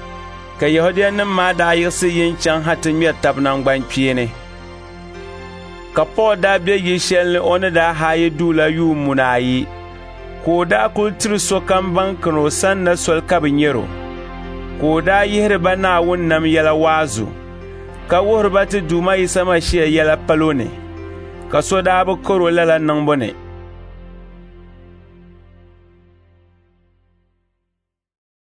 ka Yɛhudianim maa daa yiɣisi yi n-chaŋ ha ti ŋmɛri tab naŋgbankpeeni. Ka Pool daa be yil shɛli ni o ni daa haai duu la yuun muna ayi, ka o daa kul tiri sokam ban kani o sanna soli ka bɛ nyar o. Ka o daa yihiri ba Naawuni nam yɛla waazu, ka wuhiri ba ti Duuma Yisa Masia yɛla palo ni, ka so daa bi kar o lala niŋbu ni.